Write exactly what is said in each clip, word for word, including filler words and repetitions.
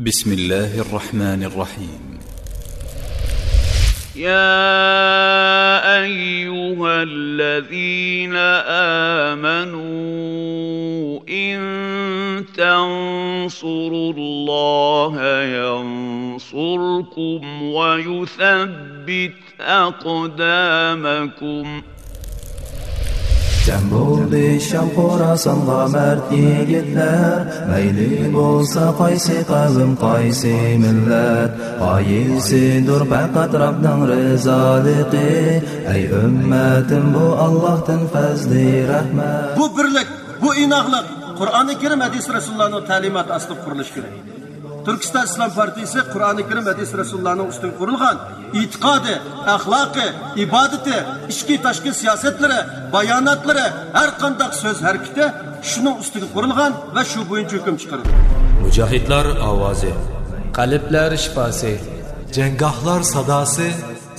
بسم الله الرحمن الرحيم. يا أيها الذين آمنوا إن تنصروا الله ينصركم ويثبت أقدامكم. جەم بولدى شام خوراسانغا مەرد يىگىتلەر، مەيلى بولسا قايسى قەۋم، قايسى مىللەت، غايىسىدۇر پەقەت رەبنىڭ رىزالىقى. ئەي ئۈممەتىم، بۇ ئاللاھتىن پەزلى رەھمەت. بۇ بىرلىك، بۇ ئىناقلىق قۇرئانى كەرىم، ھەدىس رەسۇلۇللانىڭ تەلىماتى ئاستىدا قۇرۇلۇشى كېرەك. تۈركىستان ئىسلام پارتىيىسى قۇرئانى كەرىم، ھەدىس رەسۇلۇللانىڭ ئۈستىگە قۇرۇلغان ئېتىقادى، ئەخلاقى، ئىبادىتى، ئىچكى تاشقى سىياسەتلىرى، باياناتلىرى، ھەر قانداق سۆز ھەرىكىتى شۇنىڭ ئۈستىگە قۇرۇلغان ۋە شۇ بويىچە ھۆكۈم چىقىرىدۇ. مۇجاھىدلار ئاۋازى. قەلبلەر شىپاسى. جەڭگاھلار ساداسى.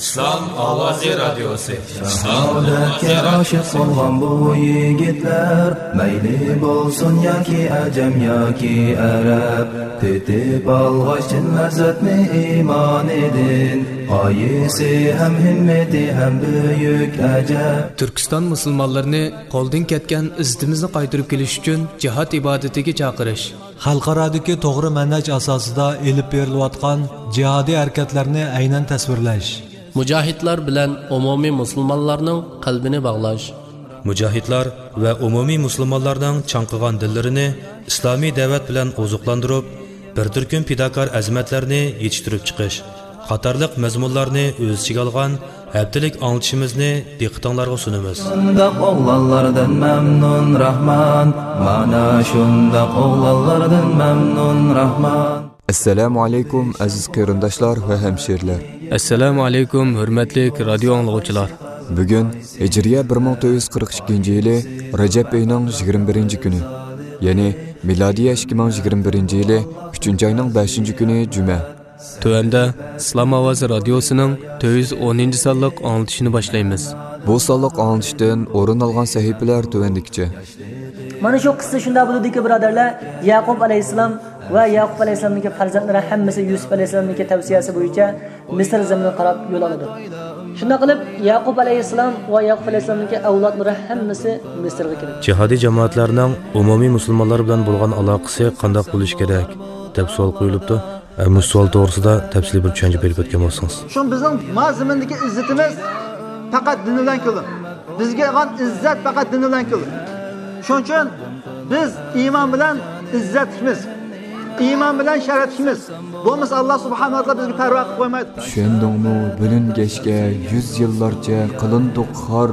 ئىسلام ئاۋازى رادىيوسى. شاھادەتكە ئاشىق بولغان بۇ يىگىتلەر، مەيلى بولسۇن ياكى ئەجەم ياكى ئەرەب، تېتىپ ئالغاچ چىن لەززەتنى ئىمانىدىن، غايىسى ھەم ھىممىتى ھەم بۈيۈك ئەجەب. تۈركىستان مۇسۇلمانلىرىنى قولدىن كەتكەن ئىززىتىمىزنى قايتۇرۇپ كېلىش ئۈچۈن جىھاد ئىبادىتىگە چاقىرىش. خەلقئارادىكى توغرا مەنھەج ئاساسىدا ئېلىپ بېرىلىۋاتقان جىھادىي ھەرىكەتلەرنى ئەينەن تەسۋىرلەش. مۇجاھىدلار بىلەن ئومۇمىي مۇسۇلمانلارنىڭ قەلبىنى باغلاش. مۇجاھىدلار ۋە ئومۇمىي مۇسۇلمانلارنىڭ چاڭقىغان دىللىرىنى ئىسلامىي دەۋەت بىلەن ئوزۇقلاندۇرۇپ، بىر تۈركۈم پىداكار ئەزىمەتلەرنى يېتىشتۈرۈپ چىقىش قاتارلىق مەزمۇنلارنى ئۆز ئىچىگە ئالغان ھەپتىلىك ئاڭلىتىشىمىزنى دىققىتىڭلارغا سۇنىمىز. شۇنداق ئوغلانلاردىن مەمنۇن راھمان، مانا شۇنداق ئوغلانلاردىن مەمنۇن راھمان. ئەسسالامۇ ئەلەيكۇم، ئەزىز قېرىنداشلار ۋە ھەمشىرىلەر. ئەسسالامۇ ئەلەيكۇم، ھۆرمەتلىك رادىيو ئاڭلىغۇچىلار. بۈگۈن ھىجرىيە بىر مىڭ تۆت يۈز قىرىق ئىككىنچى يىلى رەجەب ئېيىنىڭ يىگىرمە بىرىنچى كۈنى، يەنى مىلادىيە ئىككى مىڭ يىگىرمە بىرىنچى يىلى ئۈچىنچى ئاينىڭ بەشىنچى كۈنى جۈمە. تۆۋەندە ئىسلام ئاۋازى رادىيوسىنىڭ تۆت يۈز ئونىنچى سانلىق ئاڭلىتىشىنى باشلايمىز. بۇ سانلىق ئاڭلىتىشتىن ئورۇن ئالغان سەھىپىلەر تۆۋەندىكىچە. مانا شۇ قىسسە شۇنداق بولىدۇكى، بۇرادەرلەر، يەقۇب ئەلەيھىسسالام ۋە يەقۇب ئەلەيھىسسالامنىڭكى پەرزەنتلىرى ھەممىسى يۈسۈپ ئەلەيھىسسالامنىڭكى تەۋسىيەسى بويىچە مىسىر زېمىنىغا قاراپ يول ئالىدۇ. شۇنداق قىلىپ، يەقۇب ئەلەيھىسسالام ۋە يەقۇب ئەلەيھىسسالامنىڭكى ئەۋلادلىرى ھەممىسى مىسىرغا كېلىدۇ. جىھادىي جامائەتلەرنىڭ ئومۇمىي مۇسۇلمانلار بىلەن بولغان ئالاقىسى قانداق بولۇشى كېرەك، دەپ سوئال قويۇلۇپتۇ. ئە، مۇشۇ سوئال توغرىسىدا تەپسىلىي بىر چۈشەنچە بېرىپ ئۆتكەن بولسىڭىز. شۇڭا بىزنىڭ ما زېمىندىكى ئىززىتىمىز پەقەت دىن بىلەن كېلىدۇ. بىزگە بولغان ئىززەت پەقەت دىن بىلەن كېلىدۇ. شۇنىڭ ئۈچۈن بىز ئىمان بىلەن ئىززەتلىكمىز. ئىمان بىلەن شەرەپلىكمىز. بولمىسا، ئاللا سۇبھانەھۇ ۋە تائالا بىزگە پەرۋا قىلىپ قويمايدۇ. چۈشەندىڭمۇ؟ بىلىنگەچكە يۈز يىللارچە قىلىندۇق خار.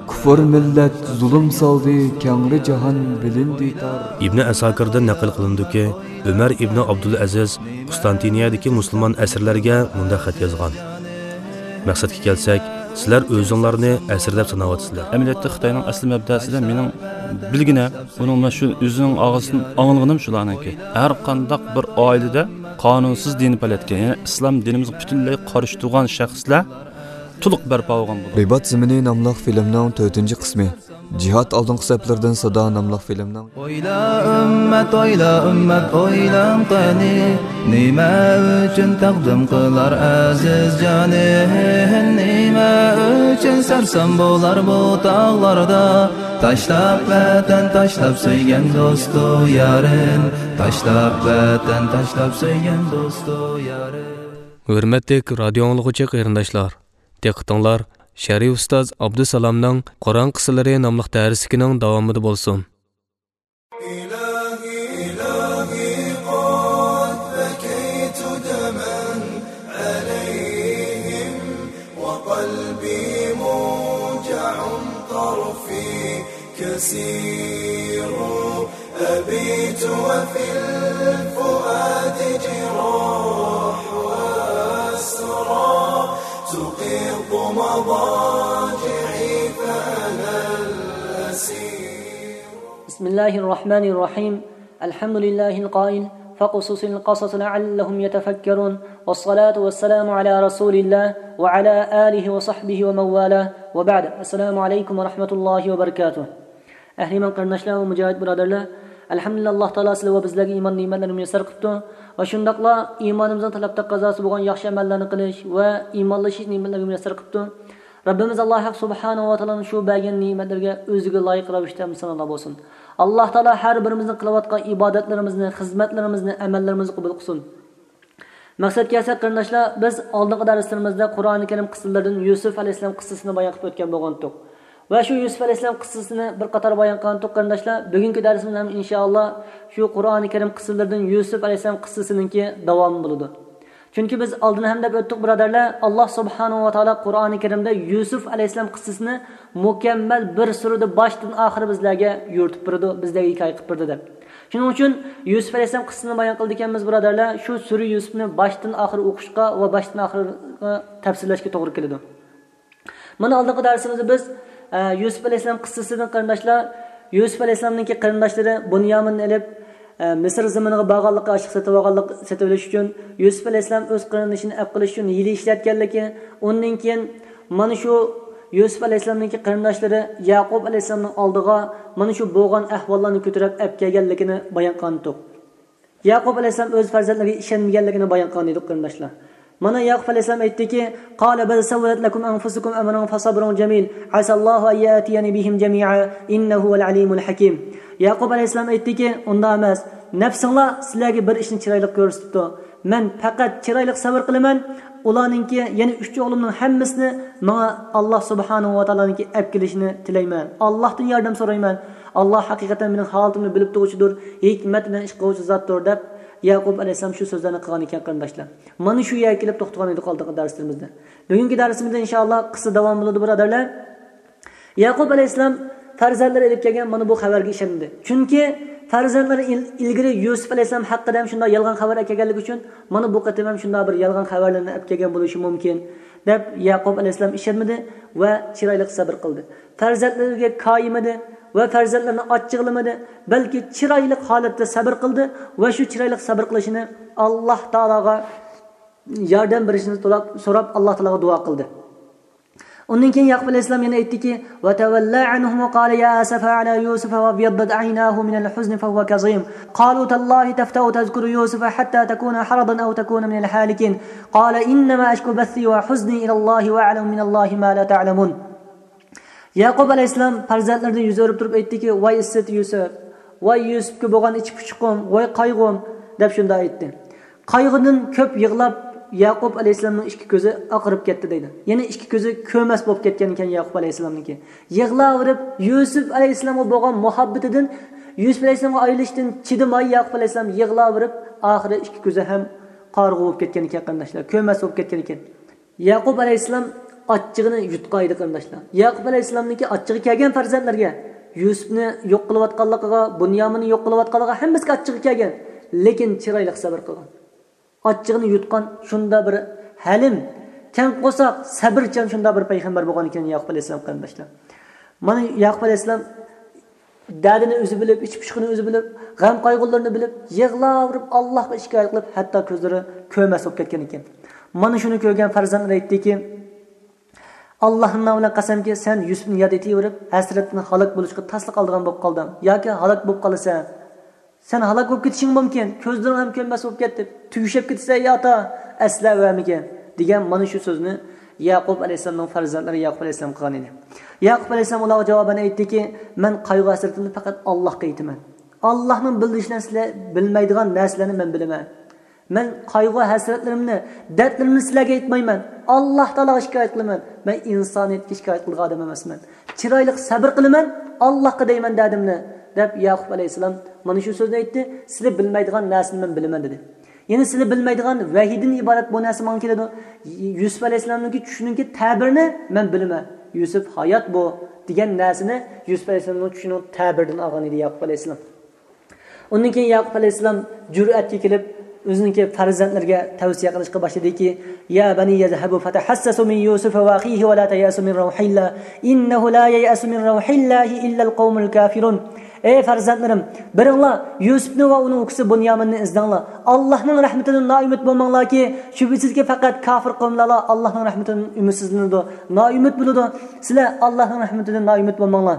كۇفر مىللەت زۇلۇم سالدى كەڭرى جاھان بىلىندى تار. ئىبنى ئەساكىردىن نەقىل قىلىنىدۇكى، ئۆمەر ئىبنى ئابدۇلئەزىز قۇستانتىنىيەدىكى مۇسۇلمان ئەسىرلەرگە مۇنداق خەت يازغان. مەقسەتكە كەلسەك، سىلەر ئۆزۈڭلارنى ئەسىر دەپ ساناۋاتىسىلەر. ئەمەلىيەتتە خىتاينىڭ ئەسلى مەبدەسىدە مېنىڭ بىلگىنە، ئۇنىڭ مانا شۇ ئۆزىنىڭ ئاغزىدىن ئاڭلىغىنىم شۇلارنىڭكى. ھەر قانداق بىر ئائىلىدە قانۇنسىز دىنىي پائالىيەتكە، يەنى ئىسلام دىنىمىزغا پۈتۈنلەي قارشى تۇرغان شەخسلەر تولۇق بەرپا بولغان بولىدۇ. رىبات زېمىنى ناملىق فىلىمنىڭ تۆتىنچى قىسمى. جىھاد ئالدىنقى سەپلىرىدىن سادا ناملىق فىلىمنىڭ. ئويلا ئۈممەت، ئويلا ئۈممەت، ئويلاڭ قېنى، نېمە ئۈچۈن تەقدىم قىلار ئەزىز جانى؟ نېمە ئۈچۈن سەرسان بولار بۇ تاغلاردا؟ تاشلاپ ۋەتەن، تاشلاپ سۆيگەن دوستۇ يارىن، تاشلاپ ۋەتەن، تاشلاپ سۆيگەن دوستۇ يارىن. ھۆرمەتلىك رادىيو ئاڭلىغۇچى قېرىنداشلار، دىققىتىڭلار شەرئى ئۇستاز ئابدۇسالامنىڭ قۇرئان قىسسىلىرى ناملىق دەرسلىكىنىڭ داۋامىدا بولسۇن. إلهي، إلهي، قد بكيت دما عليهم، وقلبي موجع، طرفي كسير. أبيت وفي الفؤاد جراح وأسرى، تقيض مضاجعي فأنا الأسير. بسم الله الرحمن الرحيم. الحمد لله القائل: فاقصص القصص لعلهم يتفكرون. والصلاة والسلام على رسول الله وعلى آله وصحبه ومن والاه. وبعد. السلام عليكم ورحمة الله وبركاته. ئەھلى ئىمان قېرىنداشلار ۋە مۇجاھىد بۇرادەرلەر، ئەلھەمدۇلىللا، ئاللا تائالا سىلەر ۋە بىزلەرگە ئىمان نېمەتلىرىنى مۇيەسسەر قىپتۇ ۋە شۇنداقلا ئىمانىمىزنىڭ تەلەپ تەقەززاسى بولغان ياخشى ئەمەللەرنى قىلىش ۋە ئىمانلىشىش نېمەتلىرىنى مۇيەسسەر قىپتۇ. رەببىمىز ئاللا ھەق سۇبھانەھۇ ۋە تائالانىڭ شۇ بەرگەن نېمەتلىرىگە ئۆزىگە لايىق رەۋىشتە ھەمدۇ سانالار بولسۇن. ئاللا تائالا ھەر بىرىمىزنىڭ قىلىۋاتقان ئىبادەتلىرىمىزنى، خىزمەتلىرىمىزنى، ئەمەللىرىمىزنى قوبۇل قىلسۇن. مەقسەتكە كەلسەك، قېرىنداشلار، بىز ئالدىنقى دەرسلىرىمىزدە قۇرئانى كەرىم قىسسىلىرىدىن يۈسۈپ ئەلەيھىسسالام قىسسىسىنى بايان قىلىپ ئۆتكەن بولغانتۇق. ۋە شۇ يۈسۈپ ئەلەيھىسسالام قىسسىسىنى بىر قاتار بايان قىلغانتۇق، قېرىنداشلار. بۈگۈنكى دەرسىمىز ھەم ئىنشائاللا شۇ قۇرئانى كەرىم قىسسىلىرىدىن يۈسۈپ ئەلەيھىسسالام قىسسىسىنىڭكى داۋامى بولىدۇ. چۈنكى بىز ئالدىن ھەم دەپ ئۆتتۇق، بۇرادەرلەر، ئاللا سۇبھانەھۇ ۋە تائالا قۇرئانى كەرىمدە يۈسۈپ ئەلەيھىسسالام قىسسىسىنى مۇكەممەل بىر سۈرىدە باشتىن ئاخىر بىزلەرگە يورۇتۇپ بېرىدۇ، بىزلەرگە ھېكايە قىلىپ بېرىدۇ دەپ. شۇنىڭ ئۈچۈن يۈسۈپ ئەلەيھىسسالام قىسسىسىنى بايان قىلىدىكەنمىز، بۇرادەرلەر، شۇ سۈرە يۈسۈپنى باشتىن ئاخىر ئوقۇشقا ۋە باشتىن ئاخىرغا تەپسىرلەشكە توغرا كېلىدۇ. مانا ئالدىنقى دەرسىمىزدە بىز، ئە، يۈسۈپ ئەلەيھىسسالام قىسسىسىدىن، قېرىنداشلار، يۈسۈپ ئەلەيھىسسالامنىڭكى قېرىنداشلىرى بۇنيامىننى ئېلىپ، ئە، مىسىر زېمىنىغا بارغانلىقى، ئاشلىق سېتىۋالغانلىق، سېتىۋېلىش ئۈچۈن، يۈسۈپ ئەلەيھىسسالام ئۆز قېرىندىشىنى ئەپ قىلىش ئۈچۈن ھىيلە ئىشلەتكەنلىكى، ئۇندىن كېيىن مانا شۇ يۈسۈپ ئەلەيھىسسالامنىڭكى قېرىنداشلىرى يەقۇب ئەلەيھىسسالامنىڭ ئالدىغا مانا شۇ بولغان ئەھۋاللارنى كۆتۈرۈپ ئەپ كەلگەنلىكىنى بايان قىلغانىدۇق. يەقۇب ئەلەيھىسسالام ئۆز پەرزەنتلىرىگە ئىشەنمىگەنلىكىنى بايان قىلغانىدۇق، قېرىنداشلار. مانا يەقۇب ئەلەيھىسسالام ئېيتتىكى، قال بل سولت لكم أنفسكم أمرا فصبر جميل عسى الله أن يأتيني بهم جميعا إنه هو العليم الحكيم. يەقۇب ئەلەيھىسسالام ئېيتتىكى، ئۇنداق ئەمەس، نەپسىڭلار سىلەرگە بىر ئىشنى چىرايلىق كۆرسىتىپتۇ. مەن پەقەت چىرايلىق سەۋر قىلىمەن، ئۇلارنىڭكى، يەنى ئۈچ ئوغلۇمنىڭ ھەممىسىنى ماڭا ئاللا سۇبھانەھۇ ۋە تائالانىڭكى ئەپ كېلىشىنى تىلەيمەن. ئاللاھتىن ياردەم سورايمەن. ئاللا ھەقىقەتەن مېنىڭ ھالىتىمنى بىلىپ تۇرغۇچىدۇر، ھېكمەت بىلەن ئىش قىلغۇچى زاتتۇر، دەپ يەقۇب ئەلەيھىسسالام شۇ سۆزلەرنى قىلغان ئىكەن، قېرىنداشلار. مانا شۇ يەرگە كېلىپ توختىغان ئىدۇق ئالدىنقى دەرسلىرىمىزدە. بۈگۈنكى دەرسىمىزدە ئىنشائاللا قىسسا داۋام بولىدۇ، بۇرادەرلەر. يەقۇب ئەلەيھىسسالام پەرزەنتلىرى ئېلىپ كەلگەن مانا بۇ خەۋەرگە ئىشەنمىدى. چۈنكى پەرزەنتلىرى ئىل-، ئىلگىرى يۈسۈپ ئەلەيھىسسالام ھەققىدە ھەم شۇنداق يالغان خەۋەر ئەكەلگەنلىكى ئۈچۈن، مانا بۇ قېتىم ھەم شۇنداق بىر يالغان خەۋەرلەرنى ئەپ كەلگەن بولۇشى مۇمكىن، دەپ يەقۇب ئەلەيھىسسالام ئىشەنمىدى ۋە چىرايلىق سەۋر قىلدى. پەرزەنتلىرىگە كايىمىدى ۋە پەرزەنتلىرىنى ئاچچىقلىمىدى، بەلكى چىرايلىق ھالەتتە سەۋر قىلدى ۋە شۇ چىرايلىق سەۋر قىلىشىنى ئاللا تائالاغا ياردەم بېرىشنى سوراپ، سوراپ ئاللا تائالاغا دۇئا قىلدى. ئۇندىن كېيىن يەقۇب ئەلەيھىسسالام يەنە ئېيتتىكى، وتولى عنهم قال يا أسفى على يوسف وابيضت عيناه من الحزن فهو كظيم. قالوا تالله تفتأ تذكر يوسف حتى تكون حرضا أو تكون من الهالكين. قال إنما أشكو بثي وحزني إلى الله وأعلم من الله ما لا تعلمون. يەقۇب ئەلەيھىسسالام پەرزەنتلىرىدىن يۈز ئۆرۈپ تۇرۇپ ئېيتتىكى، ۋاي ئىسسىتى يۈسۈپ، ۋاي يۈسۈپكە بولغان ئىچ پۇشۇقۇم، ۋاي قايغۇم، دەپ شۇنداق ئېيتتى. قايغۇدىن كۆپ يىغلاپ، يەقۇب ئەلەيھىسسالامنىڭ ئىككى كۆزى ئاقىرىپ كەتتى دەيدۇ. يەنى ئىككى كۆزى كۆرمەس بولۇپ كەتكەن ئىكەن يەقۇب ئەلەيھىسسالامنىڭكى. يىغلاۋېرىپ، يۈسۈپ ئەلەيھىسسالامغا بولغان مۇھەببىتىدىن، يۈسۈپ ئەلەيھىسسالامغا ئايرىلىشتىن چىدىماي، يەقۇب ئەلەيھىسسالام يىغلاۋېرىپ، ئاخىرى ئىككى كۆزى ھەم قارىغۇ بولۇپ كەتكەن ئىكەن، قېرىنداشلار، كۆرمەس بولۇپ كەتكەن ئىكەن. يەقۇب ئەلەيھىسسالام ئاچچىقىنى يۇتقان ئىدى، قېرىنداشلار. يەقۇب ئەلەيھىسسالامنىڭكى ئاچچىقى كەلگەن پەرزەنتلىرىگە، يۈسۈپنى يوق قىلىۋاتقانلىقىغا، بۇنيامىننى يوق قىلىۋاتقانلىقىغا ھەممىسىگە ئاچچىقى كەلگەن. لېكىن چىرايلىق سەۋر قىلغان. ئاچچىقىنى يۇتقان شۇنداق بىر ھەلىم، كەڭ قورساق، سەۋرچان شۇنداق بىر پەيغەمبەر بولغان ئىكەن يەقۇب ئەلەيھىسسالام، قېرىنداشلار. مانا يەقۇب ئەلەيھىسسالام دەردىنى ئۆزى بىلىپ، ئىچ پۇشۇقىنى ئۆزى بىلىپ، غەم قايغۇلىرىنى بىلىپ، يىغلاۋېرىپ، ئاللاھقا شىكايەت قىلىپ، ھەتتا كۆزلىرى كۆرمەس بولۇپ كەتكەن ئىكەن. مانا شۇنى كۆرگەن پەرزەنتلىرى ئېيتتىكى، ئاللاھنىڭ نامى بىلەن قەسەمكى، سەن يۈسۈپنى ياد ئېتىۋېرىپ، ھەسرەتتىن ھالاك بولۇشقا تاسلا قالىدىغان بولۇپ قالدىڭ ياكى ھالاك بولۇپ قالىسەن. سەن ھالاك بولۇپ كېتىشىڭ مۇمكىن، كۆزلىرىڭ ھەم كۆرمەس بولۇپ كەتتى، تۈگىشىپ كېتىسەن، يا ئاتا، ئەسلەۋەرمىگىن، دېگەن مانا شۇ سۆزنى يەقۇب ئەلەيھىسسالامنىڭ پەرزەنتلىرى يەقۇب ئەلەيھىسسالام قىلغان ئىدى. يەقۇب ئەلەيھىسسالام ئۇلارغا جاۋابەن ئېيتتىكى، مەن قايغۇ-ھەسرىتىمنى پەقەت ئاللاھقا ئېيتىمەن. ئاللاھنىڭ بىلدۈرۈشى بىلەن سىلەر بىلمەيدىغان نەرسىلەرنى مەن بىلىمەن. مەن قايغۇ-ھەسرەتلىرىمنى، دەردلىرىمنى سىلەرگە ئېيتمايمەن. ئاللاھ تائالاغا شىكايەت قىلىمەن. مەن ئىنسانىيەتكە شىكايەت قىلىدىغان ئادەم ئەمەسمەن. چىرايلىق سەبر قىلىمەن، ئاللاھقا دەيمەن دەردىمنى، دەپ يەقۇب ئەلەيھىسسالام مانا شۇ سۆزنى ئېيتتى. سىلەر بىلمەيدىغان نەرسىنى مەن بىلىمەن، دېدى. يەنى سىلەر بىلمەيدىغان ۋەھىيدىن ئىبارەت بۇ نەرسە ماڭا كېلىدۇ. يۈسۈپ ئەلەيھىسسالامنىڭكى چۈشىنىڭكى تەبىرىنى مەن بىلىمەن. يۈسۈپ ھايات بۇ، دېگەن نەرسىنى يۈسۈپ ئەلەيھىسسالامنىڭ چۈشىنىڭ تەبىرىدىن ئالغان ئىدى يەقۇب ئەلەيھىسسالام. ئۇندىن كېيىن يەقۇب ئەلەيھىسسالام جۈرئەتكە كېلىپ، ئۆزىنىڭكى پەرزەنتلىرىگە تەۋسىيە قىلىشقا باشلىدىكى، يا بني اذهبوا فتحسسوا من يوسف وأخيه ولا تيأسوا من روح الله إنه لا ييأس من روح الله إلا القوم الكافرون. ئەي پەرزەنتلىرىم، بېرىڭلار، يۈسۈپنى ۋە ئۇنىڭ ئۇكىسى بۇنيامىننى ئىزدەڭلار. ئاللاھنىڭ رەھمىتىدىن نائۈمىد بولماڭلاركى، شۈبھىسىزكى، پەقەت كاپىر قوۋملارلا ئاللاھنىڭ رەھمىتىدىن ئۈمىدسىزلىنىدۇ، نائۈمىد بولىدۇ. سىلەر ئاللاھنىڭ رەھمىتىدىن نائۈمىد بولماڭلار.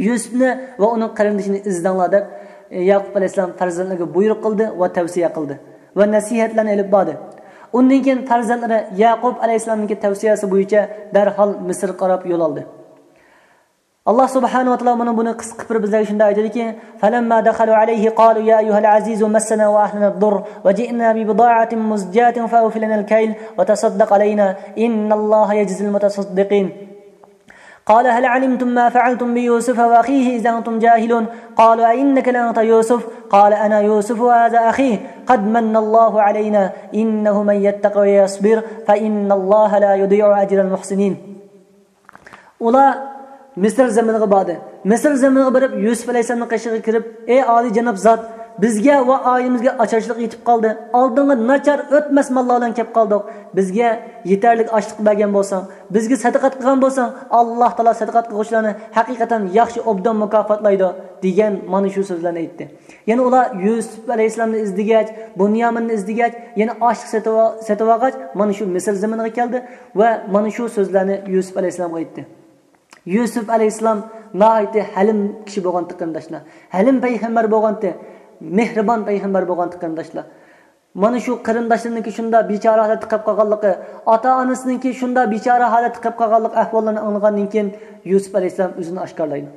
يۈسۈپنى ۋە ئۇنىڭ قېرىندىشىنى ئىزدەڭلار، دەپ ياقۇپ ئەلەيھىسسالام پەرزەنتلىرىگە بۇيرۇق قىلدى ۋە تەۋسىيە قىلدى ۋە نەسىھەتلەرنى ئېلىپ باردى. ئۇندىن كېيىن پەرزەنتلىرى ياقۇپ ئەلەيھىسسالامنىڭكى تەۋسىيەسى بويىچە دەرھال مىسىرغا قاراپ يول ئالدى. ئاللا سۇبھانەھۇ ۋە تائالا مانا بۇنى قىسقا قىلىپ بىزلەرگە شۇنداق ئېيتىدىكى، فلما دخلوا عليه قالوا يا أيها العزيز مسنا وأهلنا الضر وجئنا ببضاعة مزجاة فأوف لنا الكيل وتصدق علينا إن الله يجزي المتصدقين. قال هل علمتم ما فعلتم بيوسف وأخيه إذ أنتم جاهلون. قالوا أئنك لأنت يوسف؟ قال أنا يوسف وهذا أخي قد من الله علينا إنه من يتق ويصبر فإن الله لا يضيع أجر المحسنين. ئۇلار مىسىر زېمىنىغا باردى. مىسىر زېمىنىغا بېرىپ، يۈسۈپ ئەلەيھىسسالامنىڭ قېشىغا كىرىپ، ئەي ئالىي جاناب زات، بىزگە ۋە ئائىلىمىزگە ئاچارچىلىق يېتىپ قالدى. ئالدىڭغا ناچار ئۆتمەس ماللار بىلەن كەپ قالدۇق. بىزگە يېتەرلىك ئاشلىق بەرگەن بولساڭ، بىزگە سەدىقەت قىلغان بولساڭ، ئاللا تائالا سەدىقەت قىلغۇچىلارنى ھەقىقەتەن ياخشى ئوبدان مۇكاپاتلايدۇ، دېگەن مانا شۇ سۆزلەرنى ئېيتتى. يەنە ئۇلار يۈسۈپ ئەلەيھىسسالامنى ئىزدىگەچ، بۇنيامىننى ئىزدىگەچ، يەنە ئاشلىق سېتىۋا-، سېتىۋالغاچ، مانا شۇ مىسىر زېمىنىغا كەلدى ۋە مانا شۇ سۆزلەرنى يۈسۈپ ئەلەيھىسسالامغا ئېيتتى. يۈسۈپ ئەلەيھىسسالام ناھايىتى ھەلىم كىشى بولغانتى، قېرىنداشلار. ھەلىم پەيغەمبەر بولغانتى، مېھرىبان پەيغەمبەر بولغانتى، قېرىنداشلار. مانا شۇ قېرىنداشلىرىنىڭكى شۇنداق بىچارە ھالەتتە قېلىپ قالغانلىقى، ئاتا-ئانىسىنىڭكى شۇنداق بىچارە ھالەتتە قېلىپ قالغانلىق ئەھۋاللىرىنى ئاڭلىغاندىن كېيىن يۈسۈپ ئەلەيھىسسالام ئۆزىنى ئاشكارىلايدۇ.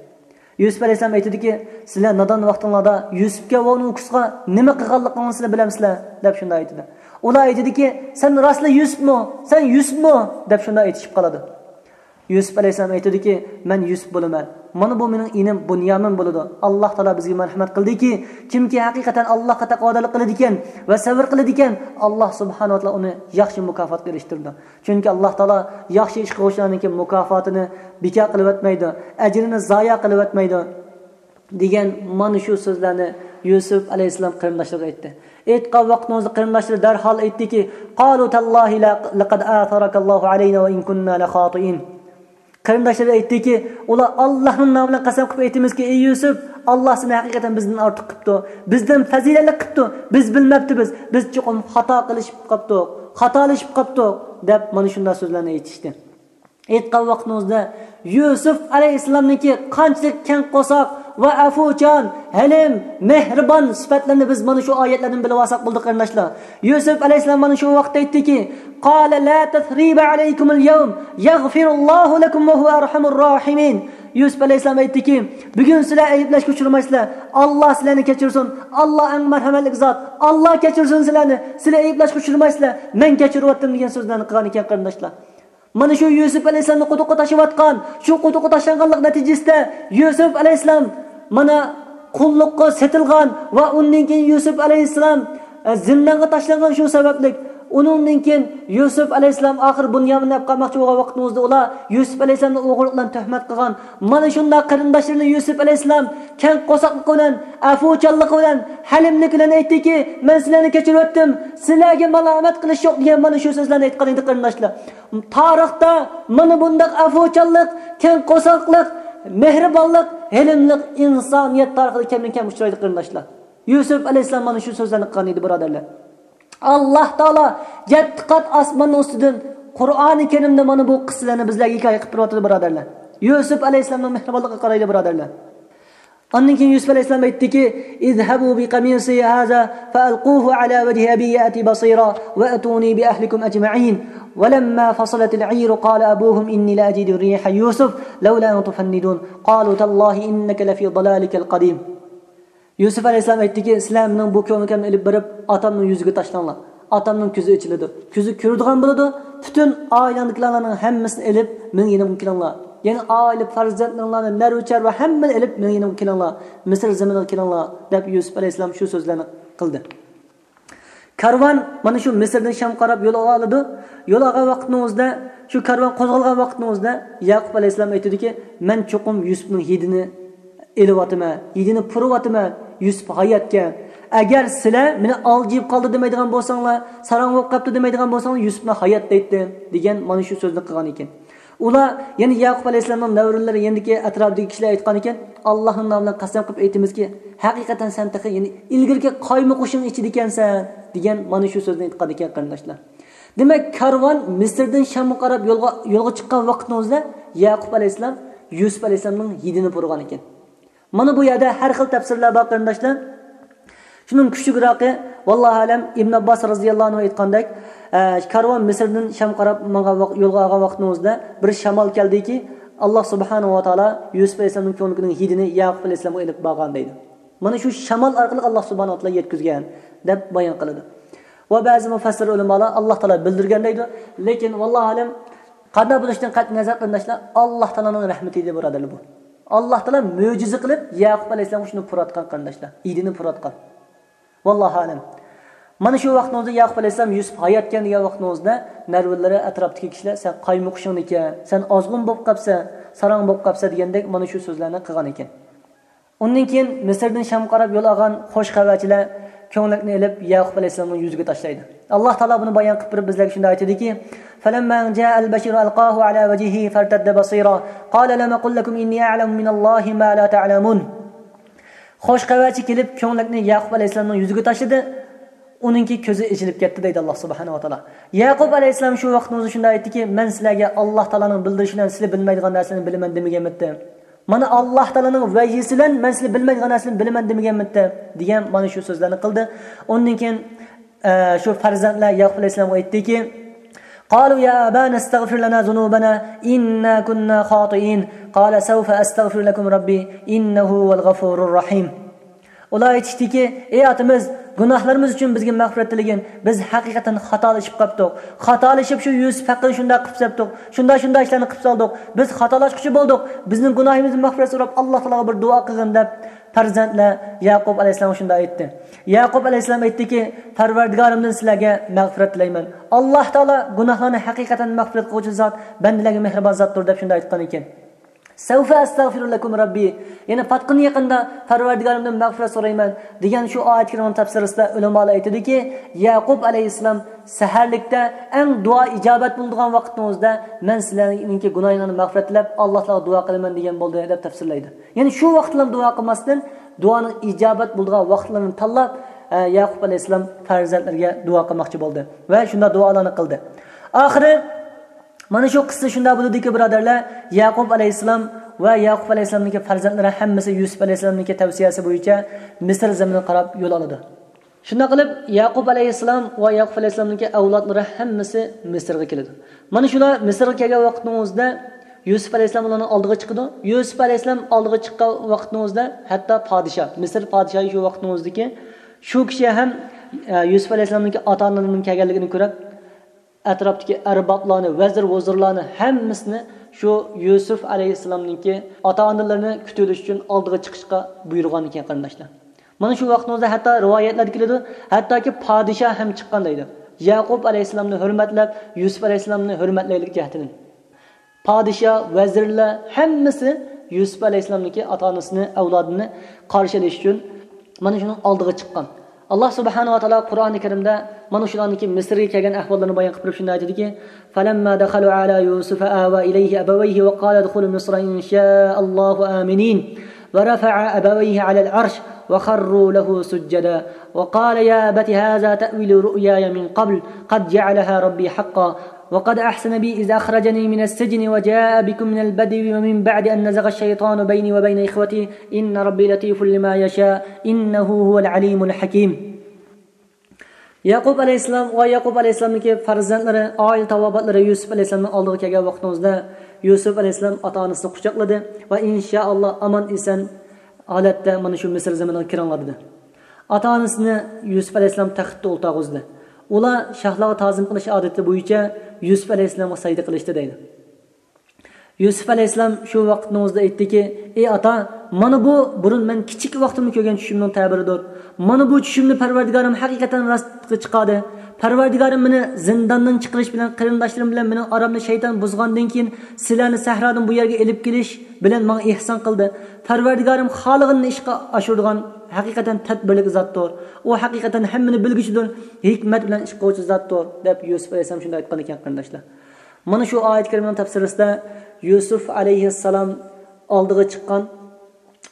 يۈسۈپ ئەلەيھىسسالام ئېيتىدۇكى، سىلەر نادان ۋاقتىڭلاردا يۈسۈپكە ۋە ئۇنىڭ ئۇكىسىغا نېمە قىلغانلىقىڭلارنى سىلەر بىلەمسىلەر؟ دەپ شۇنداق ئېيتىدۇ. ئۇلار ئېيتىدۇكى، سەن راستلا يۈسۈپمۇ؟ سەن يۈسۈپمۇ؟ دەپ شۇنداق ئېيتىشىپ قالىدۇ. يۈسۈپ ئەلەيھىسسالام ئېيتىدۇكى، مەن يۈسۈپ بولىمەن. مانا بۇ مېنىڭ ئىنىم بۇنيامىن بولىدۇ. ئاللا تائالا بىزگە مەرھەمەت قىلدىكى، كىمكى ھەقىقەتەن ئاللاغا تەقۋادارلىق قىلىدىكەن ۋە سەۋر قىلىدىكەن، ئاللا سۇبھانەھۇ ۋە تائالا ئۇنى ياخشى مۇكاپاتقا ئېرىشتۈرىدۇ. چۈنكى ئاللا تائالا ياخشى ئىش قىلغۇچىلارنىڭكى مۇكاپاتىنى بىكار قىلىۋەتمەيدۇ، ئەجرىنى زايا قىلىۋەتمەيدۇ. دېگەن مانا شۇ سۆزلەرنى يۈسۈپ ئەلەيھىسسالام قېرىنداشلىرىغا ئېيتتى. ئېيتقان ۋاقتىڭىزدا قېرىنداشلىرى دەرھال ئېيتتىكى، قالوا تالله لقد آثرك الله علينا وإن كنا لخاطئين. قېرىنداشلىرى ئېيتتىكى، ئۇلار، ئاللانىڭ نامى بىلەن قەسەم قىلىپ ئېيتىمىزكى، ئەي يۈسۈپ، ئاللا سېنى ھەقىقەتەن بىزدىن ئارتۇق قىپتۇ، بىزدىن پەزىلەتلىك قىپتۇ، بىز بىلمەپتىبىز، بىز چوقۇم خاتا قىلىشىپ قاپتۇق، خاتالىشىپ قاپتۇق، دەپ مانا شۇنداق سۆزلەرنى ئېيتىشتى. ئېيتقان ۋاقتىڭىزدا يۈسۈپ ئەلەيھىسسالامنىڭكى قانچىلىك كەڭ قورساق ۋە ئەفۇچان، ھەلىم، مېھرىبان سۈپەتلىرىنى بىز مانا شۇ ئايەتلەردىن بىلىۋالساق بولدى، قېرىنداشلار. يۈسۈپ ئەلەيھىسسالام مانا شۇ ۋاقىتتا ئېيتتىكى، قال لا تثريب عليكم اليوم يغفر الله لكم وهو أرحم الراحمين. يۈسۈپ ئەلەيھىسسالام ئېيتتىكى، بۈگۈن سىلەر ئەيىبلەشكە ئۇچرىمايسىلەر. ئاللا سىلەرنى كەچۈرسۇن. ئاللا ئەڭ مەرھەمەتلىك زات. ئاللا كەچۈرسۇن سىلەرنى. سىلەر ئەيىبلەشكە ئۇچرىمايسىلەر. مەن كەچۈرۈۋەتتىم، دېگەن سۆزلەرنى قىلغان ئىكەن، قېرىنداشلار. مانا شۇ يۈسۈپ ئەلەيھىسسالامنى قۇدۇققا تاشلىۋاتقان، شۇ قۇدۇققا تاشلانغانلىق نەتىجىسىدە يۈسۈپ ئەلەيھىسسالام مانا قۇللۇققا سېتىلغان ۋە ئۇندىن كېيىن يۈسۈپ ئەلەيھىسسالام، ئە، زىندانغا تاشلانغان شۇ سەۋەبلىك. ئۇنىڭدىن كېيىن يۈسۈپ ئەلەيھىسسالام ئاخىر بۇنيامىننى ئەپ قالماقچى بولغان ۋاقتىمىزدا ئۇلار يۈسۈپ ئەلەيھىسسالامنى ئوغرىلىق بىلەن تۆھمەت قىلغان. مانا شۇنداق قېرىنداشلىرىنى يۈسۈپ ئەلەيھىسسالام كەڭ قورساقلىقى بىلەن، ئەپۇچانلىقى بىلەن، ھەلىملىكى بىلەن ئېيتتىكى، مەن سىلەرنى كەچۈرۈۋەتتىم، سىلەرگە مالامەت قىلىش يوق، دېگەن مانا شۇ سۆزلەرنى ئېيتقان ئىدى، قېرىنداشلار. تارىختا مانا بۇنداق ئەپۇچانلىق، كەڭ قورساقلىق، مېھرىبانلىق، ھېلىملىق ئىنسانىيەت تارىخىدا كەمدىن كەم ئۇچرايدۇ، قېرىنداشلار. يۈسۈپ ئەلەيھىسسالام مانا شۇ سۆزلەرنى قىلغان ئىدى، بۇرادەرلەر. ئاللا تائالا يەتتە قات ئاسماننىڭ ئۈستىدىن قۇرئانى كەرىمدە مانا بۇ قىسسىلەرنى بىزلەرگە ھېكايە قىلىپ بېرىۋاتىدۇ، بۇرادەرلەر. يۈسۈپ ئەلەيھىسسالامنىڭ مېھرىبانلىقىغا قارايلى، بۇرادەرلەر. ئاندىن كېيىن يۈسۈپ ئەلەيھىسسالام ئېيتتىكى، اذهبوا بقميصي هذا فألقوه على وجه أبي يأت بصيرا وأتوني بأهلكم أجمعين. ولما فصلت العير قال أبوهم إني لأجد ريح يوسف لولا أن تفندون. قالوا تالله إنك لفي ضلالك القديم. يۈسۈپ ئەلەيھىسسالام ئېيتتىكى، سىلەر مېنىڭ بۇ كۆڭلىكىمنى ئېلىپ بېرىپ، ئاتامنىڭ يۈزىگە تاشلاڭلار. ئاتامنىڭ كۆزى ئېچىلىدۇ. كۆزى كۆرىدىغان بولىدۇ. پۈتۈن ئائىلەڭدىكىلەرنىڭ ھەممىسىنى ئېلىپ، مېنىڭ يېنىمغا كېلىڭلار. يەنى ئائىلە پەرزەنتلىرىڭلارنى، نەرۋىچەر ۋە ھەممىنى ئېلىپ، مېنىڭ يېنىمغا كېلىڭلار. مىسىر زېمىنىغا كېلىڭلار، دەپ يۈسۈپ ئەلەيھىسسالام شۇ سۆزلەرنى قىلدى. كارۋان مانا شۇ مىسىردىن شامغا قاراپ يول ئالىدۇ. يول ئالغان ۋاقتىنىڭ ئۆزىدە، شۇ كارۋان قوزغالغان ۋاقتىنىڭ ئۆزىدە ياقۇپ ئەلەيھىسسالام ئېيتىدۇكى، مەن چوقۇم يۈسۈپنىڭ ھىدىنى ئېلىۋاتىمەن، ھىدىنى پۇرىۋاتىمەن، يۈسۈپ ھاياتكەن. ئەگەر سىلەر مېنى ئالجىيىپ قالدى دېمەيدىغان بولساڭلار، ساراڭ بولۇپ قاپتۇ دېمەيدىغان بولساڭلار، يۈسۈپنى ھايات دەيتتىم، دېگەن مانا شۇ سۆزنى قىلغان ئىكەن. ئۇلار يەنە ياقۇپ ئەلەيھىسسالامنىڭ نەۋرىلىرى يېنىدىكى ئەتراپىدىكى كىشىلەر ئېيتقان ئىكەن، ئاللاھنىڭ نامى بىلەن قەسەم قىلىپ ئېيتىمىزكى، ھەقىقەتەن سەن تېخى يەنە ئىلگىرىكى قايمۇقۇشۇڭ ئىچىدىكەنسەن، دېگەن مانا شۇ سۆزنى ئېيتقان ئىكەن، قېرىنداشلار. دېمەك، كارۋان مىسىردىن شامغا قاراپ يولغا، يولغا چىققان ۋاقتىنىڭ ئۆزىدە ياقۇپ ئەلەيھىسسالام يۈسۈپ ئەلەيھىسسالامنىڭ ھىدىنى پۇرىغان ئىكەن. مانا بۇ يەردە ھەر خىل تەپسىرلەر بار، قېرىنداشلار. شۇنىڭ كۈچلۈكرەكى، ۋاللاھۇ ئەلەم، ئىبن ئابباس رازىياللاھۇ ئەنھۇ ئېيتقاندەك، ئە، كارۋان مىسىردىن شامغا قاراپ ماڭغان ۋاق-، يولغا ئالغان ۋاقتىمىزدا بىر شامال كەلدىكى، ئاللا سۇبھانەھۇ ۋە تائالا يۈسۈپ ئەلەيھىسسالامنىڭ كۆڭلىكىنىڭ ھىدىنى يەقۇب ئەلەيھىسسالامغا ئېلىپ بارغان دەيدۇ. مانا شۇ شامال ئارقىلىق ئاللا سۇبھانەھۇ ۋە تائالا يەتكۈزگەن دەپ بايان قىلىدۇ. ۋە بەزى مۇفەسسىر ئۆلىمالار ئاللا تائالا بىلدۈرگەن دەيدۇ. لېكىن، ۋاللاھۇ ئەلەم، قانداق بولۇشتىن قەتئىينەزەر، قېرىنداشلار، ئاللا تائالانىڭ رەھمىتى ئىدى، بۇرادەرلەر، بۇ. ئاللا تائالا مۆجىزە قىلىپ يەقۇب ئەلەيھىسسالامغا شۇنى پۇراتقان، قېرىنداشلار، ھىدىنى پۇراتقان. ۋاللاھۇ ئەلەم. مانا شۇ ۋاقتىڭىزدا يەقۇب ئەلەيھىسسالام يۈسۈپ ھاياتكەن دېگەن ۋاقتىڭىزدا نەۋرىلىرى، ئەتراپتىكى كىشىلەر، سەن قايمۇقۇشۇڭدىكەن، سەن ئازغۇن بولۇپ قاپسەن، ساراڭ بولۇپ قاپسەن دېگەندەك مانا شۇ سۆزلەرنى قىلغان ئىكەن. ئۇندىن كېيىن مىسىردىن شامغا قاراپ يول ئالغان خوش خەۋەرچىلەر كۆڭلەكنى ئېلىپ يەقۇب ئەلەيھىسسالامنىڭ يۈزىگە تاشلايدۇ. ئاللا تائالا بۇنى بايان قىلىپ بېرىپ بىزلەرگە شۇنداق ئېيتىدىكى، فلما جاء البشير ألقاه على وجهه فارتد بصيرا قال لم أقل لكم إني أعلم من الله ما لا تعلمون. خوش خەۋەرچى كېلىپ كۆڭلەكنى يەقۇب ئەلەيھىسسالامنىڭ يۈزىگە تاشلىدى. ئۇنىڭكى كۆزى ئېچىلىپ كەتتى دەيدۇ ئاللا سۇبھانەھۇ ۋە تائالا. يەقۇب ئەلەيھىسسالام شۇ ۋاقتىڭىزدا شۇنداق ئېيتتىكى، مەن سىلەرگە ئاللا تائالانىڭ بىلدۈرۈشى بىلەن سىلى بىلمەيدىغان نەرسىنى بىلىمەن دېمىگەنمىدىم؟ مانا ئاللا تائالانىڭ ۋەھيىسى بىلەن مەن سىلى بىلمەيدىغان نەرسىنى بىلىمەن دېمىگەنمىدىم؟ دېگەن مانا شۇ سۆزلەرنى قىلدى. ئۇندىن كېيىن، ئە، شۇ پەرزەنتلەر يەقۇب ئەلەيھىسسالامغا ئېيتتىكى، قالوا يا أبانا استغفر لنا ذنوبنا إنا كنا خاطئين قال سوف أستغفر لكم ربي إنه هو الغفور الرحيم. ئۇلار ئېيتىشتىكى، ئەي ئاتىمىز، گۇناھلىرىمىز ئۈچۈن بىزگە مەغپىرەت تىلىگىن، بىز ھەقىقەتەن خاتالىشىپ قاپتۇق. خاتالىشىپ شۇ يۈسۈپ ھەققىدە شۇنداق قىلىپ سەپتۇق، شۇنداق شۇنداق ئىشلارنى قىلىپ سالدۇق، بىز خاتالاشقۇچى بولدۇق، بىزنىڭ گۇناھىمىزدىن مەغپىرەت سوراپ ئاللا تائالاغا بىر دۇئا قىلغىن دەپ پەرزەنتلەر يەقۇب ئەلەيھىسسالامغا شۇنداق ئېيتتى. يەقۇب ئەلەيھىسسالام ئېيتتىكى، پەرۋەردىگارىمدىن سىلەرگە مەغپىرەت تىلەيمەن. ئاللا تائالا گۇناھلارنى ھەقىقەتەن مەغپىرەت قىلغۇچى زات، بەندىلەرگە مېھرىبان زاتتۇر دەپ شۇنداق ئېيتقان ئىكەن. سوف أستغفر لكم ربي، يەنى پاتقىن يېقىندا پەرۋەردىگارىمدىن مەغپىرەت سورايمەن دېگەن شۇ ئايەت كەرىمىنىڭ تەپسىرىسىدە ئۆلىمالار ئېيتىدۇكى، يەقۇب ئەلەيھىسسالام سەھەرلىكتە ئەڭ دۇئا ئىجابەت بولىدىغان ۋاقتىڭىزدا مەن سىلەرنىڭكى گۇناھىڭلارنى مەغپىرەت تىلەپ ئاللا تائالاغا دۇئا قىلىمەن دېگەن بولدى دەپ تەپسىرلەيدۇ. يەنى شۇ ۋاقىتلاردا دۇئا قىلماستىن دۇئانىڭ ئىجابەت بولىدىغان ۋاقىتلىرىنى تاللاپ، ئە، يەقۇب ئەلەيھىسسالام پەرزەنتلىرىگە دۇئا قىلماقچى بولدى ۋە شۇنداق دۇئالارنى قىلدى. ئاخىرى مانا شۇ قىسسا شۇنداق بولىدۇكى، بۇرادەرلەر، يەقۇب ئەلەيھىسسالام ۋە يەقۇب ئەلەيھىسسالامنىڭكى پەرزەنتلىرى ھەممىسى يۈسۈپ ئەلەيھىسسالامنىڭكى تەۋسىيەسى بويىچە مىسىر زېمىنىغا قاراپ يول ئالىدۇ. شۇنداق قىلىپ، يەقۇب ئەلەيھىسسالام ۋە يەقۇب ئەلەيھىسسالامنىڭكى ئەۋلادلىرى ھەممىسى مىسىرغا كېلىدۇ. مانا شۇلار مىسىرغا كەلگەن ۋاقتىنىڭ ئۆزىدە يۈسۈپ ئەلەيھىسسالام ئۇلارنىڭ ئالدىغا چىقىدۇ. يۈسۈپ ئەلەيھىسسالام ئالدىغا چىققان ۋاقتىنىڭ ئۆزىدە ھەتتا پادىشاھ، مىسىر پادىشاھى شۇ ۋاقتىنىڭ ئۆزىدىكى شۇ كىشى ھەم، ئە، يۈسۈپ ئەلەيھىسسالامنىڭكى ئاتا-ئانىلىرىنىڭ كەلگەنلىكىنى كۆرۈپ، ئەتراپتىكى ئەربابلارنى، ۋەزىر-ۋۇزۇرلارنى ھەممىسىنى شۇ يۈسۈپ ئەلەيھىسسالامنىڭكى ئاتا-ئانىلىرىنى كۈتۈۋېلىش ئۈچۈن ئالدىغا چىقىشقا بۇيرۇغان ئىكەن، قېرىنداشلار. مانا شۇ ۋاقىتنىڭ ئۆزىدە ھەتتا رىۋايەتلەردە كېلىدۇ، ھەتتاكى پادىشاھ ھەم چىققان دەيدۇ. يەقۇب ئەلەيھىسسالامنى ھۆرمەتلەپ، يۈسۈپ ئەلەيھىسسالامنى ھۆرمەتلەيلىك جەھىتىدىن. پادىشاھ، ۋەزىرلەر ھەممىسى يۈسۈپ ئەلەيھىسسالامنىڭكى ئاتا-ئانىسىنى، ئەۋلادىنى قارشى ئېلىش ئۈچۈن مانا شۇنىڭ ئالدىغا چىققان. ئاللا سۇبھانەھۇ ۋە تائالا قۇرئانى كەرىمدە مانا شۇلارنىڭكى مىسىرغا كەلگەن ئەھۋاللىرىنى بايان قىلىپ تۇرۇپ شۇنداق ئېيتىدىكى، فلما دخلوا على يوسف آوى إليه أبويه وقال ادخلوا مصر إن شاء الله آمنين ورفع أبويه على العرش وخروا له سجدا وقال يا أبت هذا تأويل رؤياي من قبل قد جعلها ربي حقا وقد أحسن بي إذ أخرجني من السجن وجاء بكم من البدو ومن بعد أن نزغ الشيطان بيني وبين إخوتي إن ربي لطيف لما يشاء إنه هو العليم الحكيم. يەقۇب ئەلەيھىسسالام ۋە يەقۇب ئەلەيھىسسالامنىڭكى پەرزەنتلىرى، ئائىلە تاۋابىئاتلىرى يۈسۈپ ئەلەيھىسسالامنىڭ ئالدىغا كەلگەن ۋاقتىڭىزدا يۈسۈپ ئەلەيھىسسالام ئاتا-ئانىسىنى قۇچاقلىدى ۋە ئىنشائاللا ئامان-ئېسەن ھالەتتە مانا شۇ مىسىر زېمىنىغا كىرىڭلار دېدى. ئاتا-ئانىسىنى يۈسۈپ ئەلەيھىسسالام تەختتە ئولتۇرغۇزدى. ئۇلار شاھلارغا تازىم قىلىش ئادىتى بويىچە يۈسۈپ ئەلەيھىسسالامغا سەجدە قىلىشتى دەيدۇ. يۈسۈپ ئەلەيھىسسالام شۇ ۋاقىتنىڭ ئۆزىدە ئېيتتىكى، ئى ئاتا، مانا بۇ بۇرۇن مەن كىچىك ۋاقتىمدا كۆرگەن چۈشۈمنىڭ تەبىرىدۇر. مانا بۇ چۈشۈمنى پەرۋەردىگارىم ھەقىقەتەن راستقا چىقاردى. پەرۋەردىگارىم مېنى زىنداندىن چىقىرىش بىلەن قېرىنداشلىرىم بىلەن مېنىڭ ئارامنى شەيتان بۇزغاندىن كېيىن سىلەرنى سەھرادىن بۇ يەرگە ئېلىپ كېلىش بىلەن ماڭا ئېھسان قىلدى. پەرۋەردىگارىم خالىغىنىنى ئىشقا ئاشۇرىدىغان ھەقىقەتەن تەدبىرلىك زاتتۇر. ئۇ ھەقىقەتەن ھەممىنى بىلگۈچىدۇر، ھېكمەت بىلەن ئىش قىلغۇچى زاتتۇر، دەپ يۈسۈپ ئەلەيھىسسالام شۇنداق ئېيتقان ئىكەن، قېرىنداشلار. مانا شۇ ئايەت كەرىمىنىڭ تەپسىرىسىدە يۈسۈپ ئەلەيھىسسالام ئالدىغا چىققان،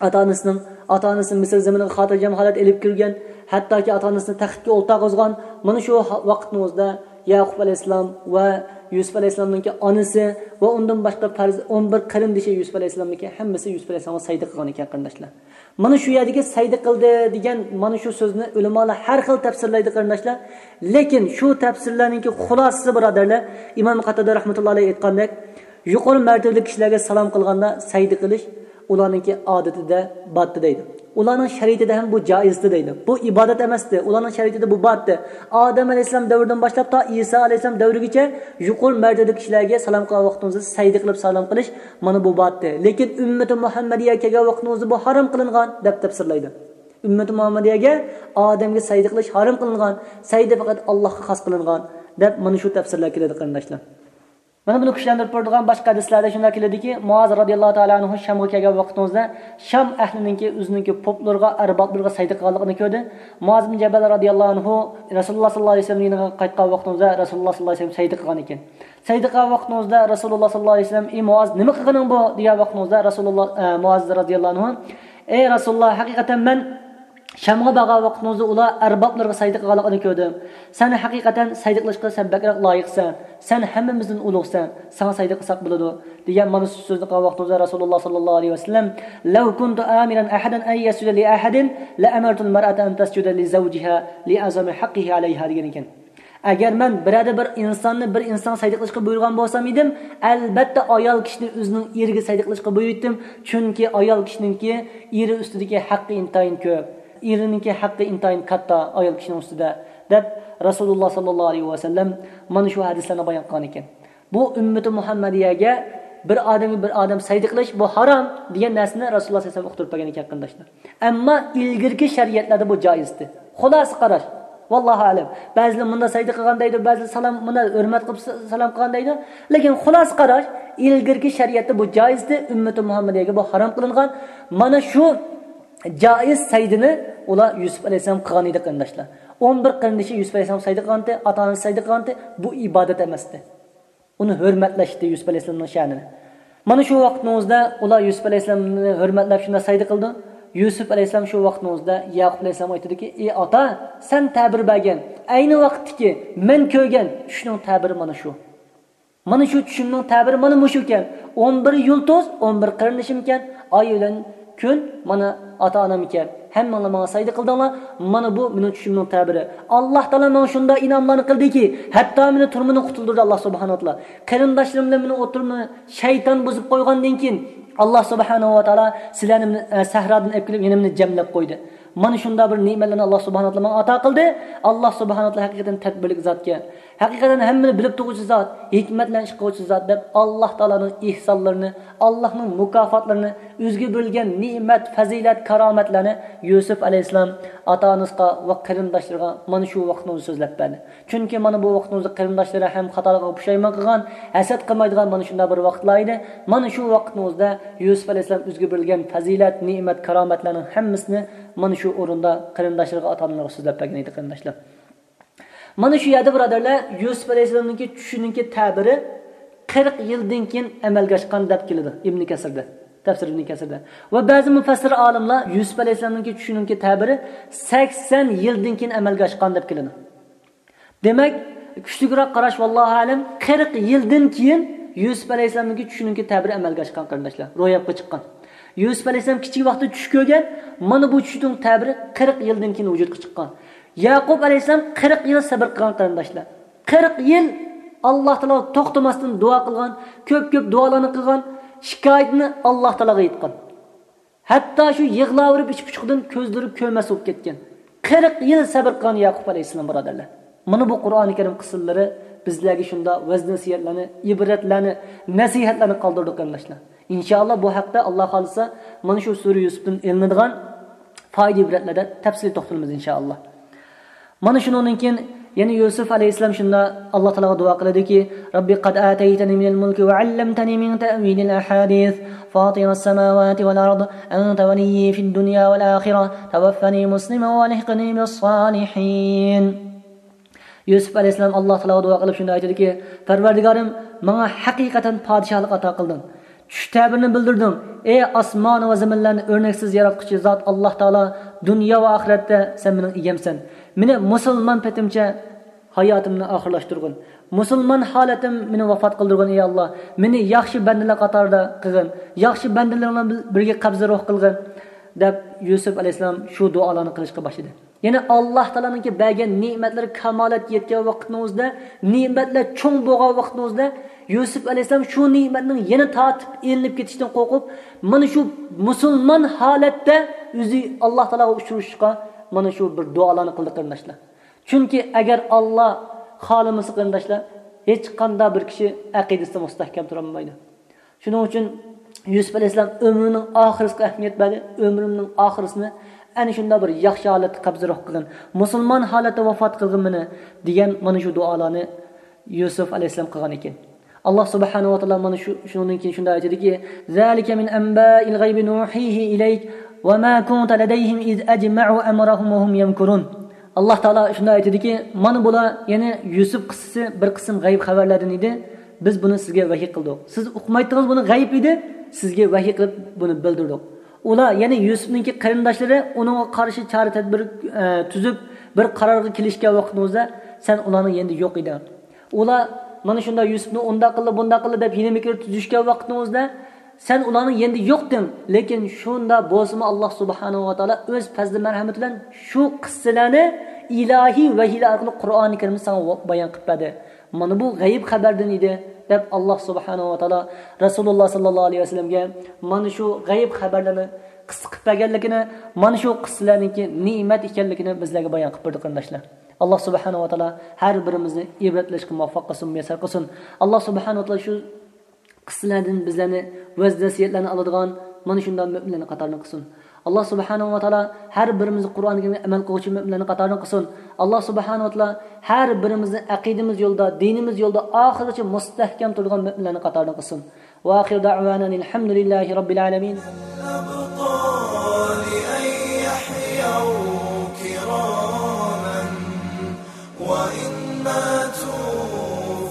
ئاتا-ئانىسىنىڭ، ئاتىئانىسىنى مىسىر زېمىنىغا خاتىرجەم ھالەتتە ئېلىپ كىرگەن، ھەتتاكى ئاتا-ئانىسىنى تەختكە ئولتۇرغۇزغان، مانا شۇ ھا-، ۋاقىتنىڭ ئۆزىدە يەقۇب ئەلەيھىسسالام ۋە يۈسۈپ ئەلەيھىسسالامنىڭكى ئانىسى ۋە ئۇندىن باشقا پەرز-، ئون بىر قېرىندىشى يۈسۈپ ئەلەيھىسسالامنىڭكى ھەممىسى يۈسۈپ ئەلەيھىسسالامغا سەجدە قىلغان ئىكەن، قېرىنداشلار. مانا شۇ يەردىكى سەجدە قىلدى دېگەن مانا شۇ سۆزنى ئۆلىمالار ھەر خىل تەپسىرلەيدۇ، قېرىنداشلار. لېكىن شۇ تەپسىرلەرنىڭكى خۇلاسىسى، بۇرادەرلەر، ئىمام قاتادە رەھمەتۇللا ئەلەيھى ئېيتقاندەك، يۇقىرى مەرتىۋىلىك كىشىلەرگە سالام قىلغاندا سەجدە قىلىش ئۇلارنىڭكى ئادىتىدە باتتى دەيدۇ. ئۇلارنىڭ شەرىئىتىدە ھەم بۇ جائىزدى دەيدۇ. بۇ ئىبادەت ئەمەستى. ئۇلارنىڭ شەرىئىتىدە بۇ باتتى. ئادەم ئەلەيھىسسالام دەۋرىدىن باشلاپ تا ئىسا ئەلەيھىسسالام دەۋرىگىچە يۇقىرى مەرتىۋىدىكى كىشىلەرگە سالام قىلغان ۋاقتىڭىزدا سەجدە قىلىپ سالام قىلىش، مانا بۇ باتتى. لېكىن ئۈممىتى مۇھەممەدىيە كەلگەن ۋاقتىڭىزدا بۇ ھارام قىلىنغان، دەپ تەپسىرلەيدۇ. ئۈممىتى مۇھەممەدىيەگە ئادەمگە سەجدە قىلىش ھارام قىلىنغان، سەجدە پەقەت ئاللاھقا خاس قىلىنغان، دەپ مانا شۇ تەپسىرلەر كېلىدۇ، قېرىنداشلار. مانا بۇنى كۈچلەندۈرۈپ بېرىدىغان باشقا ھەدىسلەردە شۇنداق كېلىدۇكى، مۇئاز رازىياللاھۇ تائالا ئەنھۇ شامغا كەلگەن ۋاقتىڭىزدا شام ئەھلىنىڭكى ئۆزىنىڭكى پوپلىرىغا، ئەربابلىرىغا سەجدە قىلغانلىقىنى كۆردى. مۇئاز بىن جەبەل رازىياللاھۇ ئەنھۇ رەسۇلۇللا ساللاللاھۇ ئەلەيھى ۋەسەللەم يېنىغا قايتقان ۋاقتىڭىزدا رەسۇلۇللا ساللاللاھۇ ئەلەيھى ۋەسەللەم سەجدە قىلغان ئىكەن. سەجدە قىلغان ۋاقتىڭىزدا رەسۇلۇللا ساللاللاھۇ ئەلەيھى ۋەسەللەم، ئى مۇئاز، نېمە قىلغىنىڭ بۇ؟ دېگەن ۋاقتىڭىزدا رەسۇلۇللا، ئە، مۇئاز رازىياللاھۇ ئەنھۇ، ئەي رەسۇلۇللا، ھەقىقەتەن مەن شامغا بارغان ۋاقتىڭىزدا ئۇلار ئەربابلىرىغا سەجدە قىلغانلىقىنى كۆردۈم. سەن ھەقىقەتەن سەجدە قىلىشقا سەن بەكرەك لايىقسەن. سەن ھەممىمىزدىن ئۇلۇغسەن. ساڭا سەجدە قىلساق بولىدۇ، دېگەن مانا شۇ سۆزنى قىلغان ۋاقتىڭىزدا رەسۇلۇللا ساللاللاھۇ ئەلەيھى ۋەسەللەم، لو كنت آمرا أحدا أن يسجد لأحد لأمرت المرأة أن تسجد لزوجها لعظم حقه عليها، دېگەن ئىكەن. ئەگەر مەن بىرەردە بىر ئىنساننى بىر ئىنسانغا سەجدە قىلىشقا بۇيرۇغان بولسام ئىدىم، ئەلبەتتە ئايال كىشىنى ئۆزىنىڭ ئېرىگە سەجدە قىلىشقا بۇيرۇيتتىم. چۈنكى ئايال كىشىنىڭكى ئېرى ئۈستىدىكى ھەققى ئىنتايىن كۆپ. ئېرىنىڭكى ھەققى ئىنتايىن كاتتا ئايال كىشىنىڭ ئۈستىدە، دەپ رەسۇلۇللا ساللاللاھۇ ئەلەيھى ۋەسەللەم مانا شۇ ھەدىسلەرنى بايان قىلغان ئىكەن. بۇ ئۈممىتى مۇھەممەدىيەگە بىر ئادەمگە بىر ئادەم سەجدە قىلىش، بۇ ھارام دېگەن نەرسىنى رەسۇلۇللا سەللەللاھۇ ئەلەيھى ۋەسەللەم ئۇقتۇرۇپ بەرگەن ئىكەن، قېرىنداشلار. ئەمما ئىلگىرىكى شەرىئەتلەردە بۇ جائىزدى. خۇلاسە قاراش. ۋاللاھۇ ئەلەم. بەزىلەر مۇنداق سەجدە قىلغان دەيدۇ، بەزىلەر سالام، مۇنداق ھۆرمەت قىلىپ س-، سالام قىلغان دەيدۇ. لېكىن خۇلاسە قاراش، ئىلگىرىكى شەرىئەتتە بۇ جائىزدى، ئۈممىتى مۇھەممەدىيەگە بۇ ھارام قىلىنغان. مانا شۇ جائىز سەجدىنى ئۇلار يۈسۈپ ئەلەيھىسسالام قىلغان ئىدى، قېرىنداشلار. ئون بىر قېرىندىشى يۈسۈپ ئەلەيھىسسالام سەجدە قىلغانتى، ئاتا-ئانىسى سەجدە قىلغانتى، بۇ ئىبادەت ئەمەستى. ئۇنى ھۆرمەتلەشتى يۈسۈپ ئەلەيھىسسالامنىڭ شەنىنى. مانا شۇ ۋاقىتنىڭ ئۆزىدە ئۇلار يۈسۈپ ئەلەيھىسسالامنى ھۆرمەتلەپ شۇنداق سەجدە قىلىدۇ. يۈسۈپ ئەلەيھىسسالام شۇ ۋاقىتنىڭ ئۆزىدە يەقۇپ ئەلەيھىسسالامغا ئېيتىدۇكى، ئى ئاتا، سەن تەبىر بەرگەن، ئەينى ۋاقىتتىكى مەن كۆرگەن چۈشنىڭ تەبىرى مانا شۇ. مانا شۇ چۈشۈمنىڭ تەبىرى مانا مۇشۇ ئىكەن. ئون بىر يۇلتۇز، ئون بىر قېرىندىشىم ئىكەن. ئاي بىلەن كۈن مانا ئاتا-ئانام ئىكەن. ھەممىڭلار ماڭا سەجدە قىلدىڭلار. مانا بۇ مېنىڭ چۈشۈمنىڭ تەبىرى. ئاللاھ تائالا ماڭا شۇنداق ئىنئاملارنى قىلدىكى، ھەتتا مېنى تۈرمىدىن قۇتۇلدۇردى ئاللاھ سۇبھانەھۇ ۋە تائالا. قېرىنداشلىرىم بىلەن مېنىڭ ئوتتۇرىمنى شەيتان بۇزۇپ قويغاندىن كېيىن، ئاللاھ سۇبھانەھۇ ۋە تائالا سىلەرنى، ئە، سەھرادىن ئېلىپ كېلىپ يەنە مېنى جەملەپ قويدى. مانا شۇنداق بىر نېمەتلەرنى ئاللاھ سۇبھانەھۇ ۋە تائالا ماڭا ئاتا قىلدى. ئاللاھ سۇبھانەھۇ ۋە تائالا ھەقىقەتەن تەدبىرلىك زاتكەن. ھەقىقەتەن ھەممىنى بىلىپ تۇرغۇچى زات، ھېكمەت بىلەن ئىش قىلغۇچى زات دەپ ئاللاھ تائالانىڭ ئېھسانلىرىنى، ئاللاھنىڭ مۇكاپاتلىرىنى، ئۆزىگە بېرىلگەن نېمەت، پەزىلەت، كارامەتلەرنى يۈسۈپ ئەلەيھىسسالام ئاتا-ئانىسىغا ۋە قېرىنداشلىرىغا مانا شۇ ۋاقىتنىڭ ئۆزىدە سۆزلەپ بەردى. چۈنكى مانا بۇ ۋاقىتنىڭ ئۆزىدە قېرىنداشلىرى ھەم خاتالىقىغا پۇشايمان قىلغان، ھەسەت قىلمايدىغان مانا شۇنداق بىر ۋاقىتلار ئىدى. مانا شۇ ۋاقىتنىڭ ئۆزىدە يۈسۈپ ئەلەيھىسسالام ئۆزىگە بېرىلگەن پەزىلەت، نېمەت، كارامەتلەرنىڭ ھەممىسىنى مانا شۇ ئورۇندا قېرىنداشلىرىغا، ئاتا-ئانىلىرىغا سۆزلەپ بەرگەن ئىدى، قېرىنداشلار. مانا شۇ يەردە، بۇرادەرلەر، يۈسۈپ ئەلەيھىسسالامنىڭكى چۈشىنىڭكى تەبىرى قىرىق يىلدىن كېيىن ئەمەلگە ئاشقان دەپ كېلىدۇ ئىبنى كەسىردە، تەپسىر ئىبنى كەسىردە. ۋە بەزى مۇپەسسىر ئالىملار يۈسۈپ ئەلەيھىسسالامنىڭكى چۈشىنىڭكى تەبىرى سەكسەن يىلدىن كېيىن ئەمەلگە ئاشقان دەپ كېلىدۇ. دېمەك، كۈچلۈكرەك قاراش، ۋاللاھۇ ئەلەم، قىرىق يىلدىن كېيىن يۈسۈپ ئەلەيھىسسالامنىڭكى چۈشىنىڭكى تەبىرى ئەمەلگە ئاشقان، قېرىنداشلار، روياپقا چىققان. يۈسۈپ ئەلەيھىسسالام كىچىك ۋاقتىدا چۈش كۆرگەن، مانا بۇ چۈشنىڭ تەبىرى قىرىق يىلدىن كېيىن ۋۇجۇدقا چىققان. يەقۇب ئەلەيھىسسالام قىرىق يىل سەبر قىلغان، قېرىنداشلار. قىرىق يىل ئاللاھ تائالاغا توختىماستىن دۇئا قىلغان، كۆپ-كۆپ دۇئالارنى قىلغان، شىكايىتىنى ئاللاھ تائالاغا ئېيتقان. ھەتتا شۇ يىغلاۋېرىپ ئىچ پۇشۇقىدىن كۆزلىرى كۆرمەس بولۇپ كەتكەن. قىرىق يىل سەبر قىلغان يەقۇب ئەلەيھىسسالام، بۇرادەرلەر. مانا بۇ قۇرئانى كەرىم قىسسىلىرى بىزلەرگە شۇنداق ۋەز-نەسىھەتلەرنى، ئىبرەتلەرنى، نەسىھەتلەرنى قالدۇرىدۇ، قېرىنداشلار. ئىنشائاللاھ، بۇ ھەقتە، ئاللاھ خالىسا، مانا شۇ سۈرە يۈسۈپتىن ئېلىنىدىغان پايدا ئىبرەتلەردە تەپسىلىي توختىلىمىز، ئىنشائاللاھ. مانا شۇنىڭدىن كېيىن يەنە يۈسۈپ ئەلەيھىسسالام شۇنداق ئاللاھ تائالاغا دۇئا قىلىدۇكى، رب قد آتيتني من الملك وعلمتني من تأويل الأحاديث فاطر السماوات والأرض أنت وليي في الدنيا والآخرة توفني مسلما وألحقني بالصالحين. يۈسۈپ ئەلەيھىسسالام ئاللاھ تائالاغا دۇئا قىلىپ شۇنداق ئېيتىدۇكى، پەرۋەردىگارىم، ماڭا ھەقىقەتەن پادىشاھلىق ئاتا قىلدىڭ. چۈش تەبىرىنى بىلدۈردۈڭ. ئەي ئاسمان ۋە زېمىنلارنى ئۆرنەكسىز ياراتقۇچى زات ئاللاھ تائالا، دۇنيا ۋە ئاخىرەتتە سەن مېنىڭ ئىگەمسەن. مېنى مۇسۇلمان پېتىمچە ھاياتىمنى ئاخىرلاشتۇرغىن. مۇسۇلمان ھالەتتە مېنى ۋاپات قىلدۇرغىن، ئەي ئاللا. مېنى ياخشى بەندىلەر قاتارىدا قىلغىن. ياخشى بەندىلىرىڭ بىلەن بىرگە قەبزى روھ قىلغىن، دەپ يۈسۈپ ئەلەيھىسسالام شۇ دۇئالارنى قىلىشقا باشلىدى. يەنى ئاللا تائالانىڭكى بەرگەن نېمەتلىرى كامالەتكە يەتكەن ۋاقىتنىڭ ئۆزىدە، نېمەتلەر چوڭ بولغان ۋاقىتنىڭ ئۆزىدە يۈسۈپ ئەلەيھىسسالام شۇ نېمەتنىڭ يەنە تارتىپ ئېلىنىپ كېتىشىدىن قورقۇپ، مانا شۇ مۇسۇلمان ھالەتتە ئۆزى ئاللا تائالاغا ئۇچرىشىشقا مانا شۇ بىر دۇئالارنى قىلدى، قېرىنداشلار. چۈنكى ئەگەر ئاللا خالىمىسا، قېرىنداشلار، ھېچقانداق بىر كىشى ئەقىدىسىدە مۇستەھكەم تۇرالمايدۇ. شۇنىڭ ئۈچۈن يۈسۈپ ئەلەيھىسسالام ئۆمرىنىڭ ئاخىرىسىغا ئەھمىيەت بەردى. ئۆمرۈمنىڭ ئاخىرىسىنى ئەنە شۇنداق بىر ياخشى ھالەتتە قەبزى روھ قىلغىن، مۇسۇلمان ھالەتتە ۋاپات قىلغىن مېنى، دېگەن مانا شۇ دۇئالارنى يۈسۈپ ئەلەيھىسسالام قىلغان ئىكەن. ئاللا سۇبھانەھۇ ۋە تائالا مانا شۇ، شۇنىڭدىن كېيىن شۇنداق ئېيتىدىكى، ذلك من أنباء الغيب نوحيه إليك وما كنت لديهم إذ أجمعوا أمرهم وهم يمكرون. ئاللا تائالا شۇنداق ئېيتىدىكى، مانا بۇلار، يەنى يۈسۈپ قىسسىسى بىر قىسىم غەيىب خەۋەرلەردىن ئىدى. بىز بۇنى سىزگە ۋەھىي قىلدۇق. سىز ئۇقمايتتىڭىز، بۇنى غەيىب ئىدى، سىزگە ۋەھىي قىلىپ بۇنى بىلدۈردۇق. ئۇلار، يەنى يۈسۈپنىڭكى قېرىنداشلىرى ئۇنىڭغا قارشى چارە تەدبىر، ئە، تۈزۈپ، بىر قارارغا كېلىشكەن ۋاقتىمىزدا سەن ئۇلارنىڭ يېنىدا يوق ئىدىڭ. ئۇلار مانا شۇنداق يۈسۈپنى ئۇنداق قىلدى، بۇنداق قىلدى دەپ ھىيلە مىكىر تۈزۈشكەن ۋاقتىمىزدا سەن ئۇلارنىڭ يېنىدا يوقتىڭ. لېكىن شۇنداق بولسىمۇ، ئاللا سۇبھانەھۇ ۋە تائالا ئۆز پەزلى مەرھەمىتى بىلەن شۇ قىسسىلەرنى ئىلاھىي ۋەھىيلەر ئارقىلىق قۇرئانى كەرىمدە ساڭا بايان قىلىپ بەردى. مانا بۇ غەيىب خەۋەردىن ئىدى، دەپ ئاللا سۇبھانەھۇ ۋە تائالا رەسۇلۇللا ساللاللاھۇ ئەلەيھى ۋەسەللەمگە مانا شۇ غەيىب خەۋەرلەرنى قىسسە قىلىپ بەرگەنلىكىنى، مانا شۇ قىسسىلەرنىڭكى نېمەت ئىكەنلىكىنى بىزلەرگە بايان قىلىپ بەردى، قېرىنداشلار. ئاللا سۇبھانەھۇ ۋە تائالا ھەر بىرىمىزنى ئىبرەت ئېلىشقا مۇۋەپپەق قىلسۇن، مۇيەسسەر قىلسۇن. ئاللا سۇبھانەھۇ ۋە تائالا شۇ قىسسىلەردىن بىزلەرنى ۋەز نەسىھەتلەرنى ئالىدىغان مانا شۇنداق مۆمىنلەرنىڭ قاتارىدىن قىلسۇن. ئاللا سۇبھانەھۇ ۋە تائالا ھەر بىرىمىزنى قۇرئان كەرىمگە ئەمەل قىلغۇچى مۆمىنلەرنىڭ قاتارىدىن قىلسۇن. ئاللا سۇبھانەھۇ ۋە تائالا ھەر بىرىمىزنى ئەقىدىمىز يولىدا، دىنىمىز يولىدا ئاخىرغىچە مۇستەھكەم تۇرىدىغان مۆمىنلەرنىڭ قاتارىدىن قىلسۇن. ۋە ئاخىرۇ دەئۋانا ئەنىلھەمدۇلىللاھى رەببىل ئالەمىن. وإن ماتوا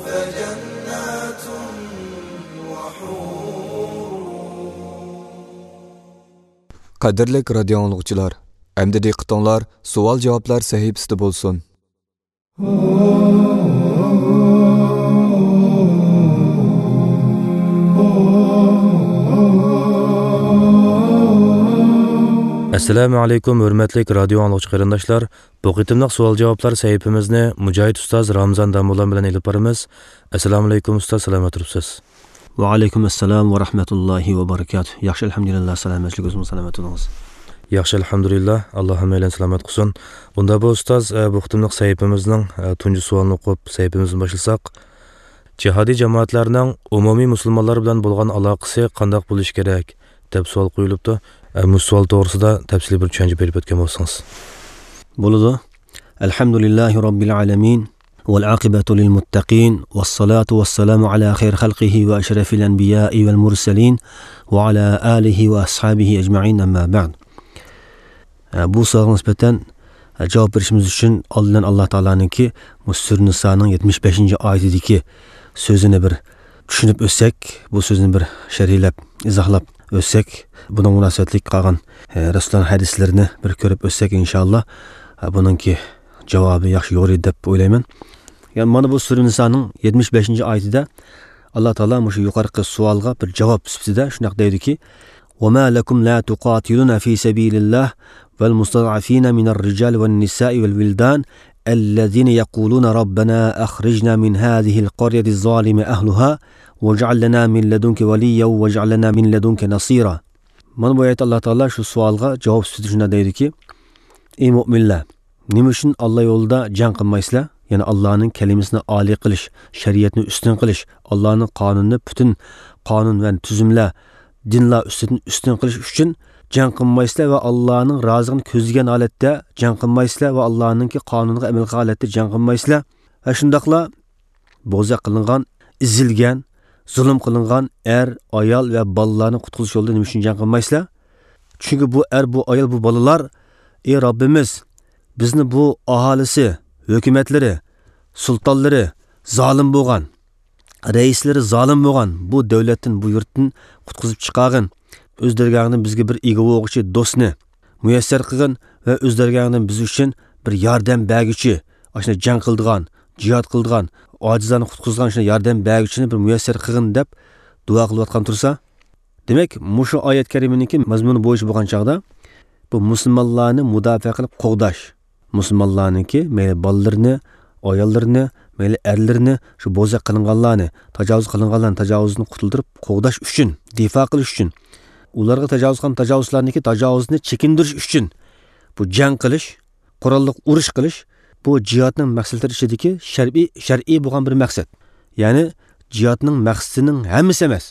فجنات وحور. قەدىرلىك رادىيو ئاڭلىغۇچىلار، ئەمدى دىققىتىڭلار سوئال-جاۋابلار سەھىپىسىدە بولسۇن. ئەسسالامۇ ئەلەيكۇم، ھۆرمەتلىك رادىيو ئاڭلىغۇچى قېرىنداشلار. بۇ قېتىملىق سوئال-جاۋابلار سەھىپىمىزنى مۇجاھىد ئۇستاز رامىزان داموللام بىلەن ئېلىپ بارىمىز. ئەسسالامۇ ئەلەيكۇم ئۇستاز، سالامەت تۇرۇپسىز؟ ۋەئەلەيكۇم ئەسسالام ۋە رەھمەتۇللاھى ۋە بەرىكاتۇھ. ياخشى، ئەلھەمدۇلىللا، سالامەتلىك، ئۆزىڭىز سالامەت بولۇڭىز. ياخشى، ئەلھەمدۇلىللا، ئاللا ھەممەيلەننى سالامەت قىلسۇن. ئۇندا بۇ ئۇستاز، ئە، بۇ قېتىملىق سەھىپىمىزنىڭ، ئە، تۇنجى سوئالىنى ئوقۇپ سەھىپىمىزنى باشلىساق، جىھادىي جامائەتلەرنىڭ ئومۇمىي مۇسۇلمانلار بىلەن بولغان ئالاقىسى قانداق بولۇشى كېرەك؟ دەپ سوئال قويۇلۇپتۇ. ئە، مۇشۇ سوئال توغرىسىدا تەپسىلىي بىر چۈشەنچە بېرىپ ئۆتكەن بولسىڭىز. بولىدۇ. الحمد لله رب العالمين، والعاقبة للمتقين، والصلاة والسلام على خير خلقه وأشرف الأنبياء والمرسلين، وعلى آله وأصحابه أجمعين، أما بعد. ئە، بۇ سوئالغا نىسبەتەن، ئە، جاۋاب بېرىشىمىز ئۈچۈن ئالدىن ئاللا تائالانىڭكى بۇ سۈرە نىسانىڭ يەتمىش بەشىنچى ئايىتىدىكى سۆزىنى بىر چۈشىنىپ ئۆتسەك، بۇ سۆزنى بىر شەرھلەپ، ئىزاھلاپ ئۆتسەك، بۇنىڭ مۇناسىۋەتلىك قالغان، ئە، رەسۇلۇللانىڭ ھەدىسلىرىنى بىر كۆرۈپ ئۆتسەك، ئىنشائاللا، ئە، بۇنىڭكى جاۋابى ياخشى يورۇيدۇ دەپ ئويلايمەن. يەنى مانا بۇ سۈرە نىسانىڭ يەتمىش بەشىنچى ئايىتىدە ئاللا تائالا مۇشۇ يۇقىرىقى سوئالغا بىر جاۋاب سۈپىتىدە شۇنداق دەيدۇكى، وما لكم لا تقاتلون في سبيل الله والمستضعفين من الرجال والنساء والولدان الذين يقولون ربنا أخرجنا من هذه القرية الظالم أهلها واجعل لنا من لدنك وليا واجعل لنا من لدنك نصيرا. مانا بۇ ئايەتتە ئاللا تائالا شۇ سوئالغا جاۋاب سۈپىتىدە شۇنداق دەيدۇكى، ئى مۆمىنلەر، نېمە ئۈچۈن ئاللا يولىدا جەڭ قىلمايسىلەر؟ يەنى ئاللانىڭ كەلىمىسىنى ئالىي قىلىش، شەرىئەتنى ئۈستۈن قىلىش، ئاللانىڭ قانۇنىنى پۈتۈن قانۇن ۋە تۈزۈملەر، دىنلار ئۈستىدىن ئۈستۈن قىلىش ئۈچۈن جەڭ قىلمايسىلەر ۋە ئاللانىڭ رازىلىقىنى كۆزلىگەن ھالەتتە جەڭ قىلمايسىلەر ۋە ئاللانىڭكى قانۇنىغا ئەمەل قىلغان ھالەتتە جەڭ قىلمايسىلەر؟ ۋە شۇنداقلا بوزەك قىلىنغان، ئېزىلگەن، زۇلۇم قىلىنغان ئەر، ئايال ۋە بالىلارنى قۇتقۇزۇش يولىدا نېمە ئۈچۈن جەڭ قىلمايسىلەر؟ چۈنكى بۇ ئەر، بۇ ئايال، بۇ بالىلار، ئى رەببىمىز، بىزنى بۇ ئاھالىسى، ھۆكۈمەتلىرى، سۇلتانلىرى زالىم بولغان، رەئىسلىرى زالىم بولغان بۇ دۆلەتتىن، بۇ يۇرتتىن قۇتقۇزۇپ چىقارغىن. ئۆز دەرگاھىڭدىن بىزگە بىر ئىگە بولغۇچى دوستنى مۇيەسسەر قىلغىن ۋە ئۆز دەرگاھىڭدىن بىز ئۈچۈن بىر ياردەم بەرگۈچى، ئاشۇنداق جەڭ قىلىدىغان، جىھاد قىلىدىغان، ئاجىزلارنى قۇتقۇزىدىغان شۇنداق ياردەم بەرگۈچىنى بىر مۇيەسسەر قىلغىن دەپ دۇئا قىلىۋاتقان تۇرسا، دېمەك، مۇشۇ ئايەت كەرىمىنىڭكى مەزمۇنى بويىچە بولغان چاغدا، بۇ مۇسۇلمانلارنى مۇداپىئە قىلىپ قوغداش، مۇسۇلمانلارنىڭكى مەيلى بالىلىرىنى، ئاياللىرىنى، مەيلى ئەرلىرىنى، شۇ بوزەك قىلىنغانلارنى، تاجاۋۇز قىلىنغانلارنى تاجاۋۇزدىن قۇتۇلدۇرۇپ قوغداش ئۈچۈن، دىفا قىلىش ئۈچۈن، ئۇلارغا تاجاۋۇز قىلغان تاجاۋۇزچىلارنىڭكى تاجاۋۇزىنى چېكىندۈرۈش ئۈچۈن بۇ جەڭ قىلىش، قوراللىق ئۇرۇش قىلىش، بۇ جىھادنىڭ مەقسەتلىرى ئىچىدىكى شەرئىي، شەرئىي بولغان بىر مەقسەت. يەنى جىھادنىڭ مەقسىتىنىڭ ھەممىسى ئەمەس.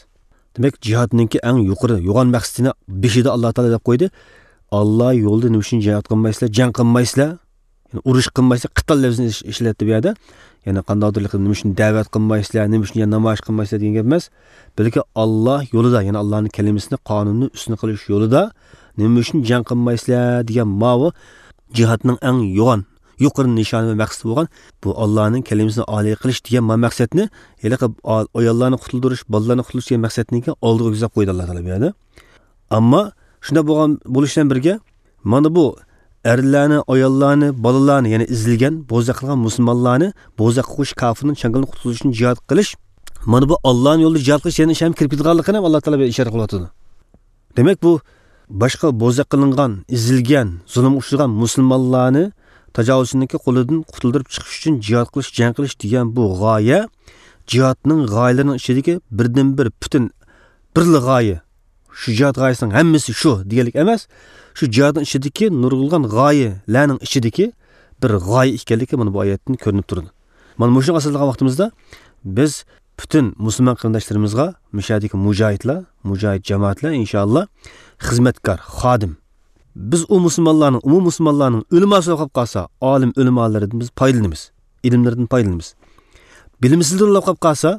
دېمەك، جىھادنىڭكى ئەڭ يۇقىرى، يوغان مەقسىتىنى بېشىدا ئاللا تائالا دەپ قويدى. ئاللا يولىدا نېمە ئۈچۈن جىھاد قىلمايسىلەر، جەڭ قىلمايسىلەر؟ يەنى ئۇرۇش قىلمايسىلەر، قىتال لەپزىنى ئىش-، ئىشلەتتى بۇ يەردە. يەنى قانداقتۇر نېمە ئۈچۈن دەۋەت قىلمايسىلەر، نېمە ئۈچۈن يەنە نامايىش قىلمايسىلەر دېگەن گەپ ئەمەس. بەلكى ئاللا يولىدا، يەنى ئاللانىڭ كەلىمىسىنى، قانۇنىنى ئۈستۈن قىلىش يولىدا نېمە ئۈچۈن جەڭ قىلمايسىلەر دېگەن ماۋۇ جىھادنىڭ ئەڭ يوغان، يۇقىرى نىشانى ۋە مەقسىتى بولغان بۇ ئاللانىڭ كەلىمىسىنى ئالىي قىلىش دېگەن ما مەقسەتنى، ھېلىقى ئا-، ئاياللارنى قۇتۇلدۇرۇش، بالىلارنى قۇتۇلدۇرۇش دېگەن مەقسەتنىڭكى ئالدىغا كۆزەپ قويدى ئاللا تائالا بۇ يەردە. ئەمما شۇنداق بولغان بولۇش بىلەن بىرگە، مانا بۇ ئەرلەرنى، ئاياللارنى، بالىلارنى، يەنى ئېزىلگەن، بوزەك قىلغان مۇسۇلمانلارنى بوزەك قىلغۇچى كاپىرنىڭ چاڭگىلىنى قۇتقۇزۇش ئۈچۈن جىھاد قىلىش، مانا بۇ ئاللانىڭ يولىدا جىھاد قىلىش دېگەن ئىش ھەم كىرىپ كېتىدىغانلىقىنى ھەم ئاللا تائالا بۇ يەردە ئىشارە قىلىۋاتىدۇ. دېمەك، بۇ باشقا بوزەك قىلىنغان، ئېزىلگەن، زۇلۇمغا ئۇچرىغان مۇسۇلمانلارنى تاجاۋۇزچىنىڭكى قولىدىن قۇتۇلدۇرۇپ چىقىش ئۈچۈن جىھاد قىلىش، جەڭ قىلىش دېگەن بۇ غايە جىھادنىڭ غايىلىرىنىڭ ئىچىدىكى بىردىنبىر پۈتۈن بىرلا غايە. شۇ جىھاد غايىسىنىڭ ھەممىسى شۇ دېگەنلىك ئەمەس. شۇ جىھادنىڭ ئىچىدىكى نۇرغۇنلىغان غايىلەرنىڭ ئىچىدىكى بىر غايە ئىكەنلىكى مانا بۇ ئايەتتىن كۆرۈنۈپ تۇرىدۇ. مانا مۇشۇنى ئاساس قىلغان ۋاقتىمىزدا بىز پۈتۈن مۇسۇلمان قېرىنداشلىرىمىزغا، مۇشۇ يەردىكى مۇجاھىدلار، مۇجاھىد جامائەتلەر ئىنشائاللا خىزمەتكار، خادىم. بىز ئۇ مۇسۇلمانلارنىڭ، ئومۇم مۇسۇلمانلارنىڭ ئۆلىماسى بولۇپ قالسا، ئالىم ئۆلىمالىرىدىن بىز پايدىلىنىمىز، ئىلىملىرىدىن پايدىلىنىمىز. بىلىمسىزلىرى بولۇپ قالسا،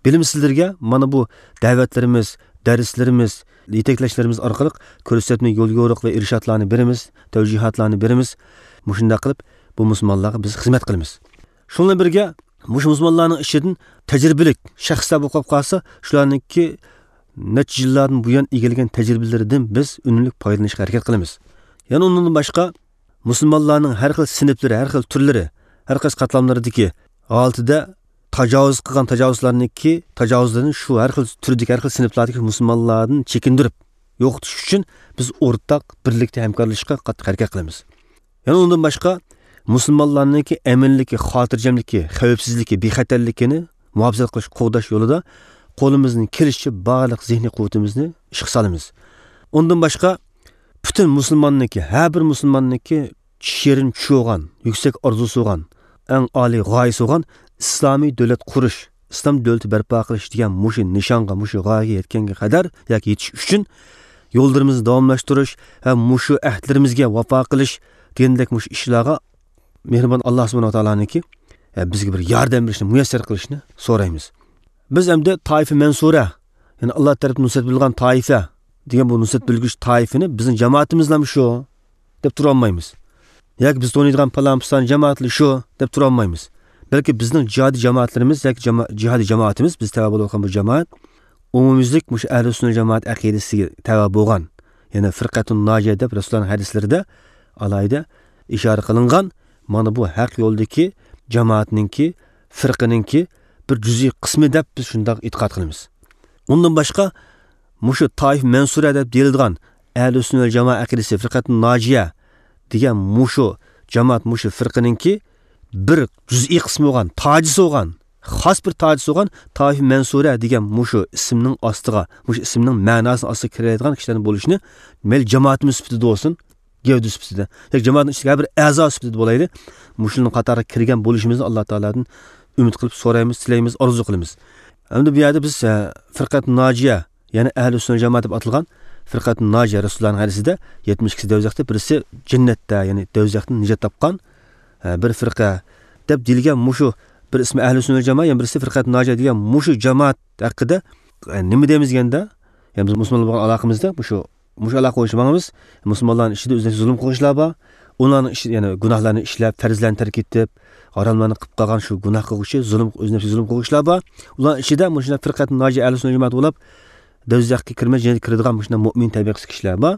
بىلىمسىزلەرگە مانا بۇ دەۋەتلىرىمىز، دەرسلىرىمىز، يېتەكلەشلىرىمىز ئارقىلىق كۆرسەتمە، يول يورۇق ۋە ئىرشادلارنى بېرىمىز، تەۋجىھاتلارنى بېرىمىز. مۇشۇنداق قىلىپ بۇ مۇسۇلمانلارغا بىز خىزمەت قىلىمىز. شۇنىڭ بىلەن بىرگە، مۇشۇ مۇسۇلمانلارنىڭ ئىچىدىن تەجرىبىلىك شەخسلەر بولۇپ قالسا، شۇلارنىڭكى نەچچە يىللاردىن بۇيان ئىگىلىگەن تەجرىبىلىرىدىن بىز ئۈنۈملۈك پايدىلىنىشقا ھەرىكەت قىلىمىز. يەنە ئۇنىڭدىن باشقا، مۇسۇلمانلارنىڭ ھەر خىل سىنىپلىرى، ھەر خىل تۈرلىرى، ھەر قايسى قاتلاملىرىدىكى ھالىتىدە تاجاۋۇز قىلغان تاجاۋۇزلارنىڭكى تاجاۋۇزلىرىنى شۇ ھەر خىل تۈردىكى، ھەر خىل سىنىپلاردىكى مۇسۇلمانلاردىن چېكىندۈرۈپ يوقىتىش ئۈچۈن بىز ئورتاق بىرلىكتە ھەمكارلىشىشقا قاتتىق ھەرىكەت قىلىمىز. يەنە ئۇندىن باشقا، مۇسۇلمانلارنىڭكى ئەمىنلىكى، خاتىرجەملىكى، خەۋپسىزلىكى، بىخەتەرلىكىنى مۇھاپىزەت قىلىش، قوغداش يولىدا قولىمىزدىن كېلىشىچە بارلىق زېھنىي قۇۋۋىتىمىزنى ئىشقا سالىمىز. ئۇندىن باشقا، پۈتۈن مۇسۇلماننىڭكى، ھەر بىر مۇسۇلماننىڭكى شېرىن چۈشى بولغان، يۈكسەك ئارزۇسى بولغان، ئەڭ ئالىي غايىسى بولغان ئىسلامىي دۆلەت قۇرۇش، ئىسلام دۆلىتى بەرپا قىلىش دېگەن مۇشۇ نىشانغا، مۇشۇ غايىگە يەتكەنگە قەدەر ياكى يېتىش ئۈچۈن يوللىرىمىزنى داۋاملاشتۇرۇش ۋە مۇشۇ ئەھدلىرىمىزگە ۋاپا قىلىش دېگەندەك مۇشۇ ئىشلارغا مېھرىبان ئاللا سۇبھانەھۇ ۋە تائالانىڭكى، ئە، بىزگە بىر ياردەم بېرىشنى مۇيەسسەر قىلىشىنى سورايمىز. بىز ئەمدى تائىفە مەنسۇرە، يەنى ئاللا تەرىپىدىن نۇسرەت بېرىلگەن تائىفە دېگەن بۇ نۇسرەت بېرىلگۈچى تائىفىنى بىزنىڭ جامائىتىمىزلامۇ شۇ دەپ تۇرالمايمىز. ياكى بىز تونۇيدىغان پالان پۇستان جامائەتلا شۇ دەپ تۇرالمايمىز. بەلكى بىزنىڭ جىھادىي جامائەتلىرىمىز ياكى جاما-، جىھادىي جامائىتىمىز، بىز تەۋە بولۇۋاتقان بۇ جامائەت ئومۇميۈزلۈك مۇشۇ ئەھلى سۈننە جامائەت ئەقىدىسىگە تەۋە بولغان، يەنى فىرقەتۇن ناجىيە دەپ رەسۇلۇللانىڭ ھەدىسلىرىدە ئالاھىدە ئىشارە قىلىنغان مانا بۇ ھەق يولدىكى جامائەتنىڭكى، فىرقىنىڭكى بىر جۈزئىي قىسمى دەپ بىز شۇنداق ئېتىقاد قىلىمىز. ئۇندىن باشقا، مۇشۇ تائىفە مەنسۇرە دەپ دېيىلىدىغان ئەھلى سۈننە ۋەل جامائە ئەقىدىسى، فىرقەتۇن ناجىيە دېگەن مۇشۇ جامائەت، مۇشۇ فىرقىنىڭكى بىر جۈزئىي قىسمى بولغان، تاجىسى بولغان، خاس بىر تاجىسى بولغان تائىفە مەنسۇرە دېگەن مۇشۇ ئىسىمنىڭ ئاستىغا، مۇشۇ ئىسىمنىڭ مەناسىنىڭ ئاستىغا كىرەلەيدىغان كىشىلەرنىڭ بولۇشىنى مەيلى جامائىتىمىز سۈپىتىدە بولسۇن، گەۋدە سۈپىتىدە ياكى جامائەتنىڭ ئىچىدىكى ھەر بىر ئەزا سۈپىتىدە بولايلى، مۇشۇنىڭ قاتارىغا كىرگەن بولۇشىمىزنى ئاللا تائالادىن ئۈمىد قىلىپ سورايمىز، تىلەيمىز، ئارزۇ قىلىمىز. ئەمدى بۇ يەردە بىز، ئە، فىرقەت ناجىيە، يەنى ئەھلى سۈننە جامائەت دەپ ئاتالغان فىرقەت ناجىيە، رەسۇلۇللانىڭ ھەدىسىدە يەتمىش ئىككىسى دەۋزەختە، بىرسى جەننەتتە، يەنى دەۋزەختىن نىجات تاپقان، ئە، بىر فىرقە دەپ دېيىلگەن مۇشۇ بىر ئىسمى ئەھلى سۈننە جامائە، يەنە بىرسى فىرقەت ناجىيە دېگەن مۇشۇ جامائەت ھەققىدە، ئە، نېمە دەيمىز دېگەندە، يەنى بىز مۇسۇلمانلار بولغان ئالاقىمىزدا مۇشۇ مۇشۇ ئالاقە بويىچە ماڭىمىز. مۇسۇلمانلارنىڭ ئىچىدە ئۆزىنى زۇلۇم قىلغۇچىلار بار. ئۇلارنىڭ ئىچىدە يەنە گۇناھلارنى ئىشلەپ، پەرزلەرنى تەرك ئېتىپ، ھاراملارنى قىلىپ قالغان شۇ گۇناھ قىلغۇچى، زۇلۇم، ئۆزىنى زۇلۇم قىلغۇچىلار بار. ئۇلارنىڭ ئىچىدە مۇشۇنداق فىرقەت ناجىيە، ئەھلى سۈننە جامائەت بولۇپ، دەۋزەخكە كىرمەي جەننەتكە كىرىدىغان مۇشۇنداق مۇئمىن تەبىقىسى كىشىلەر بار.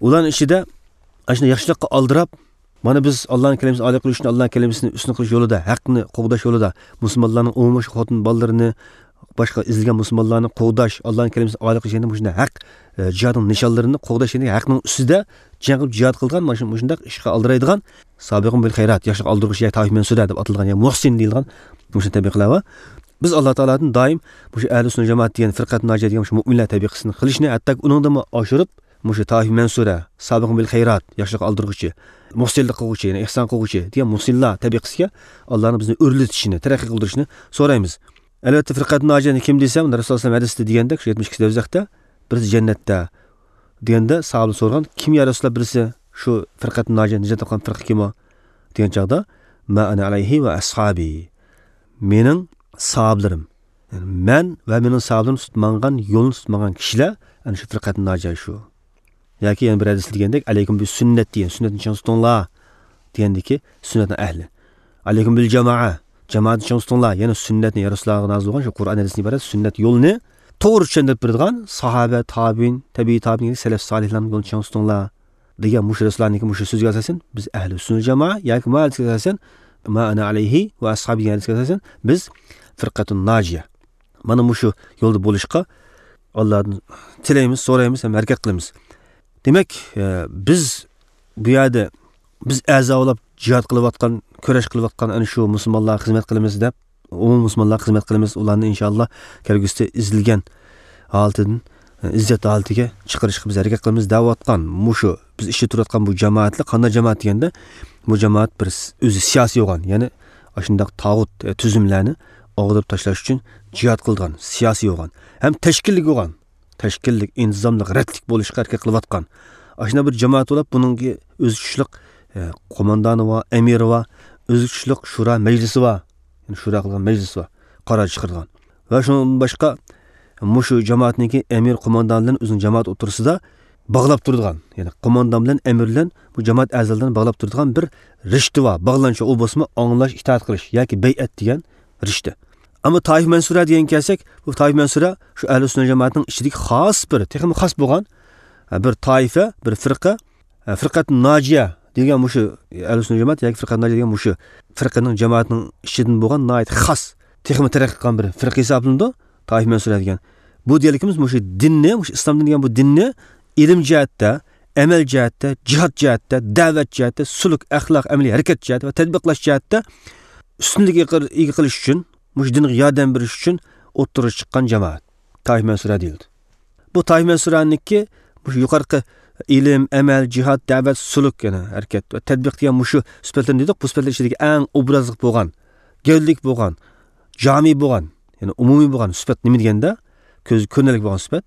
ئۇلارنىڭ ئىچىدە ئاشۇنداق ياخشىلىققا ئالدىراپ، مانا بىز ئاللانىڭ كەلىمىسىنى ئالىي قىلىش ئۈچۈن، ئاللانىڭ كەلىمىسىنى ئۈستۈن قىلىش يولىدا، ھەقنى قوغداش يولىدا، مۇسۇلمانلارنىڭ ئومۇمەن شۇ خوتۇن بالىلىرىنى، باشقا ئېزىلگەن مۇسۇلمانلارنى قوغداش، ئاللانىڭ كەلىمىسىنى ئالىي قىلىش، يەنە مۇشۇنداق ھەق، ئە، جىھادنىڭ نىشانلىرىنى قوغداش، يەنى ھەقنىڭ ئۈستىدە جەڭ قىلىپ جىھاد قىلغان، مانا شۇ، مۇشۇنداق ئىشقا ئالدىرايدىغان، سابىقۇن بىل خەيرات، ياخشىلىققا ئالدىرغۇچى ياكى تائىفە مەنسۇرە دەپ ئاتالغان، يا مۇھسىن دېيىلغان مۇشۇ تەبىقىلەر بار. بىز ئاللا تائالادىن دائىم مۇشۇ ئەھلى سۈننە جامائەت دېگەن، فىرقەت ناجىيە دېگەن مۇشۇ مۇئمىنلەر تەبىقىسىنى قىلىشنى، ھەتتاكى ئۇنىڭدىنمۇ ئاشۇرۇپ، مۇشۇ تائىفە مەنسۇرە، سابىقۇن بىل خەيرات، ياخشىلىققا ئالدۇرغۇچى، مۇھسىنلىق قىلغۇچى، يەنى ئېھسان قىلغۇچى دېگەن مۇھسىنلار تەبىقىسىگە ئاللانىڭ بىزنى ئۆرلىتىشىنى، تەرەققىي قىلدۇرۇشىنى سورايمىز. ئەلۋەتتە، فىرقەت ناجىيەنى كىم دېسەم، رەسۇلۇللاھ ئەلەيھىسسالام ھەدىستە دېگەندەك، شۇ يەتمىش ئىككىنچى دوزاختا بىرسى جەننەتتە دېگەندە، ساھابىلەر سورىغان، كىم يا رەسۇلۇللاھ بىرسى شۇ فىرقەت ناجىيە، نىجات تاپقان فىرقە كىم ئۇ؟ دېگەن چاغدا، ما ئانا ئەلەيھى ۋە ئەسھابى، مېنىڭ ساھابىلىرىم، يەنى مەن ۋە مېنىڭ ساھابىلىرىم تۇتۇپ ماڭغان يولنى تۇتۇپ ماڭغان كىشىلەر ئەنە شۇ فىرقەت ناجىيە شۇ. ياكى يەنە بىر ھەدىستە دېگەندەك، ئەلەيكۇم بىسۈننەتى، سۈننەتنى چىڭ تۇتۇڭلار دېگەندىكى سۈننەتنىڭ ئەھلى. ئەلەيكۇم بىل جامائە، جامائەتنى چىڭ تۇتۇڭلار، يەنى سۈننەتنى، يا رەسۇلۇللاھقا نازىل بولغان شۇ قۇرئان ھەدىستىن ئىبارەت سۈننەت يولىنى توغرا چۈشەندۈرۈپ بېرىدىغان ساھابە، تابىئىن، تەبىئىي تابىئىن، سەلەف سالىھلارنىڭ يولىنى چىڭ تۇتۇڭلار دېگەن مۇشۇ رەسۇلۇللاھنىڭكى مۇشۇ سۆزىگە ئاساسەن، بىز ئەھلى سۈننە جامائە ياكى ما ھەدىسكە ئاساسەن، ما ئانا ئەلەيھى ۋە ئەسھابى دېگەن ھەدىسكە ئاساسەن، بىز فىرقەتۇن ناجىيە. مانا مۇشۇ يولدا بولۇشقا ئاللادىن تىلەيمىز، سورايمىز ھەم ھەرىكەت قىلىمىز. دېمەك، ئە، بىز بۇ يەردە بىز ئەزا بولاپ جىھاد قىلىۋاتقان، كۈرەش قىلىۋاتقان ئەنە شۇ مۇسۇلمانلارغا خىزمەت قىلىمىز دەپ، ئومۇمىي مۇسۇلمانلارغا خىزمەت قىلىمىز، ئۇلارنى ئىنشاللا كەلگۈسىدە ئېزىلگەن ھالىتىدىن، ئە، ئىززەت ھالىتىگە چىقىرىشقا بىز ھەرىكەت قىلىمىز دەۋاتقان مۇشۇ بىز ئىچىدە تۇرۇۋاتقان بۇ جامائەتلەر قانداق جامائەت دېگەندە، بۇ جامائەت بىر س-، ئۆزى سىياسىي بولغان، يەنى ئاشۇنداق تاغۇت، ئە، تۈزۈملەرنى ئاغدۇرۇپ تاشلاش ئۈچۈن جىھاد قىلىدىغان، سىياسىي بولغان ھەم تەشكىللىك بولغان، تەشكىللىك، ئىنتىزاملىق، رەتلىك بولۇشقا ھەرىكەت قىلىۋاتقان ئاشۇنداق بىر جامائەت بولۇپ، بۇنىڭكى ئۆزى تۇتۇشلۇق، ئە، قوماندانى بار، ئەمىرى بار، ئۆزى تۇتۇشلۇق شورا مەجلىسى بار، يەنى شورا قىلغان مەجلىسى بار، قارار چىقىرىدىغان. ۋە شۇنىڭدىن باشقا، مۇشۇ جامائەتنىڭكى ئەمىر، قوماندان بىلەن ئۆزىنىڭ جامائەت ئوتتۇرىسىدا باغلاپ تۇرىدىغان، يەنى قوماندان بىلەن ئەمىر بىلەن بۇ جامائەت ئەزالىرىنى باغلاپ تۇرىدىغان بىر رىشتە بار، باغلانچۇق، ئۇ بولسىمۇ ئاڭلاش، ئىتائەت قىلىش ياكى بەيئەت دېگەن رىشتە. ئەمما تائىفە مەنسۇرە دېگەنگە كەلسەك، بۇ تائىفە مەنسۇرە شۇ ئەھلى سۈننە جامائەتنىڭ ئىچىدىكى خاس بىر، تېخىمۇ خاس بولغان، ھە، بىر تائىفە، بىر فىرقە، ھە، فىرقەت ناجىيە دېگەن مۇشۇ ئەھلى سۈننە جامائەت ياكى فىرقەت ناجىيە دېگەن مۇشۇ فىرقىنىڭ، جامائەتنىڭ ئىچىدىن بولغان ناھايىتى خاس، تېخىمۇ تەرەققىي قىلغان بىر فىرقە ھېسابلىنىدۇ. تائىفە مەنسۇرە دېگەن. بۇ دېگەنلىكىمىز مۇشۇ دىننى، مۇشۇ ئىسلام دىنى دېگەن بۇ دىننى ئىلىم جەھەتتە، ئەمەل جەھەتتە، جىھاد جەھەتتە، دەۋەت جەھەتتە، سۈلۈك، ئەخلاق، ئەمەلىي ھەرىكەت جەھەتتە ۋە تەتبىقلاش جەھەتتە ئۈستۈنلۈككە ئىگە قىل-، ئىگە قىلىش ئۈچۈن، مۇشۇ دىنغا ياردەم بېرىش ئۈچۈن ئوتتۇرىغا چىققان جامائەت تائىفە مەنسۇرە دېيىلدى. بۇ تائىفە مەنسۇرەنىڭكى مۇشۇ يۇقىرىقى ئىلىم، ئەمەل، جىھاد، دەۋەت، سۈلۈك، يەنى ھەرىكەت ۋە تەتبىق دېگەن مۇشۇ سۈپەتلەرنى دېدۇق. بۇ سۈپەتلەر ئىچىدىكى ئەڭ ئوبرازلىق بولغان، گەۋدىلىك بولغان، جامى بولغان، يەنى ئومۇمىي بولغان سۈپەت نېمە دېگەندە، كۆزگە كۆرۈنەرلىك بولغان سۈپەت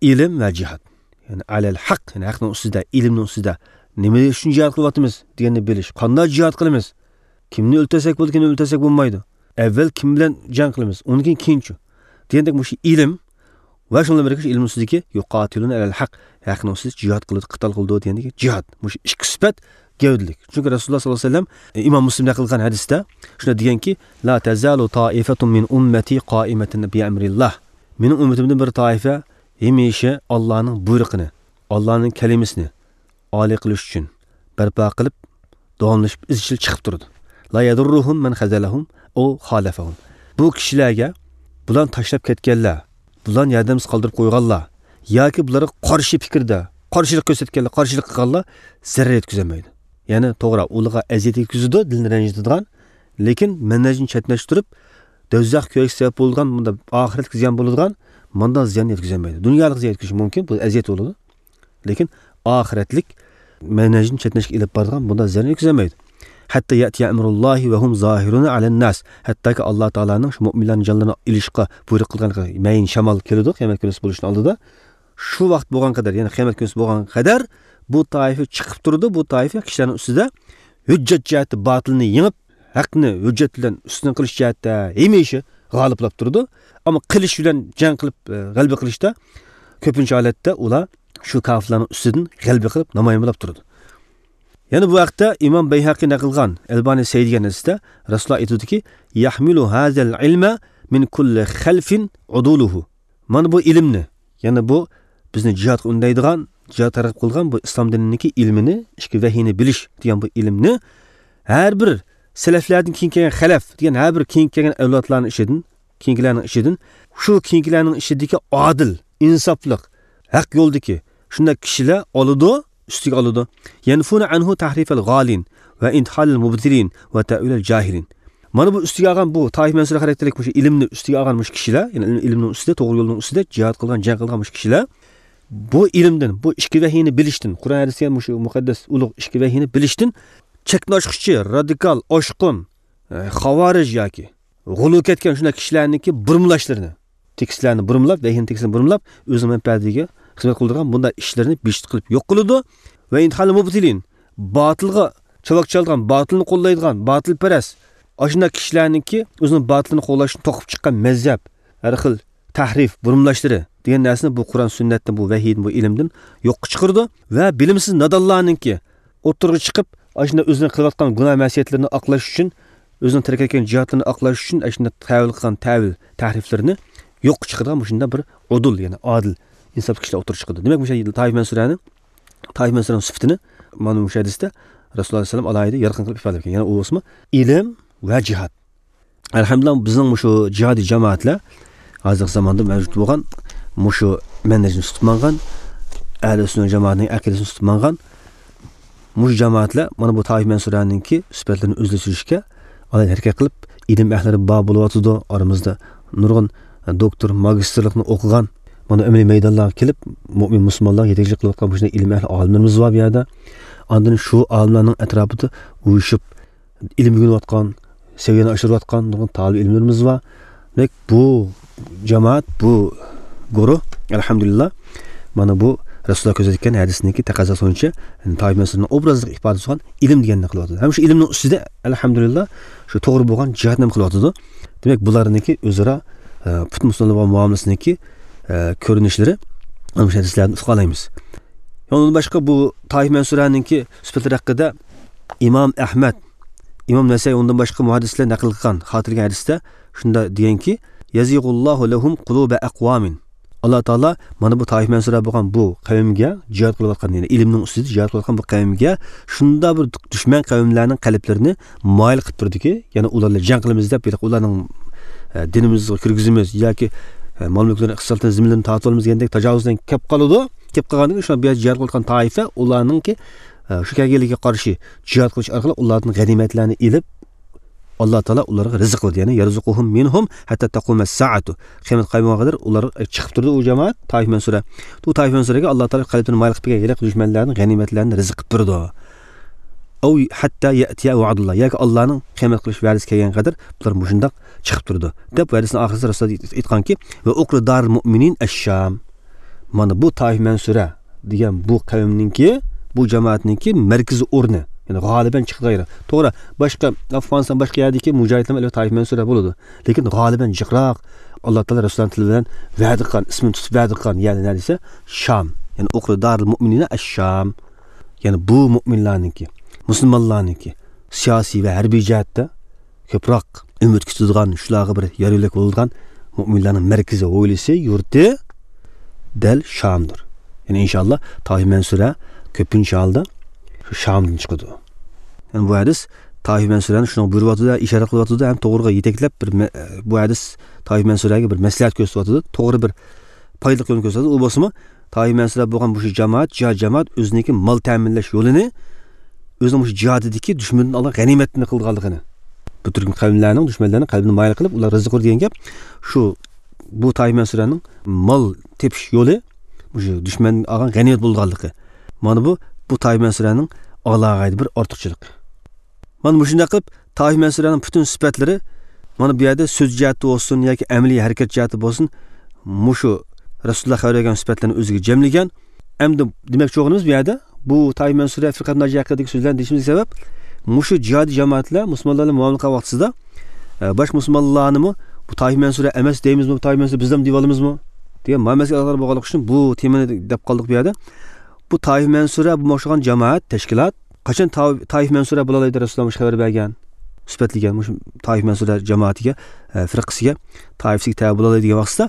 ئىلىم ۋە جىھاد. يەنى ئەلەل ھەق، يەنى ھەقنىڭ ئۈستىدە، ئىلىمنىڭ ئۈستىدە. نېمە ئۈچۈن جىھاد قىلىۋاتىمىز دېگەننى بىلىش. قانداق جىھاد قىلىمىز؟ كىمنى ئۆلتۈرسەك بولىدۇ، كىمنى ئۆلتۈرسەك بولمايدۇ؟ ئەۋۋەل كىم بىلەن جەڭ قىلىمىز؟ ئۇندىن كېيىن كېيىنچۇ؟ دېگەندەك مۇشۇ ئىلىم ۋە شۇنىڭ بىلەن بىرگە شۇ ئىلىمنىڭ ئۈستىدىكى يۇقاتىلۇنە ئەلەل ھەق، ھەقنىڭ ئۈستىدە جىھاد قىلىدۇ، قىتال قىلىدۇ دېگەندىكى جىھاد. مۇشۇ ئىككى سۈپەت گەۋدىلىك. چۈنكى رەسۇلۇللاھ سەللەللاھۇ ئەلەيھى ۋەسەللەم، ئىمام مۇسلىم نەقىل قىلغان ھەدىستە شۇنداق دېگەنكى، لا تەزالۇ تائىفەتۇن مىن ئۇممەتى قائىمەتەن بىئەمرىللاھ. مېنىڭ ئۈممىتىمدىن بىر تائىپە ھەمىشە ئاللانىڭ بۇيرۇقىنى، ئاللانىڭ كەلىمىسىنى ئالىي قىلىش ئۈچۈن بەرپا قىلىپ، داۋاملىشىپ ئىزچىل چىقىپ تۇرىدۇ. لا يەدۇررۇھۇم مەن خەزەلەھۇم ئەۋ خالەفەھۇم. بۇ كىشىلەرگە بۇلارنى تاشلاپ كەتكەنلەر، بۇلارنى ياردەمسىز قالدۇرۇپ قويغانلار ياكى بۇلارغا قارشى پىكىردە، قارشىلىق كۆرسەتكەنلەر، قارشىلىق قىلغانلار زەرەر يەتكۈزەلمەيدۇ. يەنى توغرا، ئۇلارغا ئەزىيەت يەتكۈزىدۇ، دىلنى رەنجىتىدىغان، لېكىن مەنھەجنى چەتنەشتۈرۈپ، دوزاخ كۆيۈشكە سەۋەب بولىدىغان، بۇنداق ئاخىرەتكە زىيان بولىدىغان، مۇنداق زىيان يەتكۈزەلمەيدۇ. دۇنيالىق زىيان يەتكۈزۈشى مۇمكىن، بۇ ئەزىيەت بولىدۇ. لېكىن ئاخىرەتلىك مەنھەجنى چەتنەشكە ئېلىپ بارىدىغان بۇنداق زىيان يەتكۈزەلمەيدۇ. ھەتتا يەتىيە ئەمرۇللاھى ۋە ھۇم زاھىرۇنە ئەلەن ناس. ھەتتاكى ئاللا تائالانىڭ شۇ مۇئمىنلارنىڭ جانلىرىنى ئېلىشقا بۇيرۇق قىلغان مەيىن شامال كېلىدۇ، قىيامەت كۈنى بولۇشنىڭ ئالدىدا. شۇ ۋاقىت بولغان قەدەر، يەنى قىيامەت كۈنى بولغان قەدەر بۇ تائىپە چىقىپ تۇرىدۇ، بۇ تائىپە كىشىلەرنىڭ ئۈستىدە ھۆججەت جەھەتتە باتىلنى يېڭىپ، ھەقنى ھۆججەت بىلەن ئۈستۈن قىلىش جەھەتتە ھەمىشە غالىبلاپ تۇرىدۇ. ئەمما قىلىچ بىلەن جەڭ قىلىپ، ئە، غەلىبە قىلىشتا كۆپىنچە ھالەتتە ئۇلار شۇ كاپىرلارنىڭ ئۈستىدىن غەلىبە قىلىپ نامايان بولاپ تۇرىدۇ. يەنە بۇ ھەقتە ئىمام بەيھەقى نەقىل قىلغان ئەلبانى سەھىھ دېگەن ھەدىستە رەسۇلۇللاھ ئېيتىدۇكى، يەھمىلۇ ھازەل ئىلمە مىن كۇللى خەلفىن ئۇدۇلۇھۇ. مانا بۇ ئىلىمنى، يەنى بۇ بىزنى جىھادقا ئۈندەيدىغان، جىھاد تەرغىب قىلغان بۇ ئىسلام دىنىنىڭكى ئىلمىنى، ئىچكى ۋەھىينى بىلىش دېگەن بۇ ئىلىمنى ھەر بىر سەلەفلەردىن كېيىن كەلگەن خەلەف دېگەن ھەر بىر كېيىن كەلگەن ئەۋلادلارنىڭ ئىچىدىن، كېيىنكىلەرنىڭ ئىچىدىن، شۇ كېيىنكىلەرنىڭ ئىچىدىكى ئادىل، ئىنساپلىق، ھەق يولدىكى شۇنداق كىشىلەر ئالىدۇ، ئۈستىگە ئالىدۇ. يەنفۇنە ئەنھۇ تەھرىفەل غالىن ۋە ئىنتىھالەل مۇبتىلىن ۋە تەئۋىلەل جاھىلىن. مانا بۇ ئۈستىگە ئالغان، بۇ تائىف مەنسۇرە خاراكتېرلىك مۇشۇ ئىلىمنى ئۈستىگە ئالغان مۇشۇ كىشىلەر، يەنى ئىلىم-، ئىلىمنىڭ ئۈستىدە، توغرا يولنىڭ ئۈستىدە جىھاد قىلغان، جەڭ قىلغان مۇشۇ كىشىلەر بۇ ئىلىمدىن، بۇ ئىچكى ۋەھىينى بىلىشتىن، قۇرئان ھەدىس دېگەن مۇشۇ مۇقەددەس ئۇلۇغ ئىچكى ۋەھىينى بىلىشتىن چەكتىن ئاشقۇچى، رادىكال، ئاشقۇن، ئە، خاۋارىج ياكى غۇلۇ كەتكەن شۇنداق كىشىلەرنىڭكى بۇرمىلاشلىرىنى، تېكىستلەرنى بۇرمىلاپ، ۋەھىينىڭ تېكىستىنى بۇرمىلاپ، ئۆزىنىڭ مەنپەئەتىگە خىزمەت قىلىدىغان بۇنداق ئىشلىرىنى بىھۇدە قىلىپ يوق قىلىدۇ. ۋە ئىنتىھالەل مۇبتىلىن، باتىلغا چاۋاك چالىدىغان، باتىلنى قوللايدىغان، باتىلپەرەس، ئاشۇنداق كىشىلەرنىڭكى ئۆزىنىڭ باتىلىنى قوللاشتىن توقۇپ چىققان مەزھەپ، ھەر خىل تەھرىف، بۇرمىلاشلىرى دېگەن نەرسىنى بۇ قۇرئان سۈننەتتىن، بۇ ۋەھىيدىن، بۇ ئىلىمدىن يوققا چىقىرىدۇ. ۋە بىلىمسىز نادانلارنىڭكى ئوتتۇرىغا چىقىپ، ئاشۇنداق ئۆزىنىڭ قىلىۋاتقان گۇناھ مەسىيەتلىرىنى ئاقلاش ئۈچۈن، ئۆزىنىڭ تەرك ئەتكەن جىھادلىرىنى ئاقلاش ئۈچۈن، ئاشۇنداق تەۋىل قىلغان تەۋىل تەھرىفلىرىنى يوققا چىقىرىدىغان مۇشۇنداق بىر ئۇدۇل، يەنى ئادىل، ئىنساپلىق كىشىلەر ئوتتۇرىغا چىقىدۇ. دېمەك، مۇشۇ تائىف مەنسۇرەنىڭ، تائىف مەنسۇرەنىڭ سۈپىتىنى مانا مۇشۇ ھەدىستە رەسۇلۇللاھ ئەلەيھىسسالام ئالاھىدە يارقىن قىلىپ ئىپادىلەپ كەلگەن. يەنى ئۇ بولسىمۇ ئىلىم ۋە جىھاد. ئەلھەمدۇلىللاھ، بىزنىڭ مۇشۇ جىھادىي جامائەتلەر ھازىرقى زاماندا مەۋجۇت بولغان، مۇشۇ مەنھەجنى تۇتۇپ ماڭغان، ئەھلى سۈننە جامائەتنىڭ ئەقىدىسىنى تۇتۇپ ماڭغان مۇشۇ جامائەتلەر مانا بۇ تائىف مەنسۇرەنىڭكى سۈپەتلىرىنى ئۆزلەشتۈرۈشكە ئالاھىدە ھەرىكەت قىلىپ، ئىلىم ئەھلىلىرى بار بولۇۋاتىدۇ. ئارىمىزدا نۇرغۇن دوكتور، ماگىستىرلىقنى ئوقۇغان، مانا ئەمەلىي مەيدانلارغا كېلىپ، مۆمىن مۇسۇلمانلارغا يېتەكچىلىك قىلىۋاتقان مۇشۇنداق ئىلىم ئەھلى ئالىملىرىمىز بار بۇ يەردە. ئاندىن شۇ ئالىملارنىڭ ئەتراپىدا ئۇيۇشۇپ، ئىلىم ئۆگىنىۋاتقان، سەۋىيەنى ئاشۇرۇۋاتقان نۇرغۇن تالىپ ئىلىملىرىمىز بار. دېمەك، بۇ جامائەت، بۇ گۇرۇھ، ئەلھەمدۇلىللا، مانا بۇ رەسۇلۇللا كۆرسەتكەن ھەدىسنىڭكى تەقەززاسى بويىچە، يەنى تائىف مەنسۇرىنىڭ ئوبرازلىق ئىپادىسى بولغان ئىلىم دېگەننى قىلىۋاتىدۇ. ھەم شۇ ئىلىمنىڭ ئۈستىدە، ئەلھەمدۇلىللا، شۇ توغرا بولغان جىھادنى ھەم قىلىۋاتىدۇ. دېمەك، بۇلارنىڭكى ئۆزئارا، ئە، پۈتۈن مۇسۇلمانلار بولغان مۇئامىلىسىنىڭكى، ئە، كۆرۈنۈشلىرى مانا مۇشۇ ھەدىسلەردىن ئۇقالايمىز. ئۇنىڭدىن باشقا بۇ تائىف مەنسۇرەنىڭكى سۈپەتلىرى ھەققىدە ئىمام ئەھمەد، ئىمام نەسەي، ئۇنىڭدىن باشقا مۇھەددىسلەر نەقىل قىلغان، خاتىرىلىگەن ھەدىستە شۇنداق دېگەنكى، يەزىغۇللاھۇ لەھۇم قۇلۇبە ئەقۋامىن. ئاللا تائالا مانا بۇ تائىف مەنسۇرە بولغان بۇ قەۋمگە، جىھاد قىلىۋاتقان، يەنى ئىلىمنىڭ ئۈستىدە جىھاد قىلىۋاتقان بۇ قەۋمگە شۇنداق بىر دۈشمەن قەۋملەرنىڭ قەلبلىرىنى مايىل قىلىپ تۇردىكى، يەنى ئۇلار بىلەن جەڭ قىلىمىز دەپ، ياكى ئۇلارنىڭ، ئە، دىنىمىزغا كىرگۈزىمىز ياكى، ئە، مال مۈلكلىرىنى، ئىقتىسادلىرىنى، زېمىنلىرىنى تارتىۋالىمىز دېگەندەك تاجاۋۇزدىن كەپ قالىدۇ. كەپ قالغاندىن كېيىن شۇ بۇ يەردە جىھاد قىلىۋاتقان تائىپە ئۇلارنىڭكى، ئە، شۇ كەلگەنلىكىگە قارشى جىھاد قىلىش ئارقىلىق ئۇلاردىن غەنىيمەتلەرنى ئېلىپ، ئاللا تائالا ئۇلارغا رىزىق قىلىدۇ. يەنى يەرزۇقۇھۇم مىنھۇم ھەتتا تەقۇمەس سائەتۇ. قىيامەت قايمىغانغا قەدەر ئۇلار، ئە، چىقىپ تۇرىدۇ ئۇ جامائەت، تائىف مەنسۇرە. بۇ تائىف مەنسۇرەگە ئاللا تائالا قەلبىنى مايىل قىلىپ كەلگەن ھېلىقى دۈشمەنلەرنىڭ غەنىيمەتلەرنى رىزىق قىلىپ بېرىدۇ. ئەۋ ھەتتا يەتىيە ۋەئدۇللا، ياكى ئاللانىڭ قىيامەت قىلىش ۋەدىسى كەلگەنگە قەدەر بۇلار مۇشۇنداق چىقىپ تۇرىدۇ، دەپ ھەدىسنىڭ ئاخىرىدا رەسۇلۇللا ئېيتقانكى، ۋە ئۇقرى دارىل مۇئمىنىن ئەششام. مانا بۇ تائىف مەنسۇرە دېگەن بۇ قەۋمنىڭكى، بۇ جامائەتنىڭكى مەركىزىي ئورنى، يەنى غالىبەن چىقىدىغان يېرى. توغرا، باشقا ئافغانىستان، باشقا يەردىكى مۇجاھىدلار ئەلۋەتتە تائىف مەنسۇرە بولىدۇ. لېكىن غالىبەن جىقراق، ئاللا تائالا رەسۇلۇللانىڭ تىلى بىلەن ۋەدە قىلغان، ئىسمىنى تۇتۇپ ۋەدە قىلغان يەرلەر نەدىسە، شام. يەنى ئۇقرى دارىل مۇئمىنىنە ئەششام. يەنى بۇ مۇئمىنلارنىڭكى، مۇسۇلمانلارنىڭكى سىياسىي ۋە ھەربىي جەھەتتە كۆپرەك ئۈمىد كۈتىدىغان، شۇلارغا بىر يار يۆلەك بولىدىغان مۇئمىنلارنىڭ مەركىزى، ھويلىسى، يۇرتى دەل شامدۇر. يەنى ئىنشائاللا تائىف مەنسۇرە كۆپىنچە ھالدا شۇ شامدىن چىقىدۇ. يەنى بۇ ھەدىس تائىف مەنسۇرەنى شۇنىڭغا بۇيرۇۋاتىدۇ، ئىشارە قىلىۋاتىدۇ ھەم توغرىغا يېتەكلەپ بىر مە-، بۇ ھەدىس تائىف مەنسۇرەگە بىر مەسلىھەت كۆرسىتىۋاتىدۇ، توغرا بىر پايدىلىق يولنى كۆرسىتىۋاتىدۇ. ئۇ بولسىمۇ تائىف مەنسۇرە بولغان مۇشۇ جامائەت، جىھاد جامائەت ئۆزىنىڭكى مال تەمىنلەش يولىنى ئۆزىنىڭ مۇشۇ جىھادىدىكى دۈشمىنىدىن ئالغان غەنىيمەتنى قىلغانلىقىنى، بۇ تۈركۈم قەۋملەرنىڭ، دۈشمەنلەرنىڭ قەلبىنى مايىل قىلىپ، ئۇلار رىزىق قىلدى دېگەن گەپ. شۇ، بۇ تائىف مەنسۇرەنىڭ مال تېپىش يولى مۇشۇ دۈشمەندىن ئالغان غەنىيمەت بولغانلىقى. مانا بۇ، بۇ تائىف مەنسۇرەنىڭ ئالاھىدە بىر ئارتۇقچىلىقى. مانا مۇشۇنداق قىلىپ، تائىف مەنسۇرەنىڭ پۈتۈن سۈپەتلىرى، مانا بۇ يەردە سۆز جەھەتتە بولسۇن ياكى ئەمەلىي ھەرىكەت جەھەتتە بولسۇن، مۇشۇ رەسۇلۇللا خەۋەر بەرگەن سۈپەتلەرنى ئۆزىگە جەملىگەن. ئەمدى دېمەكچى بولغىنىمىز بۇ يەردە، بۇ تائىف مەنسۇرە، فىرقەت ناجىيە ھەققىدىكى سۆزلەرنى دېيىشىمىزگە سەۋەب، مۇشۇ جىھادىي جامائەتلەر مۇسۇلمانلار بىلەن مۇئامىلە قىلغان ۋاقتىسىدا، ئە، باشقا مۇسۇلمانلارنىمۇ بۇ تائىف مەنسۇرە ئەمەس دەيمىزمۇ، تائىف مەنسۇرە بىز دەم دېيىۋالىمىزمۇ دېگەن مۇئامىلىسىگە ئالاقىدار بولغانلىقى ئۈچۈن بۇ تېمىنى دەپ قالدۇق بۇ يەردە. بۇ تائىف مەنسۇرە بولماقچى بولغان جامائەت، تەشكىلات، قاچان تا-، تائىف مەنسۇرە بولالايدۇ رەسۇلۇللا مۇشۇ خەۋەر بەرگەن، سۈپەتلىگەن مۇشۇ تائىف مەنسۇرە جامائىتىگە، ئە، فىرقىسىگە، تائىپىسىگە تەۋە بولالايدۇ دېگەن ۋاقتىدا،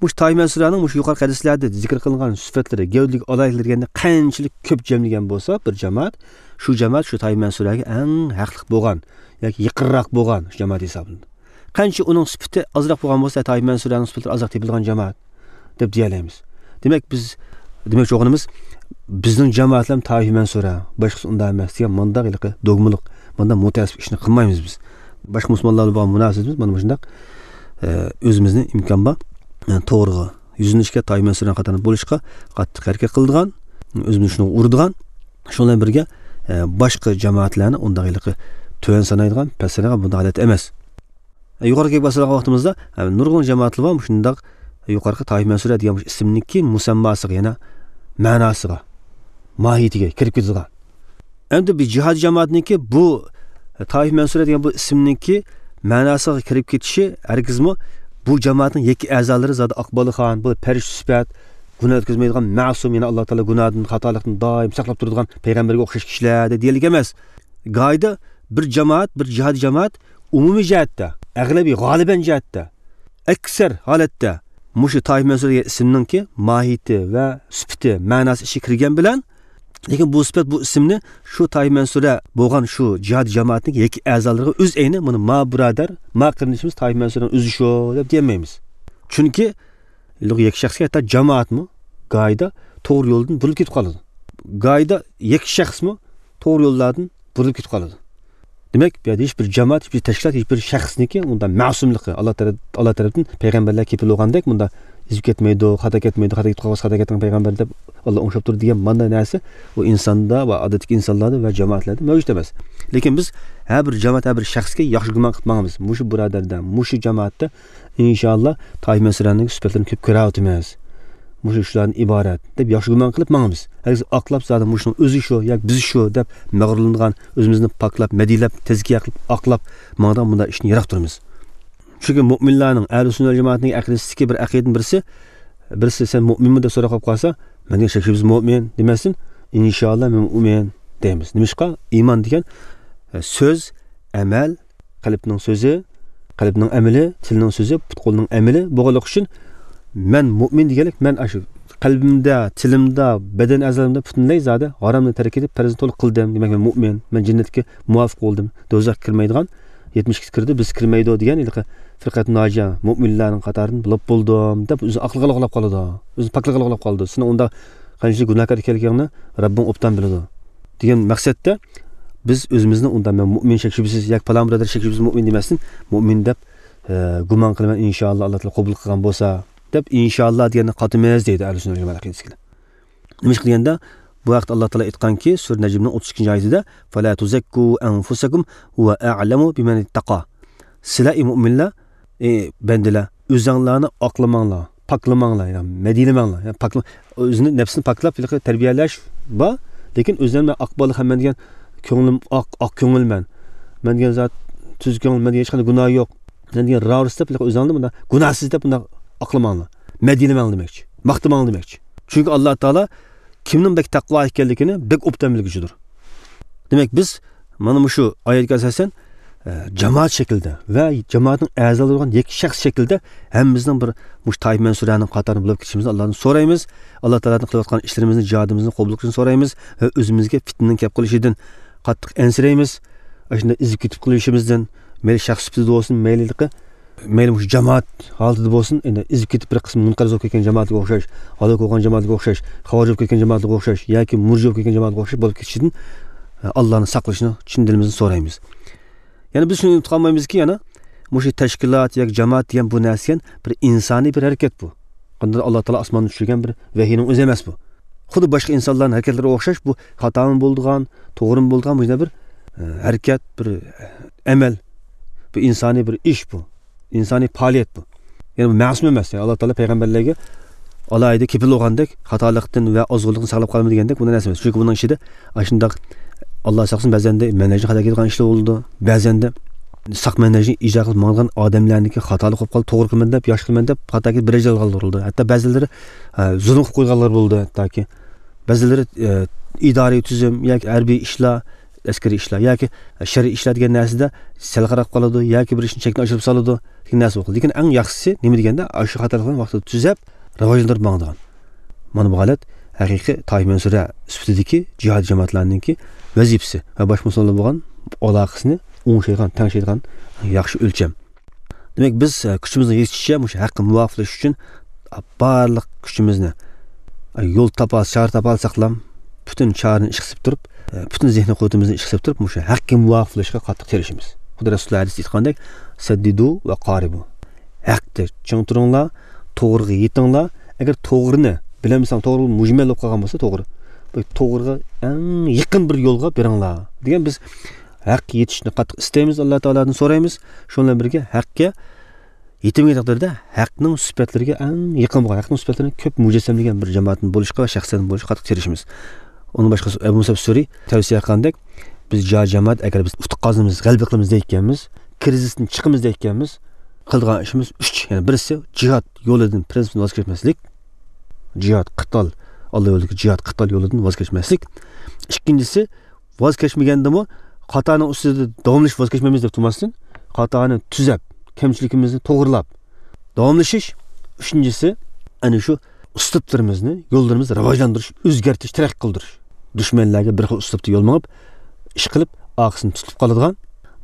مۇشۇ تايىف مەنسۇرەنىڭ مۇشۇ يۇقىرىقى ھەدىسلەردە زىكىر قىلىنغان سۈپەتلىرى، گەۋدىلىك ئالاھىدىلىكلىرى دېگەننى قانچىلىك كۆپ جەملىگەن بولسا بىر جامائەت، شۇ جامائەت شۇ تايىف مەنسۇرەگە ئەڭ ھەقلىق بولغان ياكى يېقىنراق بولغان شۇ جامائەت ھېسابلىنىدۇ. قانچە ئۇنىڭ سۈپىتى ئازراق بولغان بولسا، تايىپ مەنسۇرەنىڭ سۈپىتى ئازراق تېپىلغان جامائەت دەپ دېيەلەيمىز. دېمەك، بىز دېمەكچى بولغىنىمىز، بىزنىڭ جامائەتلەر تايىپ مەنسۇرە، باشقىسى ئۇنداق ئەمەس دېگەن مانداق ھېلىقى دوگمىلىق، مانداق مۇتەئەسسىپ ئىشنى قىلمايمىز بىز. باشقا مۇسۇلمانلار بىلەن بولغان مۇناسىۋىتىمىز مانا مۇشۇنداق، ئە، ئۆزىمىزنى ئىمكان بار، ئە، توغرىغا يۈزلىنىشكە، تايىپ مەنسۇرە قاتارىدا بولۇشقا قاتتىق ھەرىكەت قىلىدىغان، ئۆزىمىزنى شۇنىڭغا ئۇرىدىغان، شۇنىڭ بىلەن بىرگە، ئە، باشقا جامائەتلەرنى ئۇنداق ھېلىقى تۆۋەن سانايدىغان، پەس سانايدىغان بۇنداق ھالەت ئەمەس. يۇقىرىقى گەپ باسىدىغان ۋاقتىمىزدا، ھە، نۇرغۇن جامائەتلەر بار مۇشۇنداق يۇقىرىقى تايىپ مەنسۇرە دېگەن مۇشۇ ئىسىمنىڭكى مۇسەمماسىغا، يەنە مەناسىغا، ماھىيىتىگە كىرىپ كېتىدىغان. ئەمدى بىر جىھادىي جامائەتنىڭكى بۇ تايىپ مەنسۇرە دېگەن بۇ ئىسىمنىڭكى مەناسىغا كىرىپ كېتىشى ھەرگىزمۇ بۇ جامائەتنىڭ يەككە ئەزالىرى زادى ئاق بالىخان، بۇ پەرىشتە سۈپەت، گۇناھ ئۆتكۈزمەيدىغان مەسۇم، يەنى ئاللا تائالا گۇناھتىن، خاتالىقتىن دائىم ساقلاپ تۇرىدىغان پەيغەمبەرگە ئوخشاش كىشىلەر دېگەنلىك ئەمەس. گاھىدا بىر جامائەت، بىر جىھادىي جامائەت ئومۇمىي جەھەتتە، ئەغلىبىي، غالىبەن جەھەتتە، ئەكسەر ھالەتتە مۇشۇ تايىپ مەنسۇر دېگەن ئىسىمنىڭكى ماھىيىتى ۋە سۈپىتى، مەناسى ئىچىگە كىرگەن بىلەن، لېكىن بۇ سۈپەت، بۇ ئىسىمنى شۇ تايىپ مەنسۇرە بولغان شۇ جىھادىي جامائەتنىڭ يەككە ئەزالىرىغا ئۆز ئەينى، مانا ما بۇرادەر، ما قېرىندىشىمىز تايىپ مەنسۇرەنىڭ ئۆزى شۇ دەپ دېيەلمەيمىز. چۈنكى يەككە شەخسكە ھەتتا جامائەتمۇ گاھىدا توغرا يولدىن بۇرۇلۇپ كېتىپ قالىدۇ. گاھىدا يەككە شەخسمۇ توغرا يوللاردىن بۇرۇلۇپ كېتىپ قالىدۇ. دېمەك، بۇ يەردە ھېچ بىر جامائەت، ھېچ بىر تەشكىلات، ھېچ بىر شەخسنىڭكى ئۇنداق مەسۇملۇقى، ئاللا تەرەپ-، ئاللا تەرەپتىن پەيغەمبەرلەر كېپىل بولغاندەك، مۇنداق ئېزىپ كەتمەيدۇ، خاتا كەتمەيدۇ، خاتا كېتىپ قالغان بولسا خاتا كەتمەيدۇ، پەيغەمبەر دەپ ئاللا ئوڭشاپ تۇرىدۇ دېگەن مانداق نەرسە ئۇ ئىنساندا ۋە ئادەتتىكى ئىنسانلاردا ۋە جامائەتلەردە مەۋجۇت ئەمەس. لېكىن بىز ھەر بىر جامائەت، ھەر بىر شەخسكە ياخشى گۇمان قىلىپ ماڭىمىز. مۇشۇ بۇرادەردە، مۇشۇ جامائەتتە ئىنشاللا تايىپ مەنسۇرەنىڭ سۈپەتلىرىنى كۆپ كۆرۈۋاتىمىز. مۇشۇ شۇلاردىن ئىبارەت دەپ ياخشى گۇمان قىلىپ ماڭىمىز. ھەرگىز ئاقلاپ، زادى مۇشۇنىڭ ئۆزى شۇ ياكى بىز شۇ دەپ مەغرۇرلىنىدىغان، ئۆزىمىزنى پاكلاپ، مەدھىيەلەپ، تەزكىيە قىلىپ ئاقلاپ ماڭىدىغان بۇنداق ئىشتىن يىراق تۇرىمىز. چۈنكى مۆمىنلەرنىڭ، ئەھلى سۈننە ۋەل جامائەتنىڭ ئەقىدىسىدىكى بىر ئەقىدىنىڭ بىرسى، بىرسى «سەن مۆمىنمۇ؟» دەپ سوراپ قالىپ قالسا، «مەن دېگەن شەك شۈبھىسىز مۆمىن» دېمەستىن، «ئىنشاللا مەن مۆمىن» دەيمىز. نېمىشقا؟ ئىمان دېگەن، ئە، سۆز، ئەمەل، قەلبنىڭ سۆزى، قەلبنىڭ ئەمىلى، تىلنىڭ سۆزى، پۇت-قولنىڭ ئەمىلى بولغانلىقى ئۈچۈن، مەن مۆمىن دېگەنلىك، مەن ئاشۇ قەلبىمدە، تىلىمدا، بەدەن ئەزالىرىمدا پۈتۈنلەي زادى ھارامنى تەرك ئېتىپ، پەرزنى تولۇق قىلدىم. دېمەك، مەن مۆمىن، مەن جەننەتكە مۇۋاپىق بولدۇم. دوزاخقا كىرمەيدىغان يەتمىش ئىككىسى كىرىدۇ، بىز كىرمەيدۇ دېگەن ھېلىقى فىرقەتۇ ناجىيە، مۆمىنلەرنىڭ قاتارىدىن بولۇپ بولدۇم دەپ ئۆزىنى ئاقلىقىغا ئۇلاپ قالىدۇ. ئۆزىنى پاكلىقىغا ئۇلاپ قالىدۇ. سېنىڭ ئۇنداق قانچىلىك گۇناھكار ئىكەنلىكىڭنى رەببىڭ ئوبدان بىلىدۇ دېگەن مەقسەتتە بىز ئۆزىمىزنى ئۇنداق «مەن مۆمىن شەك شۈبھىسىز» ياكى «پالان بۇرادەر شەك شۈبھىسىز مۆمىن» دېمەستىن، «مۆمىن دەپ، ئە، گۇمان قىلىمەن، ئىنشاللا ئاللا تائالا قوبۇل قىلغان بولسا» دەپ، «ئىنشاللا» دېگەننى قاتىمىز دەيدۇ ئەھلى سۈننە ۋەل جامائەت ئەقىدىسىدىكىلەر. نېمىشقا دېگەندە، بۇ ھەقتە ئاللا تائالا ئېيتقانكى، سۈرە نەجمنىڭ ئوتتۇز ئىككىنچى ئايىتىدە، «فلا تزكوا أنفسكم هو أعلم بمن اتقى». سىلەر، ئى مۆمىنلەر، ئى بەندىلەر، ئۆزۈڭلارنى ئاقلىماڭلار، پاكلىماڭلار، يەنى مەدھىيلىمەڭلار. يەنى پاكلا-، ئۆزىنى، نەپسىنى پاكلاپ، ھېلىقى تەربىيەلەش بار، لېكىن ئۆزۈڭنى «مەن ئاق بالا، مەن دېگەن كۆڭلۈم ئاق، ئاق كۆڭۈل مەن، مەن دېگەن زات تۈز كۆڭۈل، مەن دېگەن ھېچقانداق گۇناھ يوق، مەن دېگەن راۋۇرۇس» دەپ، ھېلىقى ئۆزۈڭنى مۇنداق گۇناھسىز دەپ مۇنداق ئاقلىماڭلار. مەدھىيلىمەڭلار دېمەكچى، ماختىماڭلار دېمەكچى. چۈنكى ئاللا تائالا كىمنىڭ بەك تەقۋا ئىكەنلىكىنى بەك ئوبدان بىلگۈچىدۇر. دېمەك، بىز مانا مۇشۇ ئايەتكە ئاساسەن، ئە، جامائەت شەكلىدە ۋە جامائەتنىڭ ئەزالىرى بولغان يەككە شەخس شەكلىدە ھەممىمىزنىڭ بىر مۇشۇ تايىپ مەنسۇرەنىڭ قاتارىدا بولۇپ كېتىشىمىزنى ئاللادىن سورايمىز. ئاللا تائالادىن قىلىۋاتقان ئىشلىرىمىزنى، جىھادىمىزنى قوبۇل قىلىشىنى سورايمىز ۋە ئۆزىمىزگە پىتنىنىڭ كەپ قېلىشىدىن قاتتىق ئەنسىرەيمىز. ئاشۇنداق ئېزىپ كېتىپ قېلىشىمىزدىن، مەيلى شەخس سۈپىتىدە بولسۇن، مەيلى مەيلى مۇشۇ جامائەت ھالىتىدە بولسۇن، ئەنە ئېزىپ كېتىپ بىر قىسىم مۇنقەرز بولۇپ كەتكەن جامائەتكە ئوخشاش، ھالاك بولغان جامائەتكە ئوخشاش، خاۋارىج بولۇپ كەتكەن جامائەتكە ئوخشاش ياكى مۇرجى بولۇپ كەتكەن جامائەتكە ئوخشاش بولۇپ كېتىشىدىن، ئە، ئاللانى ساقلىشىنى چىن دىلىمىزدىن سورايمىز. يەنە بىز شۇنى ئۇنتۇپ قالمايمىزكى، يەنە مۇشۇ تەشكىلات ياكى جامائەت دېگەن بۇ نەرسە دېگەن بىر ئىنسانىي بىر ھەرىكەت بۇ. قانداق ئاللا تائالا ئاسماندىن چۈشۈرگەن بىر ۋەھىينىڭ ئۆزى ئەمەس بۇ. خۇددى باشقا ئىنسانلارنىڭ ھەرىكەتلىرىگە ئوخشاش بۇ خاتامۇ بولىدىغان، توغرىمۇ بولىدىغان مۇشۇنداق بىر، ئە، ھەرىكەت، بىر ئەمەل، بۇ ئىنسانىي بىر ئىش بۇ. ئىنسانىي پائالىيەت بۇ. يەنى بۇ مەسۇم ئەمەس. يەنى ئاللا تائالا پەيغەمبەرلەرگە ئالاھىدە كېپىل بولغاندەك، خاتالىقتىن ۋە ئازغۇنلۇقتىن ساقلاپ قالىمىز دېگەندەك بۇنداق نەرسە ئەمەس. چۈنكى بۇنىڭ ئىچىدە ئاشۇنداق، ئاللا ساقلىسۇن، بەزەندە مەنھەجنى خاتا كېتىدىغان ئىشلار بولىدۇ. بەزەندە ساق مەنھەجنى ئىجرا قىلىپ ماڭىدىغان ئادەملەرنىڭكى خاتالىق بولۇپ قالدى، توغرا قىلىمەن دەپ، ياخشى قىلىمەن دەپ خاتا كېتىپ بىر ئەجەل قالدۇرۇلىدۇ. ھەتتا بەزىلىرى، ئە، زۇلۇم قىلىپ قويغانلار بولىدۇ. ھەتتاكى بەزىلىرى، ئە، ئىدارىي تۈزۈم ياكى ھەربىي ئىشلار، ئەسكىرىي ئىشلار ياكى شەرئىي ئىشلار دېگەن نەرسىدە سەل قاراپ قالىدۇ ياكى بىر ئىشنى چەكتىن ئاشۇرۇپ سالىدۇ. دېگەن نەرسە بولغان. لېكىن ئەڭ ياخشىسى نېمە دېگەندە، ئاشۇ خاتالىقلارنى ۋاقتىدا تۈزەپ، راۋاجلاندۇرۇپ ماڭىدىغان. مانا بۇ ھالەت ھەقىقىي تائىپە مەنسۇرە سۈپىتىدىكى جىھاد جامائەتلەرنىڭكى ۋەزىپىسى ۋە باشقا مۇسۇلمانلار بولغان ئالاقىسىنى ئوڭشايدىغان، تەڭشەيدىغان ياخشى ئۆلچەم. دېمەك، بىز، ئە، كۈچىمىزنىڭ يېتىشىچە مۇشۇ ھەققە مۇۋاپىقلىشىش ئۈچۈن، ئە، بارلىق كۈچىمىزنى، ئە، يول تاپالسا، چارە تاپالساقلام، پۈتۈن چارىنى ئىشقا سېلىپ تۇرۇپ، ئە، پۈتۈن زېھنىي قۇۋۋىتىمىزنى ئىشقا سېلىپ تۇرۇپ، مۇشۇ ھەققە مۇۋاپىقلىشىشقا قاتتىق تىرىشىمىز. خۇدا رەسۇلى ھەدىستە ئېيتقاندەك، سەددىدۇ ۋە قارىبۇ. ھەقتە چىڭ تۇرۇڭلار، توغرىغا يېتىڭلار. ئەگەر توغرىنى بىلەلمىسەڭ، توغرا مۇجمەل بولۇپ قالغان بولسا، توغرا، بۇ توغرىغا ئەڭ يېقىن بىر يولغا بېرىڭلار دېگەن. بىز ھەققە يېتىشنى قاتتىق ئىستەيمىز، ئاللا تائالادىن سورايمىز. شۇنىڭ بىلەن بىرگە، ھەققە يېتىلمىگەن تەقدىردە، ھەقنىڭ سۈپەتلىرىگە ئەڭ يېقىن بولغان، ھەقنىڭ سۈپەتلىرىنى كۆپ مۇجەسسەملىگەن بىر جامائەتتىن بولۇشقا ۋە شەخسلەردىن بولۇشقا قاتتىق تىرىشىمىز. ئۇنىڭ باشقىسى، ئەبۇ مۇسەب سۈرى تەۋسىيە قىلغاندەك، بىز جا جامائەت، ئەگەر بىز ئۇتۇق قازىنىمىز، غەلىبە قىلىمىز دەيدىكەنمىز، كىرىزىستىن چىقىمىز دەيدىكەنمىز، قىلىدىغان ئىشىمىز ئۈچ. يەنى بىرسى، جىھاد يولىدىن، پىرىنسىپتىن ۋاز كەچمەسلىك. جىھاد، قىتال، ئاللا يولىدىكى جىھاد، قىتال يولىدىن ۋاز كەچمەسلىك. ئىككىنچىسى، ۋاز كەچمىگەندىمۇ خاتانىڭ ئۈستىدە داۋاملىشىپ ۋاز كەچمەيمىز دەپ تۇرماستىن، خاتانى تۈزەپ، كەمچىلىكىمىزنى توغرىلاپ داۋاملىشىش. ئۈچىنچىسى، ئەنە شۇ ئۇسلۇبلىرىمىزنى، يوللىرىمىزنى راۋاجلاندۇرۇش، ئۆزگەرتىش، تەرەققىي قىلدۇرۇش. دۈشمەنلەرگە بىر خىل ئۇسلۇبتا يول مېڭىپ، ئىش قىلىپ، ئارقىسىنى تۇتۇپ قالىدىغان،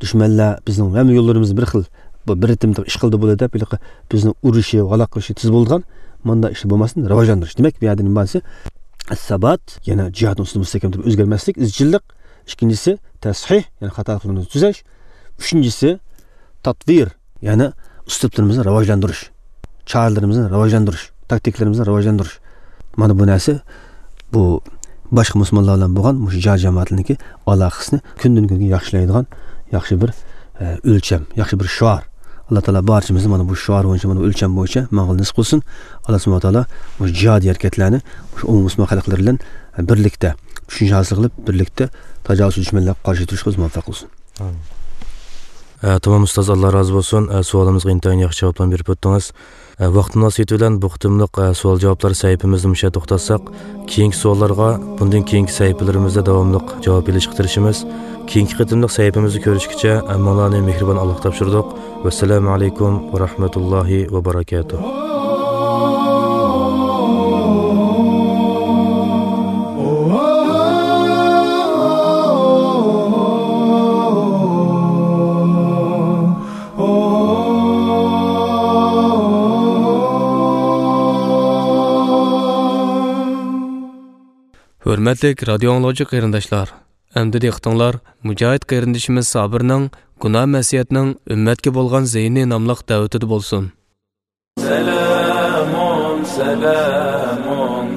دۈشمەنلەر بىزنىڭ ھەممە يوللىرىمىزنى بىر خىل، بۇ بىر رىتىمدا ئىش قىلدى بولدى دەپ، ھېلىقى بىزنى ئۇرۇشى، ھالاك قىلىشى تېز بولىدىغان، مۇنداق ئىشلار بولماستىن راۋاجلاندۇرۇش. دېمەك، بۇ يەردە نېمە بار دېسە، ئەسسابات، يەنە جىھادنىڭ ئۈستىدە مۇستەھكەم تۇرۇپ ئۆزگەرمەسلىك، ئىزچىللىق. ئىككىنچىسى، تەسھىھ، يەنى خاتالىقلىرىمىزنى تۈزەش. ئۈچىنچىسى، تاتۋىر، يەنى ئۇسلۇبلىرىمىزنى راۋاجلاندۇرۇش، چارىلىرىمىزنى راۋاجلاندۇرۇش، تاكتىكىلىرىمىزنى راۋاجلاندۇرۇش. مانا بۇ نەرسە، بۇ باشقا مۇسۇلمانلار بىلەن بولغان مۇشۇ جار جامائەتلىرىنىڭكى ئالاقىسىنى كۈندىن كۈنگە ياخشىلايدىغان ياخشى بىر، ئە، ئۆلچەم، ياخشى بىر شوئار. ئاللا تائالا بارچىمىزنى مانا بۇ شوئار بويىچە، مانا بۇ ئۆلچەم بويىچە ماڭغىلى نېسىپ قىلسۇن. ئاللا سۇبھانەھۇ ۋە تائالا مۇشۇ جىھادىي ھەرىكەتلەرنى مۇشۇ ئومۇمىي مۇسۇلمان خەلقلىرى بىلەن بىرلىكتە چۈشىنىش ھاسىل قىلىپ، بىرلىكتە تاجاۋۇزچى دۈشمەنلەرگە قارشى تۇرۇشقا بىز مۇۋەپپەق قىلسۇن. ئامىن. ئە، تامام ئۇستاز، ئاللا رازى بولسۇن. ئە، سوئالىمىزغا ئىنتايىن ياخشى جاۋابلارنى بېرىپ ئۆتتىڭىز. ئە، ۋاقىت مۇناسىۋىتى بىلەن بۇ قېتىملىق، ئە، سوئال جاۋابلار سەھىپىمىزنى مۇشۇ يەردە توختاتساق، كېيىنكى سوئاللارغا بۇندىن كېيىنكى سەھىپىلىرىمىزدە داۋاملىق جاۋاب ئېلىشقا تىرىشىمىز. كېيىنكى قېتىملىق سەھىپىمىزدە كۆرۈشكىچە، ھەممىڭلارنى مېھرىبان ئاللاغا تاپشۇردۇق. ۋەسسالامۇ ئەلەيكۇم ۋە رەھمەتۇللاھى ۋە بەرەكاتۇھ. ھۆرمەتلىك رادىيو ئاڭلىغۇچى قېرىنداشلار، ئەمدى دىققىتىڭلار مۇجاھىد قېرىندىشىمىز سابىرنىڭ گۇناھ مەسىيەتنىڭ ئۈممەتكە بولغان زىيىنى ناملىق دەۋىتىدە بولسۇن. سلام سلام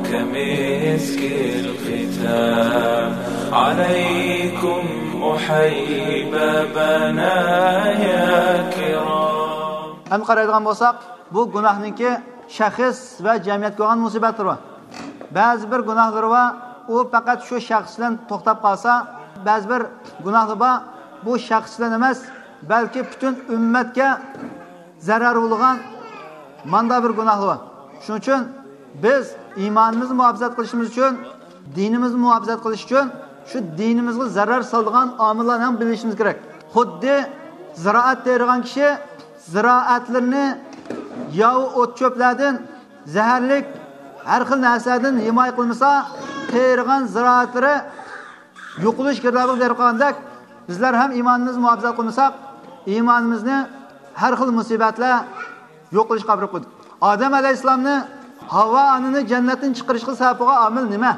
كمسك الختام عليكم أحبابنا يا كرام. ئەمدى قارايدىغان بولساق، بۇ گۇناھنىڭكى شەخس ۋە جەمئىيەتكە بولغان مۇسىبەتلىرى بار. بەزى بىر گۇناھلىرى بار، ئۇ پەقەت شۇ شەخس بىلەن توختاپ قالسا، بەزى بىر گۇناھلار بار، بۇ شەخس بىلەن ئەمەس، بەلكى پۈتۈن ئۈممەتكە زەرەر بولىدىغان ماندا بىر گۇناھلار بار. شۇنىڭ ئۈچۈن بىز ئىمانىمىزنى مۇھاپىزەت قىلىشىمىز ئۈچۈن، دىنىمىزنى مۇھاپىزەت قىلىش ئۈچۈن شۇ دىنىمىزغا زەرەر سالىدىغان ئامىللارنى ھەم بىلىشىمىز كېرەك. خۇددى زىرائەت تېرىغان كىشى زىرائەتلىرىنى ياۋا ئوت-چۆپلەردىن، زەھەرلىك ھەر خىل نەرسىلەردىن ھىمايە قىلمىسا، تېرىغان زىرائەتلىرى يوقىلىش گىردابىغا بېرىپ قالغاندەك، بىزلەر ھەم ئىمانىمىزنى مۇھاپىزەت قىلمىساق، ئىمانىمىزنى ھەر خىل مۇسىبەتلەر يوقىلىشقا ئاپىرىپ قويدى. ئادەم ئەلەيھىسسالامنى، ھاۋا ئانىنى جەننەتتىن چىقىرىشقا سەۋەب بولغان ئامىل نېمە؟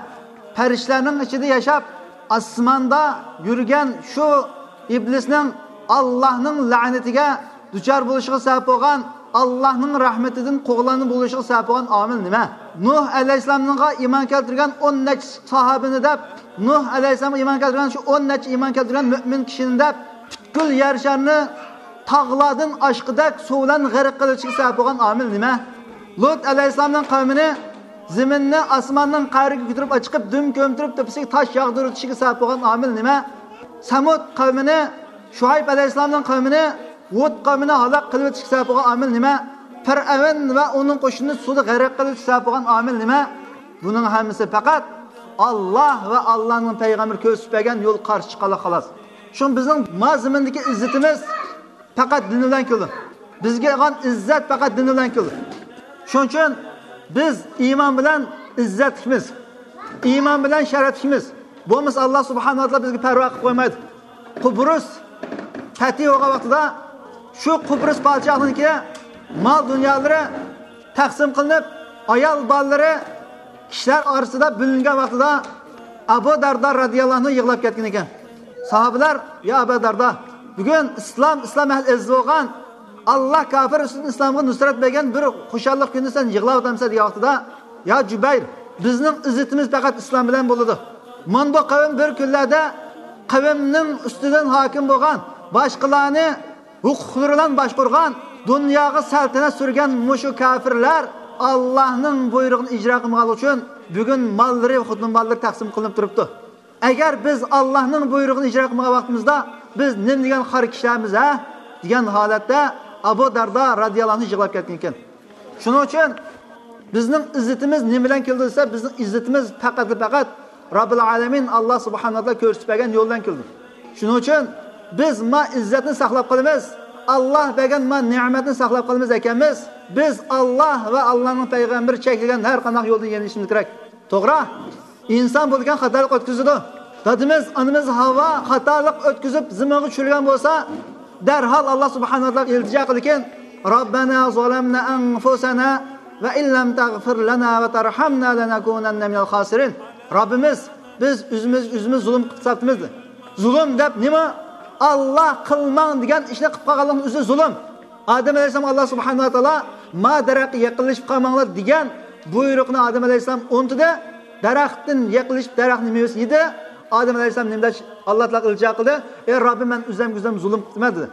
پەرىشتىلەرنىڭ ئىچىدە ياشاپ، ئاسماندا يۈرگەن شۇ ئىبلىسنىڭ ئاللاھنىڭ لەنىتىگە دۇچار بولۇشىغا سەۋەب بولغان، ئاللاھنىڭ رەھمىتىدىن قوغلانما بولۇشىغا سەۋەب بولغان ئامىل نېمە؟ نۇھ ئەلەيھىسسالامغا ئىمان كەلتۈرگەن ئون نەچچە ساھابىنى دەپ، نۇھ ئەلەيھىسسالامغا ئىمان كەلتۈرگەن شۇ ئون نەچچە ئىمان كەلتۈرگەن مۆمىن كىشىنى دەپ، پۈتكۈل يەر شارىنى تاغلاردىن ئاشقۇدەك سۇ بىلەن غەرق قىلىۋېتىشىگە سەۋەب بولغان ئامىل نېمە؟ لۇت ئەلەيھىسسالامنىڭ قەۋمىنى زېمىننى ئاسماننىڭ قەرىگە كۆتۈرۈپ ئەچىقىپ، دۈم كۆمتۈرۈپ، تېپىسىگە تاش ياغدۇرۇۋېتىشىگە سەۋەب بولغان ئامىل نېمە؟ سەمۇد قەۋمىنى، شۇئەيب ئەلەيھىسسالامنىڭ قەۋمىنى، ھۇد قەۋمىنى ھالاك قىلىۋېتىشكە سەۋەب بولغان ئامىل نېمە؟ پىرئەۋن ۋە ئۇنىڭ قوشۇنىنى سۇدا غەرق قىلىۋېتىشكە سەۋەب بولغان ئامىل نېمە؟ بۇنىڭ ھەممىسى پەقەت ئاللا ۋە ئاللانىڭ پەيغەمبىرى كۆرسىتىپ بەرگەن يول قارشى چىققانلىق، خالاس. شۇڭا بىزنىڭ ما زېمىندىكى ئىززىتىمىز پەقەت دىن بىلەن كېلىدۇ. بىزگە بولغان ئىززەت پەقەت دىن بىلەن كېلىدۇ. شۇنىڭ ئۈچۈن بىز ئىمان بىلەن ئىززەتلىكمىز، ئىمان بىلەن شەرەپلىكمىز. بولمىسا، ئاللا سۇبھانەھۇ ۋە تائالا بىزگە پەرۋا قىلىپ قويمايدۇ. قۇبرۇس پەتھى بولغان ۋاقتىدا، شۇ قۇبرۇس پادىشاھلىقىنىڭكى مال دۇنيالىرى تەقسىم قىلىنىپ، ئايال بالىلىرى كىشىلەر ئارىسىدا بۆلۈنگەن ۋاقتىدا، ئەبۇ دەردا رەزىياللاھۇ ئەنھۇ يىغلاپ كەتكەن ئىكەن. ساھابىلەر، يا ئەبا دەردا، بۈگۈن ئىسلام، ئىسلام ئەھلى ئەزىز بولغان، ئاللا كاپىر ئۈستىدىن ئىسلامغا نۇسرەت بەرگەن بىر خۇشاللىق كۈنىدە سەن يىغلاۋاتامسەن دېگەن ۋاقتىدا، يا جۇبەير، بىزنىڭ ئىززىتىمىز پەقەت ئىسلام بىلەن بولىدۇ. مانا بۇ قەۋم بىر كۈنلەردە قەۋمنىڭ ئۈستىدىن ھاكىم بولغان، باشقىلارنى ھوقۇقلىرى بىلەن باشقۇرغان، دۇنياغا سەلتەنەت سۈرگەن مۇشۇ كاپىرلار ئاللانىڭ بۇيرۇقىنى ئىجرا قىلمىغانلىقى ئۈچۈن بۈگۈن ماللىرى، خوتۇن بالىلىرى تەقسىم قىلىنىپ تۇرۇپتۇ. ئەگەر بىز ئاللانىڭ بۇيرۇقىنى ئىجرا قىلمىغان ۋاقتىمىزدا، بىز نېمە دېگەن خار كىشىلەرمىز، ھە؟ دېگەن ھالەتتە ئەبۇ دەردا رەزىياللاھۇ ئەنھۇ يىغلاپ كەتكەن ئىكەن. شۇنىڭ ئۈچۈن بىزنىڭ ئىززىتىمىز نېمە بىلەن كېلىدۇ دېسە، بىزنىڭ ئىززىتىمىز پەقەتلا پەقەت رەببىل ئالەمىن ئاللا سۇبھانەھۇ ۋە تائالا كۆرسىتىپ بەرگەن يول بىلەن كېلىدۇ. شۇنىڭ ئۈچۈن بىز ما ئىززەتنى ساقلاپ قالىمىز، ئاللا بەرگەن ما نېمەتنى ساقلاپ قالىمىز ئىكەنمىز، بىز ئاللا ۋە ئاللانىڭ پەيغەمبىرى چەكلىگەن ھەر قانداق يولدىن يېنىشىمىز كېرەك. توغرا، ئىنسان بولىدىكەن خاتالىق ئۆتكۈزىدۇ. دادىمىز، ئانىمىز ھاۋا خاتالىق ئۆتكۈزۈپ زېمىنغا چۈشۈرگەن بولسا، دەرھال ئاللا سۇبھانەھۇ ۋە تائالاغا ئىلتىجا قىلىدىكەن، رەببەنا زەلەمنا ئەنفۇسەنا ۋە ئىن لەم تەغفىر لەنا ۋە تەرھەمنا لەنەكۇنەننە مىنەل خاسىرىن. رەببىمىز، بىز ئۆزىمىز، ئۆزىمىز زۇلۇم قىلىپ تاپتىمىز. زۇلۇم دەپ نېمە؟ ئاللا قىلماڭ دېگەن ئىشنى قىلىپ قالغانلىقنىڭ ئۆزى زۇلۇم. ئادەم ئەلەيھىسسالام ئاللا سۇبھانەھۇ ۋە تائالا ما دەرەخكە يېقىنلىشىپ قالماڭلار دېگەن بۇيرۇقنى ئادەم ئەلەيھىسسالام ئۇنتۇدى. دەرەختىن يېقىنلىشىپ دەرەختنىڭ مېۋىسىنى يېدى. ئادەم ئەلەيھىسسالام نېمە دەپ ئاللا تائالاغا ئىلتىجا قىلدى؟ ئەي رەببىم، مەن ئۆزۈمگە ئۆزۈم زۇلۇم قىپتىمەن دېدى.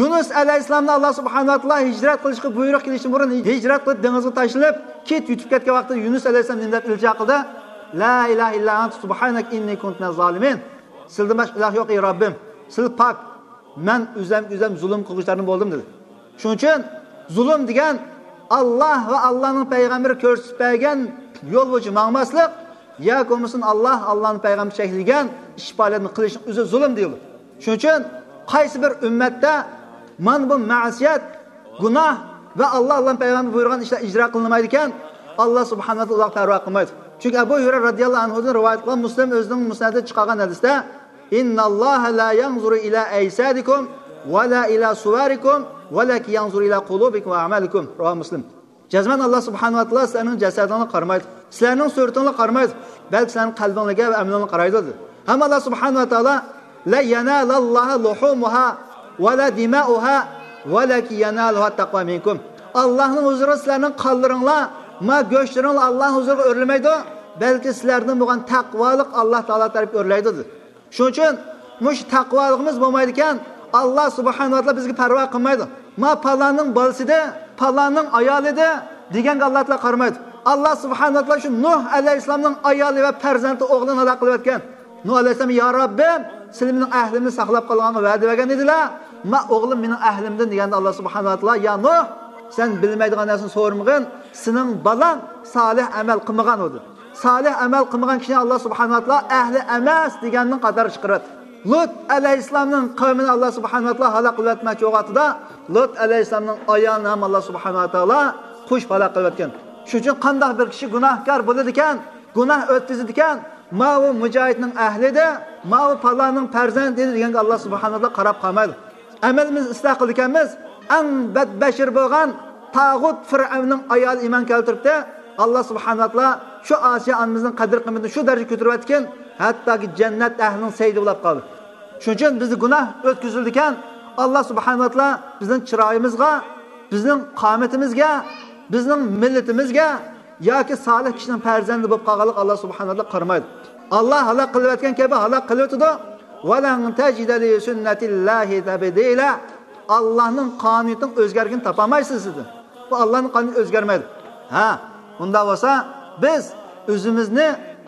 يۇنۇس ئەلەيھىسسالامنى ئاللا سۇبھانەھۇ ۋە تائالا ھىجرەت قىلىشقا بۇيرۇق كېلىشتىن بۇرۇن ھىجرەت قىلىپ دېڭىزغا تاشلىنىپ كېتىپ يۈتۈپ كەتكەن ۋاقتىدا يۇنۇس ئەلەيھىسسالام نېمە دەپ ئىلتىجا قىلدى؟ لا ئىلاھە ئىللا ئەنتە سۇبھانەكە ئىننى كۇنتۇ مىنەز زالىمىن. سىلدىن باشقا ئىلاھ يوق، ئەي رەببىم. سىل پاك. مەن ئۆزۈمگە ئۆزۈم زۇلۇم قىلغۇچىلاردىن بولدۇم دېدى. شۇنىڭ ئۈچۈن زۇلۇم دېگەن ئاللا ۋە ئاللانىڭ پەيغەمبىرى كۆرسىتىپ بەرگەن يول بويىچە ماڭماسلىق ياكى بولمىسۇن ئاللا، ئاللانىڭ پەيغەمبىرى چەكلىگەن ئىش پائالىيەتنى قىلىشنىڭ ئۆزى زۇلۇم دېيىلىدۇ. شۇنىڭ ئۈچۈن قايسى بىر ئۈممەتتە مانا بۇ مەسىيەت، گۇناھ ۋە ئاللا، ئاللانىڭ پەيغەمبىرى بۇيرۇغان ئىشلار ئىجرا قىلىنمايدىكەن، ئاللا سۇبھانەھۇ ۋە تائالا ئۇلارغا پەرۋا قىلمايدۇ. چۈنكى ئەبۇ ھۇرەيرە رەزىياللاھۇ ئەنھۇدىن رىۋايەت قىلغان مۇسلىم ئۆزىنىڭ مۇسنەدىدە چىقارغان ھەدىستە، إن الله لا ينظر إلى أجسادكم ولا إلى صوركم ولكن ينظر إلى قلوبكم وأعمالكم. رواه مسلم. جەزمەن ئاللا سۇبھانەھۇ ۋە تائالا سىلەرنىڭ جەسەتىڭلارغا قارىمايدۇ. سىلەرنىڭ سۈرىتىڭلارغا قارىمايدۇ. بەلكى سىلەرنىڭ قەلبىڭلارغا ۋە ئەمىلىڭلارغا قارايدۇ دېدى. ھەم ئاللا سۇبھانەھۇ ۋە تائالا لن ينال الله لحومها ولا دماؤها ولكن يناله التقوى منكم. ئاللانىڭ ھۇزۇرىغا سىلەرنىڭ قانلىرىڭلار، ما گۆشلىرىڭلار ئاللانىڭ ھۇزۇرىغا ئۆرلىمەيدۇ، بەلكى سىلەردىن بولغان تەقۋالىق ئاللا تائالا تەرەپكە ئۆرلەيدۇ دېدى. شۇنىڭ ئۈچۈن مۇشۇ تەقۋالىقىمىز بولمايدىكەن، ئاللا سۇبھانەھۇ ۋە تائالا بىزگە پەرۋا قىلمايدۇ. ما پالاننىڭ بالىسىدى، پالاننىڭ ئايالىدى دېگەنگە ئاللا تائالا قارىمايدۇ. ئاللا سۇبھانەھۇ ۋە تائالا شۇ نۇھ ئەلەيھىسسالامنىڭ ئايالى ۋە پەرزەنتى ئوغلىنى ھالاك قىلىۋەتكەن. نۇھ ئەلەيھىسسالام، يا رەببىم، سىلەر مېنىڭ ئەھلىمنى ساقلاپ قالغانغا ۋەدە بەرگەن ئىدىلە، ما ئوغلۇم مېنىڭ ئەھلىمدىن دېگەندە ئاللا سۇبھانەھۇ ۋە تائالا، يا نۇھ، سەن بىلمەيدىغان نەرسىنى سورىمىغىن، سېنىڭ بالاڭ سالىھ ئەمەل قىلمىغان ئىدى. سالىھ ئەمەل قىلمىغان كىشىنى ئاللا سۇبھانەھۇ ۋە تائالا ئەھلى ئەمەس دېگەننىڭ قاتارىغا چىقىرىۋەتتى. لۇت ئەلەيھىسسالامنىڭ قەۋمىنى ئاللا سۇبھانەھۇ ۋە تائالا ھالاك قىلىۋەتمەكچى بولغان ۋاقتىدا، لۇت ئەلەيھىسسالامنىڭ ئايالىنى ھەم ئاللا سۇبھانەھۇ ۋە تائالا قوشۇپ ھالاك قىلىۋەتكەن. شۇنىڭ ئۈچۈن قانداق بىر كىشى گۇناھكار بولىدىكەن، گۇناھ ئۆتكۈزىدىكەن، ماۋۇ مۇجاھىدنىڭ ئەھلىدە، ماۋۇ پالاننىڭ پەرزەنتىدە دېگەنگە ئاللا سۇبھانەھۇ ۋە تائالا قاراپ قالمايدۇ. ئەمەلىمىزنى ئىسلاھ قىلىدىكەنمىز، ئەڭ بەتبەشىرە بولغان تاغۇت فىرئەۋننىڭ ئايالى ئىمان كەلتۈرۈپتۇ. ئاللا سۇبھانەھۇ ۋە تائالا شۇ ئاسىيە ئانىمىزنىڭ قەدىر قىممىتىنى شۇ دەرىجىگە كۆتۈرۈۋەتتىكىن، ھەتتاكى جەننەت ئەھلىنىڭ سەيدى بولۇپ قالدى. شۇنىڭ ئۈچۈن بىزدە گۇناھ ئۆتكۈزۈلىدىكەن، ئاللا سۇبھانەھۇ ۋە تائالا بىزنىڭ چىرايىمىزغا، بىزنىڭ قامىتىمىزگە، بىزنىڭ مىللىتىمىزگە ياكى سالىھ كىشىنىڭ پەرزەنتى بولۇپ قالغانلىقىغا ئاللا سۇبھانەھۇ ۋە تائالا قارىمايدۇ. ئاللا ھالاك قىلىۋەتكەن كەبى ھالاك قىلىۋېتىدۇ. ۋەلەن تەجىدە لىسۈننەتىللاھى تەبدىلە. ئاللانىڭ قانۇنىيىتىنىڭ ئۆزگەرگىنىنى تاپالمايسىز دېدى. بۇ ئاللانىڭ قانۇنى ئۆزگەرمەيدۇ. ھە، ئۇنداق بولسا بىز ئۆزىمىزنى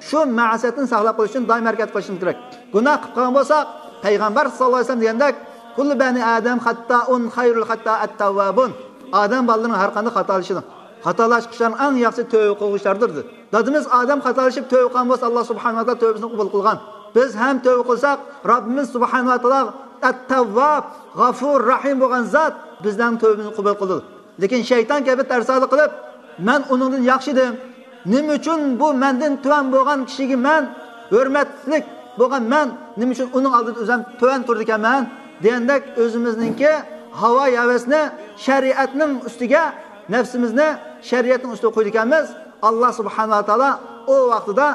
شۇ مەسىيەتتىن ساقلاپ قېلىش ئۈچۈن دائىم ھەرىكەت قىلىشىمىز كېرەك. گۇناھ قىلىپ قالغان بولساق، پەيغەمبەر ساللاللاھۇ ئەلەيھى ۋەسەللەم دېگەندەك، كۇللۇ بەنى ئادەم خەتتائۇن، خەيرۇل خەتتائە ئەتتەۋۋابۇن. ئادەم بالىلىرىنىڭ ھەر قانداق خاتالىشىدۇ. خاتالاشقۇچىلارنىڭ ئەڭ ياخشىسى تۆۋە قىلغۇچىلاردۇر دېدى. دادىمىز ئادەم خاتالىشىپ تۆۋە قىلغان بولسا، ئاللا سۇبھانەھۇ ۋە تائالا تۆۋىسىنى قوبۇل قىلغان. بىز ھەم تۆۋە قىلساق، رەببىمىز سۇبھانەھۇ ۋە تائالا ئەتتەۋۋاب، غەفۇر رەھىم بولغان زات. بىزنىڭ تۆۋىمىزنى قوبۇل قىلىدۇ. لېكىن شەيتان كەبى تەرسالىق قىلىپ، مەن ئۇنىڭدىن ياخشى ئىدىم. نېمە ئۈچۈن بۇ مەندىن تۆۋەن بولغان كىشىگە مەن، ھۆرمەتلىك بولغان مەن، نېمە ئۈچۈن ئۇنىڭ ئالدىدا ئۆزۈم تۆۋەن تۇرىدىكەنمەن دېگەندەك ئۆزىمىزنىڭكى ھاۋا ھەۋەسنى شەرىئەتنىڭ ئۈستىگە، نەپسىمىزنى شەرىئەتنىڭ ئۈستىگە قويىدىكەنمىز. ئاللا سۇبھانەھۇ ۋە تائالا ئۇ ۋاقتىدا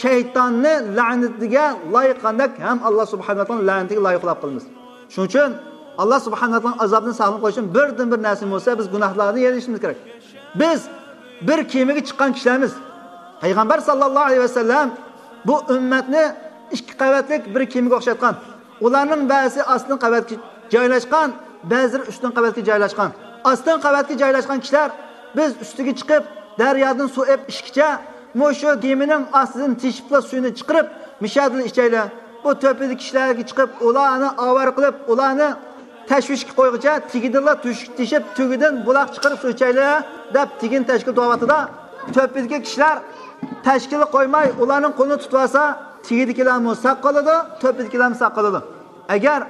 شەيتاننى لەنىتىگە لايىق قىلغاندەك ھەم ئاللا سۇبھانەھۇ ۋە تائالانىڭ لەنىتىگە لايىق قىلىپ قالىمىز. شۇنىڭ ئۈچۈن ئاللا سۇبھانەھۇ ۋە تائالانىڭ ئازابىدىن ساقلىنىپ قېلىش ئۈچۈن بىردىن بىر نەرسە بولسا، بىز گۇناھلاردىن يېرىنىشىمىز كېرەك. بىز بىر كېمىگە چىققان كىشىلەرمىز. پەيغەمبەر ساللاللاھۇ ئەلەيھى ۋەسەللەم بۇ ئۈممەتنى ئىككى قەۋەتلىك بىر كېمىگە ئوخشاتقان. ئۇلارنىڭ بەزىسى ئاستىنقى قەۋەتكە جايلاشقان، بەزىلىرى ئۈستۈنكى قەۋەتكە جايلاشقان. ئاستىنقى قەۋەتكە جايلاشقان كىشىلەر، بىز ئۈستىگە چىقىپ، دەريادىن سۇ ئېلىپ ئىچكىچە، مۇشۇ گېمىنىڭ ئاستىدىن تېشىپلا سۇنى چىقىرىپ، مۇشۇ يەردىلا ئىچەيلى. بۇ تۆپىدىكى كىشىلەرگە چىقىپ، ئۇلارنى ئاۋارە قىلىپ، ئۇلارنى تەشۋىشكە قويغۇچە، تېگىدىنلا تۆشۈك تېشىپ، تۆگىدىن بۇلاق چىقىرىپ سۇ ئىچەيلى، دەپ تېگىنى تەشكىل تۇرۇۋاتىدۇ. تۆپىدىكى كىشىلەر تەشكىلى قويماي، ئۇلارنىڭ قولىنى تۇتۇۋالسا، تېگىدىكىلەرمۇ ساق قالىدۇ، تۆپىدىكىلەرمۇ ساق قالىدۇ. ئەگەر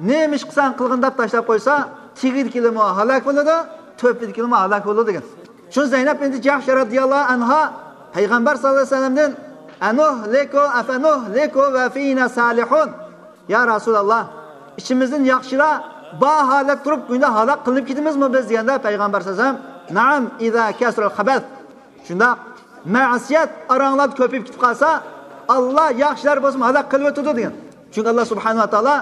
نېمە ئىش قىلساڭ قىلغىن دەپ تاشلاپ قويسا، تېگىدىكىلىمۇ ھالاك بولىدۇ، تۆپىدىكىلىمۇ ھالاك بولىدۇ دېگەن. شۇ زەينەپ بىنتى جەھش رەزىياللاھۇ ئەنھا پەيغەمبەر ساللاللاھۇ ئەلەيھى ۋەسەللەمدىن، ئەنۇھلىكۇ ئەفەنۇھلىكۇ ۋە فىنا سالىھۇن. يا رەسۇلاللا، ئىچىمىزدىن ياخشىلار بار ھالەت تۇرۇپ، گۇناھ ھالاك قىلىنىپ كېتىمىزمۇ بىز دېگەندە، پەيغەمبەر ساللاللاھۇ ئەلەيھى ۋەسەللەم، نەئەم، ئىزا كەسۇرەل خەبەس. شۇنداق، مەسىيەت ئاراڭلاردا كۆپىيىپ كېتىپ قالسا، ئاللا ياخشىلار بولسىمۇ ھالاك قىلىۋېتىدۇ دېگەن. چۈنكى ئاللا سۇبھانەھۇ ۋە تائالا،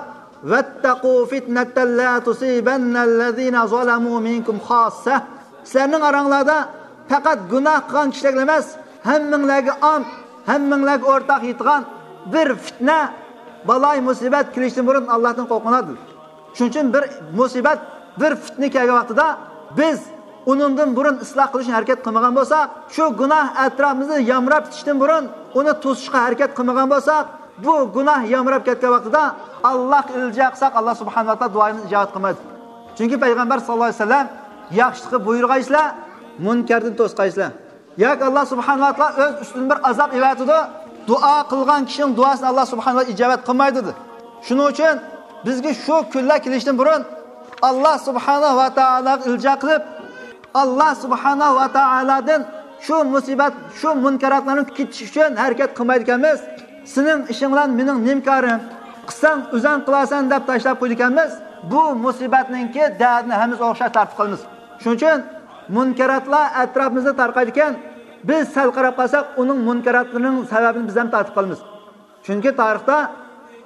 ۋەتتەقۇ فىتنەتەن لا تۇسىبەننەللەزىنە زالەمۇ مىنكۇم خاسسە. سىلەرنىڭ ئاراڭلاردا پەقەت گۇناھ قىلغان كىشىلەرگە ئەمەس، ھەممىڭلارگە ئام، ھەممىڭلارگە ئورتاق يېتىدىغان بىر فىتنە، بالاي مۇسىبەت كېلىشتىن بۇرۇن ئاللاھتىن قورقۇڭلار دېدى. شۇنىڭ ئۈچۈن بىر مۇسىبەت، بىر فىتنە كەلگەن ۋاقتىدا بىز ئۇنىڭدىن بۇرۇن ئىسلاھ قىلىشنى ھەرىكەت قىلمىغان بولساق، شۇ گۇناھ ئەتراپىمىزدا يامراپ كېتىشتىن بۇرۇن ئۇنى توسۇشقا ھەرىكەت قىلمىغان بولساق، بۇ گۇناھ يامراپ كەتكەن ۋاقتىدا ئاللاھقا ئىلتىجا قىلساق، ئاللا سۇبھانەھۇ ۋە تائالا دۇئايىمىزنى ئىجابەت قىلمايدۇ. چۈنكى پەيغەمبەر ساللاللاھۇ ئەلەيھى ۋەسەللەم، ياخشىلىققا بۇيرۇغايسىلەر، مۇنكەردىن توسقايسىلەر. ياكى ئاللا سۇبھانەھۇ ۋە تائالا ئۆز ئۈستىدىن بىر ئازاب ئېۋەتىدۇ، دۇئا قىلغان كىشىنىڭ دۇئاسىنى ئاللا سۇبھانەھۇ ۋە تائالا ئىجابەت قىلمايدۇ دېدى. شۇنىڭ ئۈچۈن بىزگە شۇ كۈنلەر كېلىشتىن بۇرۇن ئاللا سۇبھانەھۇ ۋە تائالاغا ئىلتىجا قىلىپ، ئاللا سۇبھانەھۇ ۋە تائالادىن شۇ مۇسىبەت، شۇ مۇنكەراتلارنىڭ كېتىشى ئۈچۈن ھەرىكەت قىلمايدىكەنمىز. سېنىڭ ئىشىڭ بىلەن مېنىڭ نېمە كارىم؟ قىلساڭ ئۆزۈڭ قىلارسەن دەپ تاشلاپ قويىدىكەنمىز. بۇ مۇسىبەتنىڭكى دەردىنى ھەممىمىز ئوخشاش تارتىپ قالىمىز. شۇنىڭ ئۈچۈن مۇنكەراتلار ئەتراپىمىزدا تارقايدىكەن، بىز سەل قاراپ قالساق، ئۇنىڭ مۇنكەراتلىرىنىڭ سەۋەبىنى بىز ھەم تارتىپ قالىمىز. چۈنكى تارىختا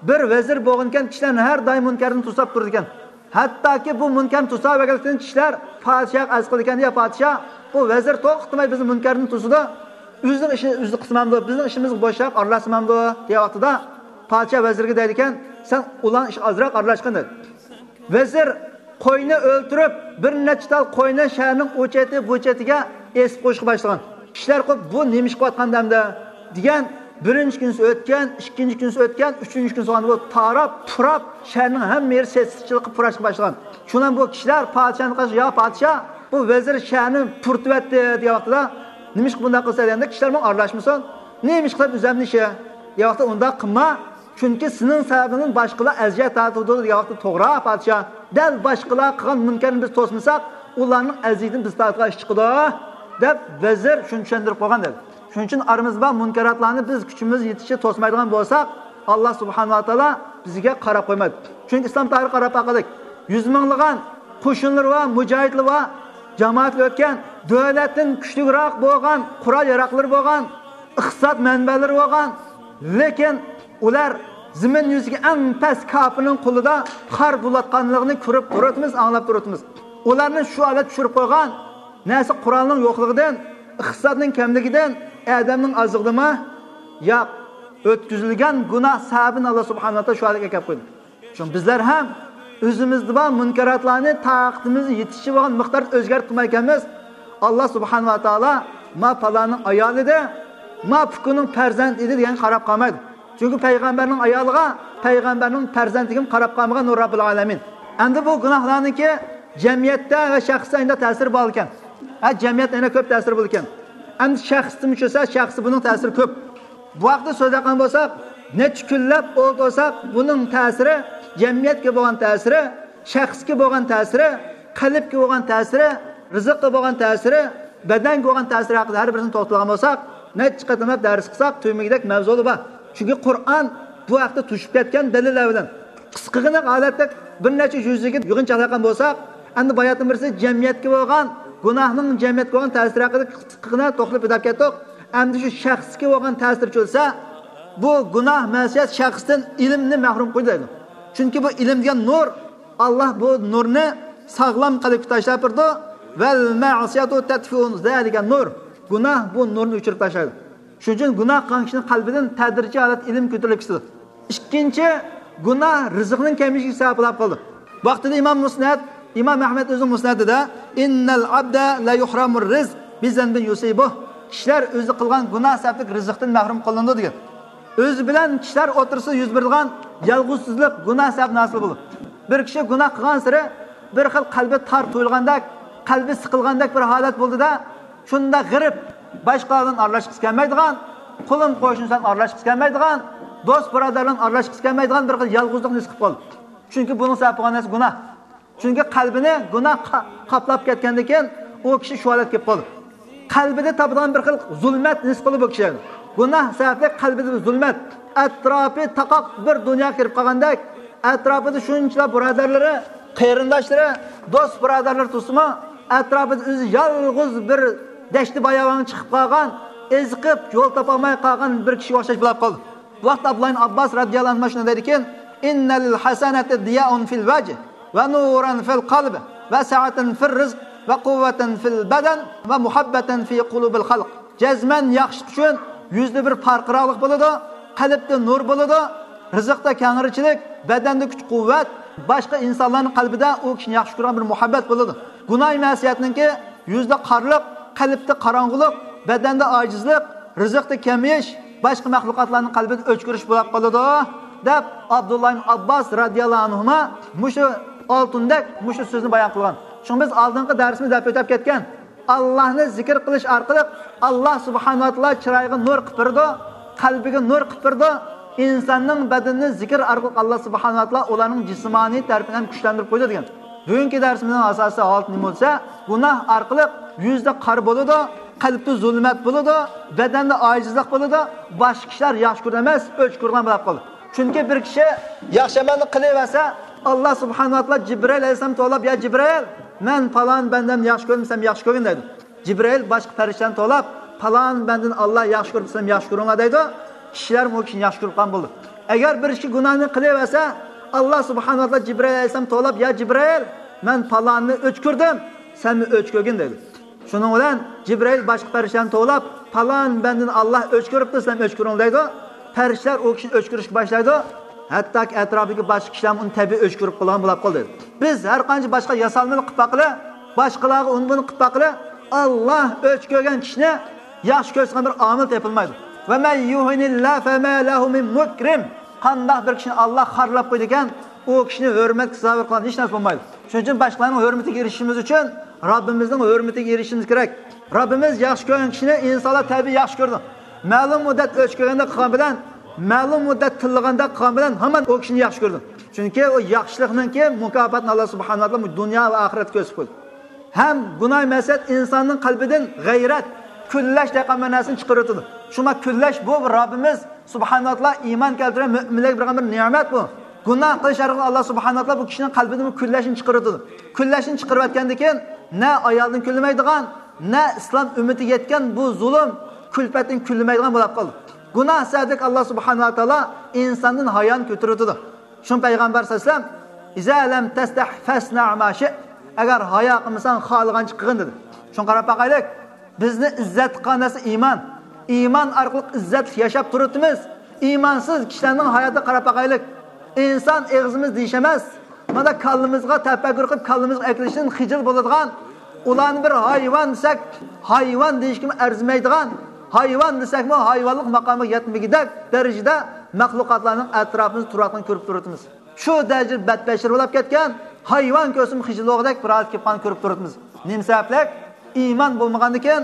بىر ۋەزىر بولغانىكەن، كىشىلەرنى ھەر دائىم مۇنكەردىن توساپ تۇرىدىكەن. ھەتتاكى بۇ مۇنكەرنى توساۋەرگەنلىكتىن كىشىلەر پادىشاھقا ئەرز قىلىدىكەن، يا پادىشاھ، بۇ ۋەزىر توختىماي بىزنى مۇنكەردىن توسىدۇ، ئۆزىنىڭ ئىشىنى ئۆزى قىلسىمامدۇ، بىزنىڭ ئىشىمىزغا بوشراق ئارىلاشسىمامدۇ دېگەن ۋاقتىدا، پادىشاھ ۋەزىرگە دەيدىكەن، سەن ئۇلارنىڭ ئىشىغا ئازراق ئارىلاشقىن دەيدۇ. ۋەزىر قوينى ئۆلتۈرۈپ، بىر نەچچە تال قوينى شەھەرنىڭ ئۇ چېتى، بۇ چېتىگە ئېسىپ قويۇشقا باشلىغان. كىشىلەر قوپ، بۇ نېمە ئىش قىلىۋاتقان دەمدە دېگەن. بىرىنچى كۈنسى ئۆتكەن، ئىككىنچى كۈنسى ئۆتكەن، ئۈچىنچى كۈنسى بولغاندا بۇ تاراپ، پۇراپ، شەھەرنىڭ ھەممە يېرى سېسىقچىلىققا پۇراشقا باشلىغان. شۇنىڭ بۇ كىشىلەر پادىشاھنى قارشى، يا پادىشاھ، بۇ ۋەزىر شەھەرنى پۇرىتىۋەتتى دېگەن ۋاقتىدا، نېمە ئىشقا بۇنداق قىلسا دېگەندە، كىشىلەر ماڭا ئارىلاشمىسۇن، نېمە ئىش قىلىپ ئۆزەمنى ئىشى دېگەن ۋاقتىدا، ئۇنداق قىلما. چۈنكى سېنىڭ سەۋەبىڭدىن باشقىلار ئەزىيەت تارتىۋاتىدۇ دېگەن ۋاقىتتا، توغرا، پادىشاھ، دەل باشقىلار قىلغان مۇنكەرنى بىز توسمىساق، ئۇلارنىڭ ئەزىيىتىنى بىز تارتىدىغان ئىش چىقىدۇ، دەپ ۋەزىر شۇنى چۈشەندۈرۈپ قويغان دەيدۇ. شۇنىڭ ئۈچۈن ئارىمىزدا بار مۇنكەراتلارنى بىز كۈچىمىز يېتىشىچە توسمايدىغان بولساق، ئاللا سۇبھانەھۇ ۋە تائالا بىزگە قاراپ قويمايدۇ. چۈنكى ئىسلام تارىخىغا قاراپ باقايلىق. يۈز مىڭلىغان قوشۇنلىرى بار، مۇجاھىدلىرى بار، جامائەتلەر ئۆتكەن، دۆلەتتىن كۈچلۈكرەك بولغان، قورال ياراقلىرى بولغان، ئىقتىساد مەنبەلىرى بولغان، لېكىن ئۇلار زېمىن يۈزىدىكى ئەڭ پەس كاپىرنىڭ قولىدا خار بولۇۋاتقانلىقىنى كۆرۈپ تۇرۇۋاتىمىز، ئاڭلاپ تۇرۇۋاتىمىز. ئۇلارنى شۇ ھالەتكە چۈشۈرۈپ قويغان نەرسە قورالنىڭ يوقلۇقىدىن، ئىقتىسادنىڭ كەملىكىدىن، ئادەمنىڭ ئازلىقىدىنمۇ؟ ياق، ئۆتكۈزۈلگەن گۇناھ سەۋەبىدىن ئاللا سۇبھانەھۇ ۋە تائالا شۇ ھالەتكە ئەكەپ قويدى. شۇڭا بىزلەر ھەم ئۆزىمىزدە بار مۇنكەراتلارنى تاقىتىمىز يېتىشىچە بولغان مىقداردا ئۆزگەرتىپ قويمايدىكەنمىز. ئاللا سۇبھانەھۇ ۋە تائالا ما پالاننىڭ ئايالى ئىدى، ما پۇكىنىڭ پەرزەنتى ئىدى دېگەنگە قاراپ قالمايدۇ. چۈنكى پەيغەمبەرنىڭ ئايالىغا، پەيغەمبەرنىڭ پەرزەنتىگىمۇ قاراپ قالمىغان رەببۇل ئالەمىن. ئەمدى بۇ گۇناھلارنىڭكى جەمئىيەتتە ۋە شەخستە ئەندى تەسىرى بار ئىكەن. ھە، جەمئىيەتتە يەنە كۆپ تەسىرى بولىدىكەن. ئەمدى شەخستىمۇ چۈشۈرسە، شەخستە بۇنىڭ تەسىرى كۆپ. بۇ ھەقتە سۆزلەيدىغان بولساق، نەچچە كۈنلەپ ئولتۇرساق، بۇنىڭ تەسىرى، جەمئىيەتكە بولغان تەسىرى، شەخسكە بولغان تەسىرى، قەلبكە بولغان تەسىرى، رىزىققا بولغان تەسىرى، بەدەنگە بولغان تەسىرى ھەققىدە ھەر بىرسىنى توختالغان بولساق، نەچچە قېتىملاپ دەرس قىلساق، تۈگىمىگۈدەك مەۋزۇلىرى بار. چۈنكى قۇرئان بۇ ھەقتە توشۇپ كەتكەن دەلىللەر بىلەن. قىسقىغىنا ھالەتتە بىر نەچچە يۈز يىگىت يىغىنچاقلاشقان بولساق، ئەمدى باياتىن بىرسى جەمئىيەتكە بولغان، گۇناھنىڭ جەمئىيەتكە بولغان تەسىرى ھەققىدە قىسقىغىنا توختىلىپ ئۆتۈپ كەتتۇق. ئەمدى شۇ شەخسكە بولغان تەسىرى چۈشۈرسە، بۇ گۇناھ، مەسىيەت شەخستىن ئىلىمنى مەھرۇم قويىدۇ دەيدۇ. چۈنكى بۇ ئىلىم دېگەن نۇر، ئاللاھ بۇ نۇرنى ساغلام قەلبكە تاشلاپ بېرىدۇ. ۋەل مەسىيەتۇ تەتفىئۇ زالىكەن نۇر. گۇناھ بۇ نۇرنى ئۆچۈرۈپ تاشلايدۇ. شۇنىڭ ئۈچۈن گۇناھ قىلغان كىشىنىڭ قەلبىدىن تەدرىجىي ھالەتتە ئىلىم كۆتۈرۈلۈپ كېتىدۇ. ئىككىنچى، گۇناھ رىزىقنىڭ كېمىيىشىگە سەۋەب بولۇپ قالىدۇ. ۋاقتىدا ئىمام مۇسنەد، ئىمام ئەھمەد ئۆزىنىڭ مۇسنەدىدە، «ئىننەل ئەبدە لە يۇھرامۇر رىزق بىزەنبىن يۇسىبۇھ.» كىشىلەر ئۆزى قىلغان گۇناھ سەۋەبلىك رىزىقتىن مەھرۇم قىلىنىدۇ دېگەن. ئۆزى بىلەن كىشىلەر ئوتتۇرىسىدا يۈز بېرىدىغان يالغۇزسىزلىق گۇناھ سەۋەبىدىن ھاسىل بولىدۇ. بىر كىشى گۇناھ قىلغانسېرى بىر خىل قەلبى تار تۇيۇلغاندەك، قەلبى سىقىلغاندەك بىر ھالەت بولىدۇ-دە، شۇنداق غېرىب، باشقىلار بىلەن ئارىلاشقۇسى كەلمەيدىغان، قولۇم قوشنىسى بىلەن ئارىلاشقۇسى كەلمەيدىغان، دوست بۇرادەر بىلەن ئارىلاشقۇسى كەلمەيدىغان بىر خىل يالغۇزلۇق ھېس قىلىپ قالىدۇ. چۈنكى بۇنىڭ سەۋەب بولغان نەرسە گۇناھ. چۈنكى قەلبىنى گۇناھ قا-، قاپلاپ كەتكەندىن كېيىن ئۇ كىشى شۇ ھالەتكە كېلىپ قالىدۇ. قەلبىدە تاپىدىغان بىر خىل زۇلمەت ھېس قىلىدۇ بۇ كىشى. گۇناھ سەۋەبلىك قەلبىدە بىر زۇلمەت. ئەتراپى تاقاق بىر دۇنياغا كىرىپ قالغاندەك، ئەتراپىدا شۇنچىلا بۇرادەرلىرى، قېرىنداشلىرى، دوست بۇرادەرلىرى تۇرسىمۇ، ئەتراپىدا ئۆزى يالغۇز بىر دەشتى باياۋانغا چىقىپ قالغان، ئېزىقىپ يول تاپالماي قالغان بىر كىشىگە ئوخشاش بولۇپ قالدى. بۇ ۋاقىتتا ئابدۇللا ئىبن ئابباس رەزىياللاھۇ ئەنھۇ شۇنداق دەيدىكەن، «ئىننەل ھەسەنەتە دىيائۇن فىل ۋەجھ، ۋە نۇرەن فىل قەلب، ۋە سەئەتەن فىر رىزق، ۋە قۇۋۋەتەن فىل بەدەن، ۋە مۇھەببەتەن فى قۇلۇبىل خەلق.» جەزمەن ياخشىلىق ئۈچۈن يۈزدە بىر پارقىراقلىق بولىدۇ، قەلبتە نۇر بولىدۇ، رىزىقتا كەڭرىچىلىك، بەدەندە كۈچ-قۇۋۋەت، باشقا ئىنسانلارنىڭ قەلبىدە ئۇ كىشىنى ياخشى كۆرىدىغان بىر مۇھەببەت بولىدۇ. گۇناھ مەسىيەتنىڭكى يۈزدە قارىلىق، قەلبتە قاراڭغۇلۇق، بەدەندە ئاجىزلىق، رىزىقتا كېمىيىش، باشقا مەخلۇقاتلارنىڭ قەلبىدە ئۆچ كۆرۈش بولۇپ قالىدۇ، دەپ ئابدۇللا ئىبن ئابباس رەزىياللاھۇ ئەنھۇما مۇشۇ ئالتۇندەك مۇشۇ سۆزنى بايان قىلغان. شۇڭا بىز ئالدىنقى دەرسىمىزدە دەپ ئۆتۈپ كەتكەن، ئاللاھنى زىكىر قىلىش ئارقىلىق ئاللاھ سۇبھانەھۇ ۋە تائالا چىرايىغا نۇر قىلىپ بېرىدۇ، قەلبىگە نۇر قىلىپ بېرىدۇ. ئىنساننىڭ بەدىنىنى زىكىر ئارقىلىق ئاللاھ سۇبھانەھۇ ۋە تائالا ئۇلارنىڭ جىسمانىي تەرىپىنى ھەم كۈچلەندۈرۈپ قويىدۇ دېگەن. بۈگۈنكى دەرسىمىزنىڭ ئاساسىي ھالىتى نېمە بولسا، گۇناھ ئارقىلىق يۈزدە قارا بولىدۇ، قەلبتە زۇلمەت بولىدۇ، بەدەندە ئاجىزلىق بولىدۇ، باشقا كىشىلەر ياخشى كۆرىدۇ ئەمەس، ئۆچ كۆرىدىغان بولۇپ قالىدۇ. چۈنكى بىر كىشى ياخشى ئەمەلنى قىلىۋەرسە، ئاللاھ سۇبھانەھۇ ۋە تائالا جىبرىئىل ئەلەيھىسسالامنى توۋلاپ، «يا جىبرىئىل، مەن پالان بەندەمنى ياخشى كۆردۈم، سەن ياخشى كۆرگىن» دەيدۇ. جىبرىئىل باشقا پەرىشتىلەرنى توۋلاپ، «پالان بەندىنى ئاللاھ ياخشى كۆرۈپ، سىلەرمۇ ياخشى كۆرۈڭلار» دەيدۇ. كىشىلەرمۇ ئۇ كىشىنى ياخشى كۆرۈپ قالغان بولىدۇ. ئەگەر بىر كىشى گۇناھنى قىلىۋەرسە، ئاللاھ سۇبھانەھۇ ۋە تائالا جىبرىئىل ئەلەيھىسسالامنى توۋلاپ، «يا جىبرىئىل، مەن پالاننى ئۆچ كۆردۈم، سەنمۇ ئۆچ كۆرگىن» دەيدۇ. شۇنىڭ بىلەن جىبرىئىل باشقا پەرىشتىلەرنى توۋلاپ، «پالان بەندىنى ئاللاھ ئۆچ كۆرۈپتۇ، سىلەرمۇ ئۆچ كۆرۈڭلار» دەيدۇ. پەرىشتىلەر ئۇ كىشىنى ئۆچ كۆرۈشكە باشلايدۇ. ھەتتاكى ئەتراپىدىكى باشقا كىشىلەرمۇ ئۇنى تەبىئىي ئۆچ كۆرۈپ قالغان بولۇپ قالدى. بىز ھەر قانچە باشقا ياسالمىلىق قىلىپ باققىلى، باشقىلارغا ئۇنى بۇنى قىلىپ باققىلى، ئاللاھ ئۆچ كۆرگەن كىشىنى ياخشى كۆرسىڭىز بىر ئامىل تېپىلمايدۇ. «ۋە مەن يۇھىنىللاھ فەما لەھۇ مىن مۇكرىم.» قانداق بىر كىشىنى ئاللاھ خارلاپ قويىدىكەن، ئۇ كىشىنى ھۆرمەتكە سازاۋەر قىلغان ھېچ نەرسە بولمايدۇ. شۇنىڭ ئۈچۈن باشقىلارنىڭ ھۆرمىتىگە ئېرىشىشىمىز ئۈچۈن رەببىمىزنىڭ ھۆرمىتىگە ئېرىشىشىمىز كېرەك. رەببىمىز ياخشى كۆرگەن كىشىنى ئىنسانلار تەبىئىي ياخشى كۆرىدۇ. مەلۇم مۇددەت ئۆچ كۆرگەندەك قىلغان بىلەن، مەلۇم مۇددەت تىللىغاندەك قىلغان بىلەن ھامان ئۇ كىشىنى ياخشى كۆرىدۇ. چۈنكى ئۇ ياخشىلىقنىڭكى مۇكاپاتىنى ئاللاھ سۇبھانەھۇ ۋە تائالا دۇنيا ۋە ئاخىرەتتە كۆرسىتىپ قويدى. ھەم گۇناھ مەسىيەت ئىنساننىڭ قەلبىدىن غەيرەت، كۈنلەش دەيدىغان بىر نەرسىنى چىقىرىۋېتىدۇ. شۇڭا كۈنلەش بۇ رەببىمىز سۇبھانەھۇ ۋە تائالا ئىمان كەلتۈرگەن مۆمىنلەرگە بېرىدىغان بىر نېمەت بۇ. گۇناھ قىلىش ئارقىلىق ئاللاھ سۇبھانەھۇ ۋە تائالا بۇ كىشىنىڭ قەلبىدىن بۇ كۈنلەشنى چىقىرىۋېتىدۇ. كۈنلەشنى چىقىرىۋەتكەندىن كېيىن نە ئايالدىن كۈنلىمەيدىغان، نە ئىسلام ئۈممىتىگە يەتكەن بۇ زۇلۇم، كۈلپەتتىن كۈنلىمەيدىغان بولۇپ قالىدۇ. گۇناھ سەۋەبلىك ئاللاھ سۇبھانەھۇ ۋە تائالا ئىنساندىن ھايانى كۆتۈرۈۋېتىدۇ. شۇڭا پەيغەمبەر سەللەللاھۇ ئەلەيھى ۋەسەللەم، «ئىزا لەم تەستەھ فەسنەھ ما شىئت.» ئەگەر ھايا قىلمىساڭ، خالىغانچە قىلغىن، دېدى. شۇڭا قاراپ باقايلىق، بىزنى ئىززەتلىك قىلغان نەرسە ئىمان. ئىمان ئارقىلىق ئىززەتلىك ياشاپ تۇرۇۋاتىمىز. ئىمانسىز كىشىلەرنىڭ ھاياتىغا قاراپ باقايلىق. ئىنسان ئېغىزىمىز دېيىش ئەمەس، مانا كاللىمىزغا تەپەككۇر قىلىپ، كاللىمىزغا ئەكېلىشتىن خىجىل بولىدىغان، ئۇلارنى بىر ھايۋان دېسەك، ھايۋان دېيىشكىمۇ ئەرزىمەيدىغان، ھايۋان دېسەكمۇ ھايۋانلىق ماقامىغا يەتمىگۈدەك دەرىجىدە مەخلۇقاتلارنىڭ ئەتراپىمىزدا تۇرۇۋاتقىنىنى كۆرۈپ تۇرۇۋاتىمىز. شۇ دەرىجىدە بەتبەشىرە بولۇپ كەتكەن، ھايۋان كۆرسىمۇ خىجىل بولغۇدەك بىر ھالەتكە كېلىپ قالغاننى كۆرۈپ تۇرۇۋاتىمىز. نېمە سەۋەبلىك؟ ئىمان بولمىغاندىكىن،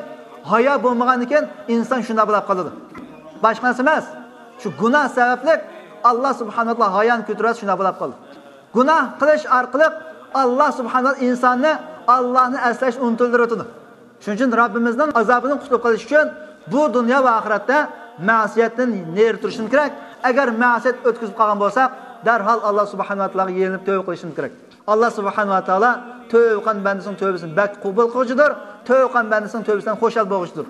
ھايا بولمىغاندىكىن ئىنسان شۇنداق بولۇپ قالىدۇ. باشقا نەرسە ئەمەس. شۇ گۇناھ سەۋەبلىك ئاللاھ سۇبھانەھۇ ۋە تائالا ھايانى كۆتۈرۈۋەتسە شۇنداق بولۇپ قالىدۇ. گۇناھ قىلىش ئارقىلىق ئاللا سۇبھانەھۇ ۋە تائالا ئىنساننى ئاللانى ئەسلەشنى ئۇنتۇلدۇرۇۋېتىدۇ. شۇنىڭ ئۈچۈن رەببىمىزنىڭ ئازابىدىن قۇتۇلۇپ قېلىش ئۈچۈن بۇ دۇنيا ۋە ئاخىرەتتە مەسىيەتتىن نېرى تۇرۇشىمىز كېرەك. ئەگەر مەسىيەت ئۆتكۈزۈپ قالغان بولساق، دەرھال ئاللا سۇبھانەھۇ ۋە تائالاغا يېلىنىپ تۆۋە قىلىشىمىز كېرەك. ئاللا سۇبھانەھۇ ۋە تائالا تۆۋە قىلغان بەندىسىنىڭ تۆۋىسىنى بەك قوبۇل قىلغۇچىدۇر. تۆۋە قىلغان بەندىسىنىڭ تۆۋىسىدىن خۇشال بولغۇچىدۇر.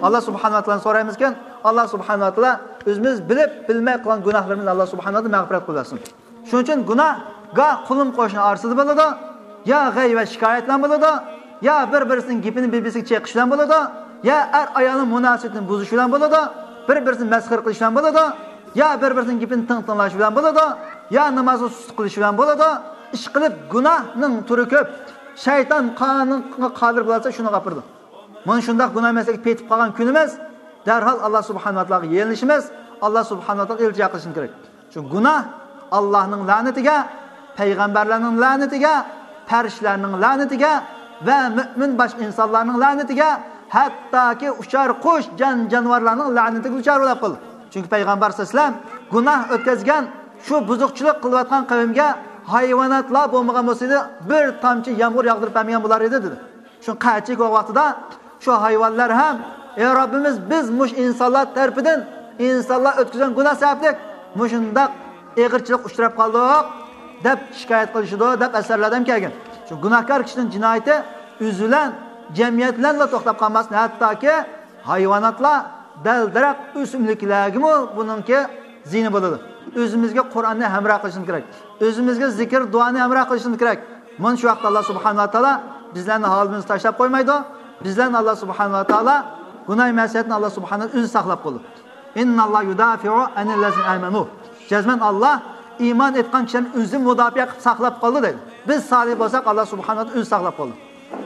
ئاللا سۇبھانەھۇ ۋە تائالادىن سورايمىزكەن، ئاللا سۇبھانەھۇ ۋە تائالا ئۆزىمىز بىلىپ بىلمەي قىلغان گۇناھلىرىمىزنى ئاللا سۇبھانەھۇ ۋە تائالا مەغپىرەت قىلىۋەتسۇن. شۇنىڭ ئۈچۈن گۇناھ گاھ قۇلۇم قوشنا ئارىسىدا بولىدۇ، يا غەيۋەت شىكايەت بىلەن بولىدۇ، يا بىر-بىرسىنىڭ گېپىنى بىر-بىرسىگە چېقىش بىلەن بولىدۇ، يا ئەر-ئايالنىڭ مۇناسىۋىتىنى بۇزۇش بىلەن بولىدۇ، بىر-بىرسىنى مەسخىرە قىلىش بىلەن بولىدۇ، يا بىر-بىرسىنىڭ گېپىنى تىڭ تىڭلاش بىلەن بولىدۇ، يا نامازغا سۇس قىلىش بىلەن بولىدۇ. ئىشقىلىپ گۇناھنىڭ تۈرى كۆپ. شەيتان قانىڭغا قادىر بولسا شۇنىڭغا ئاپىرىدۇ. مانا شۇنداق گۇناھ مەسىلىگە پېتىپ قالغان كۈنىمىز، دەرھال ئاللا سۇبھانەھۇ ۋە تائالاغا يېلىنىشىمىز، ئاللا سۇبھانەھۇ ۋە تائالاغا ئىلتىجا قىلىشىمىز كېرەك. چۈنكى گۇناھ ئاللانىڭ لەنىتىگە، پەيغەمبەرلەرنىڭ لەنىتىگە، پەرىشتىلەرنىڭ لەنىتىگە ۋە مۆمىن باشقا ئىنسانلارنىڭ لەنىتىگە، ھەتتاكى ئۇچار قۇش، جان-جانىۋارلارنىڭ لەنىتىگە دۇچار بولۇپ قالدى. چۈنكى پەيغەمبەر سەللەللاھۇ ئەلەيھى ۋەسەللەم گۇناھ ئۆتكۈزگەن، شۇ بۇزۇقچىلىق قىلىۋاتقان قەۋمگە ھايۋاناتلار بولمىغان بولسىدى، بىر تامچە يامغۇر ياغدۇرۇپ بەرمىگەن بولار ئىدى، دېدى. شۇ قەھەتچىلىك بولغان ۋاقتىدا شۇ ھايۋانلار ھەم، ئەي رەببىمىز، بىز مۇشۇ ئىنسانلار تەرىپىدىن، ئىنسانلار ئۆتكۈزگەن گۇناھ سەۋەبلىك مۇشۇنداق ئېغىرچىلىق ئۇچراپ قالدۇق، دەپ شىكايەت قىلىشىدۇ، دەپ ئەسەرلەردە ھەم كەلگەن. شۇ گۇناھكار كىشىنىڭ جىنايىتى ئۆزى بىلەن، جەمئىيەت بىلەنلا توختاپ قالماستىن، ھەتتاكى ھايۋاناتلار، دەل-دەرەخ، ئۆسۈملۈكلەرگىمۇ بۇنىڭكى زىيىنى بولىدۇ. ئۆزىمىزگە قۇرئاننى ھەمراھ قىلىشىمىز كېرەك. ئۆزىمىزگە زىكىر، دۇئانى ھەمراھ قىلىشىمىز كېرەك. مانا شۇ ۋاقىتتا ئاللا سۇبھانەھۇ ۋە تائالا بىزلەرنى ھالىمىزدا تاشلاپ قويمايدۇ. بىزلەرنى ئاللا سۇبھانەھۇ ۋە تائالا گۇناھ مەسىيەتتىن ئاللا سۇبھانەھۇ ۋە تائالا ئۆزى ساقلاپ قالىدۇ. ئىنناللاھە يۇدافىئۇ ئەنىللەزىنە ئامەنۇ. جەزمەن ئاللا ئىمان ئېيتقان كىشىلەرنى ئۆزى مۇداپىئە قىلىپ ساقلاپ قالىدۇ دەيدۇ. بىز سالىھ بولساق، ئاللا سۇبھانەھۇ ۋە تائالا ئۆزى ساقلاپ قالىدۇ.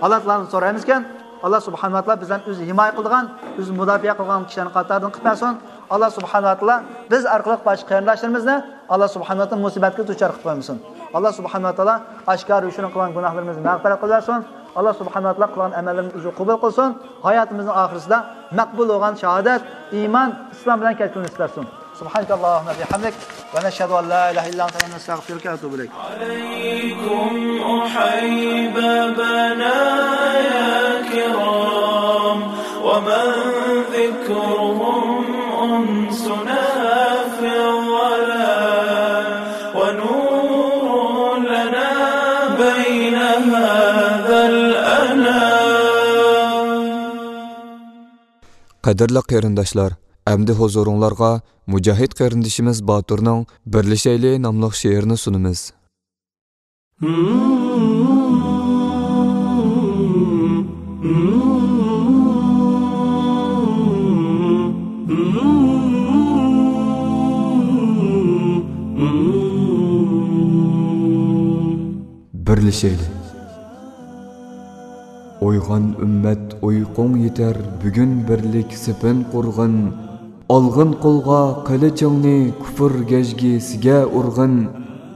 ئاللا تائالادىن سورايمىزكەن، ئاللا سۇبھانەھۇ ۋە تائالا بىزلەرنى ئۆزى ھىمايە قىلىدىغان، ئۆزى مۇداپىئە قىلغان كىشىلەرنىڭ قاتارىدىن قىلىپ بەرسۇن. ئاللا سۇبھانەھۇ ۋە تائالا بىز ئارقىلىق باشقا قېرىنداشلىرىمىزنى ئاللا سۇبھانەھۇ ۋە تائالا مۇسىبەتكە دۇچار قىلىپ قويمىسۇن. ئاللا سۇبھانەھۇ ۋە تائالا ئاشكارا يوشۇرۇن قىلغان گۇناھلىرىمىزنى مەغپىرەت قىلىۋەرسۇن. ئاللا سۇبھانەھۇ ۋە تائالا قىلغان ئەمەللىرىمىزنى ئۆزى قوبۇل قىلسۇن. ھاياتىمىزنىڭ ئاخىرىسىدا مەقبۇل بولغان شاھادەت، ئىمان، ئىسلام بىلەن كەتكۈنى نېسىپ قىلسۇن. سبحانك اللهم بحمدك، ونشهد أن لا إله إلا أنت، ونستغفرك ونتوب إليك. عليكم أحيبابنا يا كرام، ومن ذكرهم أنسنا في الظلام، ونور لنا بين هذا الأنام. قەدىرلىك قېرىنداشلار، ئەمدى ھۇزۇرۇڭلارغا مۇجاھىد قېرىندىشىمىز باتۇرنىڭ بىرلىشەيلى ناملىق شېئىرىنى سۇنىمىز. بىرلىشەيلى. ئويغان ئۈممەت، ئۇيقۇڭ يېتەر، بۈگۈن بىرلىك سېپىن قۇرغىن. ئالغىن قولغا قىلىچىڭنى، كۇفر گەجگىسىگە ئۇرغىن.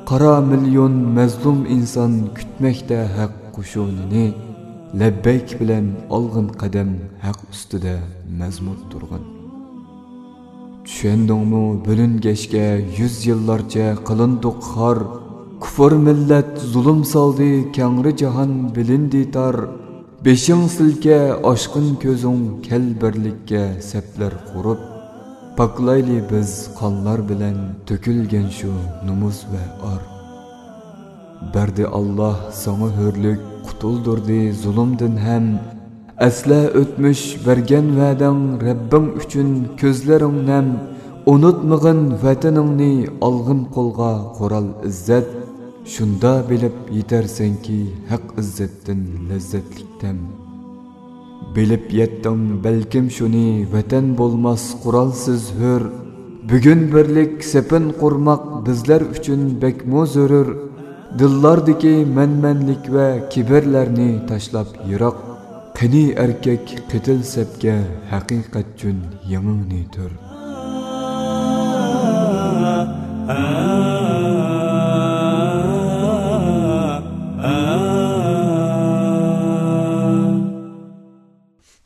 قارا مىليون مەزلۇم ئىنسان كۈتمەكتە ھەق قوشۇنىنى. لەببەيك بىلەن ئالغىن قەدەم، ھەق ئۈستىدە مەزمۇت تۇرغىن. چۈشەندىڭمۇ بۆلۈنگەچكە يۈز يىللارچە قىلىندۇق خار؟ كۇفر مىللەت زۇلۇم سالدى، كەڭرى جاھان بىلىندى تار. بېشىڭ سىلكە، ئاچقىن كۆزۈڭ، كەل بىرلىككە سەپلەر قۇرۇپ. پاكلايلى بىز قانلار بىلەن تۆكۈلگەن شۇ نومۇس ۋە ئار. بەردى ئاللاھ ساڭا ھۆرلۈك، قۇتۇلدۇردى زۇلۇمدىن ھەم. ئەسلە ئۆتمۈش بەرگەن ۋەدەڭ، رەببىڭ ئۈچۈن كۆزلىرىڭ نەم. ئۇنتۇمىغىن ۋەتىنىڭنى، ئالغىن قولغا قورال ئىززەت. شۇندا بىلىپ يېتەرسەنكى، ھەق ئىززەتتىن لەززەتلىك تەم. بىلىپ يەتتىڭ بەلكىم شۇنى، ۋەتەن بولماس قورالسىز ھۆر. بۈگۈن بىرلىك سېپىن قۇرماق بىزلەر ئۈچۈن بەكمۇ زۆرۈر. دىللاردىكى مەنمەنلىك ۋە كىبىرلەرنى تاشلاپ يىراق. قېنى ئەركەك قېتىل سەپكە، ھەقىقەت ئۈچۈن يېڭىڭنى تۈر.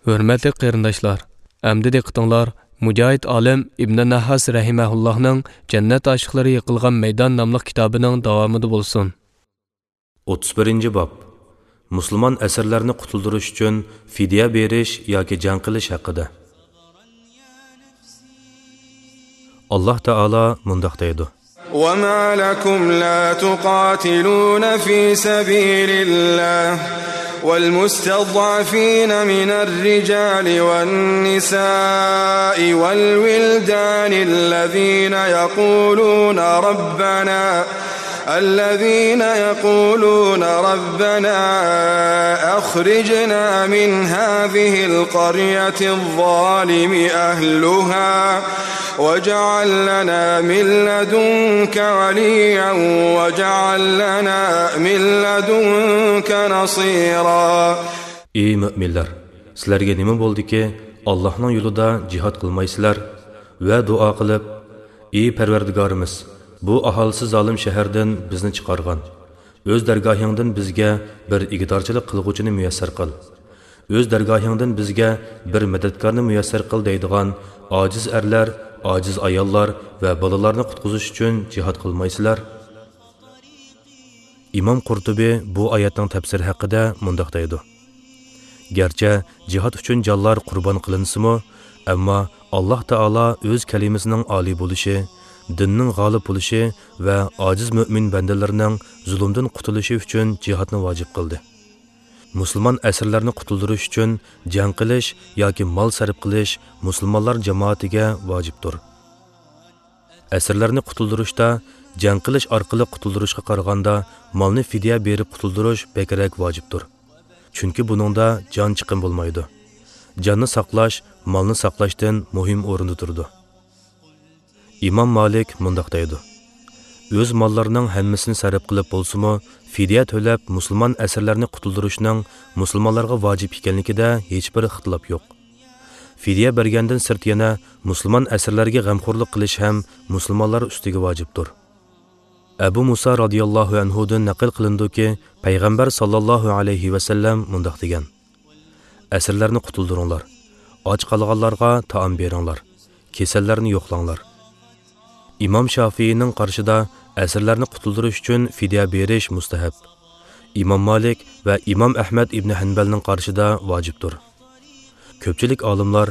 ھۆرمەتلىك قېرىنداشلار، ئەمدى دىققىتىڭلار مۇجاھىد ئالىم ئىبنى نەھھاس رەھىمەھۇللاھنىڭ جەننەت ئاشىقلىرى يىقىلغان مەيدان ناملىق كىتابىنىڭ داۋامىدا بولسۇن. ئوتتۇز بىرىنچى باب. مۇسۇلمان ئەسىرلەرنى قۇتۇلدۇرۇش ئۈچۈن فىدىيە بېرىش ياكى جەڭ قىلىش ھەققىدە. ئاللاھ تائالا مۇنداق دەيدۇ. وما لكم لا تقاتلون في سبيل الله والمستضعفين من الرجال والنساء والولدان الذين يقولون ربنا الذين يقولون ربنا أخرجنا من هذه القرية الظالم أهلها واجعل لنا من لدنك وليا واجعل لنا من لدنك نصيرا. ئى مۆمىنلەر، سىلەرگە نېمە بولدىكى، ئاللاھنىڭ يولىدا جىھاد قىلمايسىلەر ۋە دۇئا قىلىپ، ئى پەرۋەردىگارىمىز، بۇ ئاھالىسى زالىم شەھەردىن بىزنى چىقارغان، ئۆز دەرگاھىڭدىن بىزگە بىر ئىگىدارچىلىق قىلغۇچىنى مۇيەسسەر قىل، ئۆز دەرگاھىڭدىن بىزگە بىر مەدەتكارنى مۇيەسسەر قىل دەيدىغان ئاجىز ئەرلەر، ئاجىز ئاياللار ۋە بالىلارنى قۇتقۇزۇش ئۈچۈن جىھاد قىلمايسىلەر؟ ئىمام قۇرتۇبى بۇ ئايەتنىڭ تەپسىرى ھەققىدە مۇنداق دەيدۇ. گەرچە جىھاد ئۈچۈن جانلار قۇربان قىلىنسىمۇ، ئەمما ئاللاھ تائالا ئۆز كەلىمىسىنىڭ ئالىي بولۇشى، دىننىڭ غالىب بولۇشى ۋە ئاجىز مۆمىن بەندىلىرىنىڭ زۇلۇمدىن قۇتۇلۇشى ئۈچۈن جىھادنى ۋاجىپ قىلدى. مۇسۇلمان ئەسىرلەرنى قۇتۇلدۇرۇش ئۈچۈن جەڭ قىلىش ياكى مال سەرپ قىلىش مۇسۇلمانلار جامائىتىگە ۋاجىپتۇر. ئەسىرلەرنى قۇتۇلدۇرۇشتا جەڭ قىلىش ئارقىلىق قۇتۇلدۇرۇشقا قارىغاندا مالنى فىدىيە بېرىپ قۇتۇلدۇرۇش بەكرەك ۋاجىپتۇر. چۈنكى بۇنىڭدا جان چىقىم بولمايدۇ. جاننى ساقلاش مالنى ساقلاشتىن مۇھىم ئورۇندا تۇرىدۇ. ئىمام مالىك مۇنداق دەيدۇ. ئۆز ماللىرىنىڭ ھەممىسىنى سەرپ قىلىپ بولسىمۇ، فىدىيە تۆلەپ مۇسۇلمان ئەسىرلەرنى قۇتۇلدۇرۇشنىڭ مۇسۇلمانلارغا ۋاجىپ ئىكەنلىكىدە ھېچبىر ئىختىلاپ يوق. فىدىيە بەرگەندىن سىرت يەنە مۇسۇلمان ئەسىرلەرگە غەمخورلۇق قىلىش ھەم مۇسۇلمانلار ئۈستىگە ۋاجىپتۇر. ئەبۇ مۇسا رازىياللاھۇ ئەنھۇدىن نەقىل قىلىنىدۇكى، پەيغەمبەر ساللاللاھۇ ئەلەيھى ۋەسەللەم مۇنداق دېگەن: ئەسىرلەرنى قۇتۇلدۇرۇڭلار، ئاچ قالغانلارغا تائام بېرىڭلار، كېسەللەرنى يوقلاڭلار. ئىمام شافىئىنىڭ قارىشىدا ئەسىرلەرنى قۇتۇلدۇرۇش ئۈچۈن فىدىيە بېرىش مۇستەھەب. ئىمام مالىك ۋە ئىمام ئەھمەد ئىبنى ھەنبەلنىڭ قارىشىدا ۋاجىپتۇر. كۆپچىلىك ئالىملار،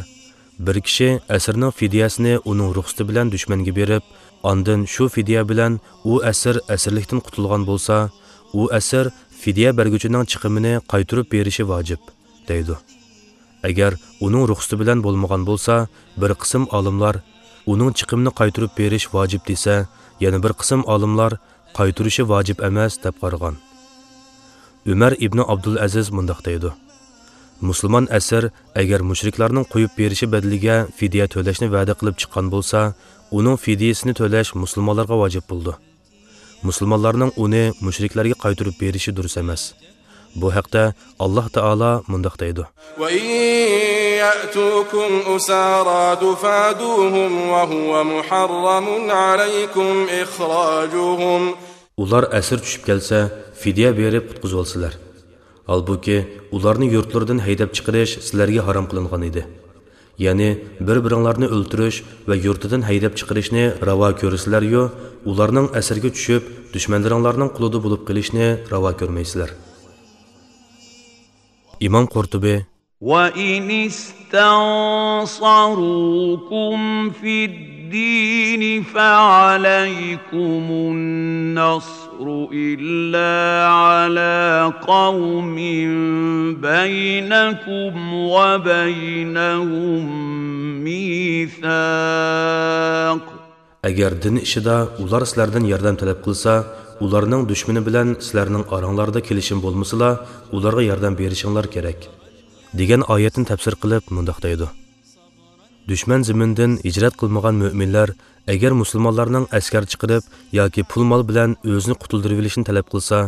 بىر كىشى ئەسىرنىڭ فىدىيەسىنى ئۇنىڭ رۇخسىتى بىلەن دۈشمەنگە بېرىپ، ئاندىن شۇ فىدىيە بىلەن ئۇ ئەسىر ئەسىرلىكتىن قۇتۇلغان بولسا، ئۇ ئەسىر فىدىيە بەرگۈچىنىڭ چىقىمىنى قايتۇرۇپ بېرىشى ۋاجىپ، دەيدۇ. ئەگەر ئۇنىڭ رۇخسىتى بىلەن بولمىغان بولسا، بىر قىسىم ئالىملار ئۇنىڭ چىقىمىنى قايتۇرۇپ بېرىش ۋاجىپ دېسە، يەنە بىر قىسىم ئالىملار قايتۇرۇشى ۋاجىپ ئەمەس دەپ قارىغان. ئۆمەر ئىبنى ئابدۇلئەزىز مۇنداق دەيدۇ: مۇسۇلمان ئەسىر ئەگەر مۇشرىكلارنىڭ قويۇپ بېرىشى بەدىلىگە فىدىيە تۆلەشنى ۋەدە قىلىپ چىققان بولسا، ئۇنىڭ فىدىيىسىنى تۆلەش مۇسۇلمانلارغا ۋاجىپ بولىدۇ. مۇسۇلمانلارنىڭ ئۇنى مۇشرىكلارغا قايتۇرۇپ بېرىشى دۇرۇس ئەمەس. بۇ ھەقتە ئاللاھ تائالا مۇنداق دەيدۇ: وإن يأتوكم أسارى تفادوهم وهو محرم عليكم إخراجهم. ئۇلار ئەسىر چۈشۈپ كەلسە، فىدىيە بېرىپ قۇتقۇزۇۋالسىلەر. ھالبۇكى، ئۇلارنى يۇرتلىرىدىن ھەيدەپ چىقىرىش سىلەرگە ھارام قىلىنغان ئىدى. يەنى بىر-بىرىڭلارنى ئۆلتۈرۈش ۋە يۇرتىدىن ھەيدەپ چىقىرىشنى راۋا كۆرىسىلەريۇ، ئۇلارنىڭ ئەسىرىگە چۈشۈپ، دۈشمەنلىرىڭلارنىڭ قۇلىدا بولۇپ قېلىشنى راۋا كۆرمەيسىلەر. ئىمام قۇرتۇبى. وإن استنصروكم في الدين فعليكم النصر إلا على قوم بينكم وبينهم ميثاق. ئەگەر دىن ئىشىدا ئۇلار سىلەردىن ياردەم تەلەپ قىلسا، ئۇلارنىڭ دۈشمىنى بىلەن سىلەرنىڭ ئاراڭلاردا كېلىشىم بولمىسىلا، ئۇلارغا ياردەم بېرىشىڭلار كېرەك، دېگەن ئايەتنى تەپسىر قىلىپ مۇنداق دەيدۇ. دۈشمەن زېمىنىدىن ھىجرەت قىلمىغان مۆمىنلەر ئەگەر مۇسۇلمانلارنىڭ ئەسكەر چىقىرىپ ياكى پۇل-مال بىلەن ئۆزىنى قۇتۇلدۇرۇۋېلىشنى تەلەپ قىلسا،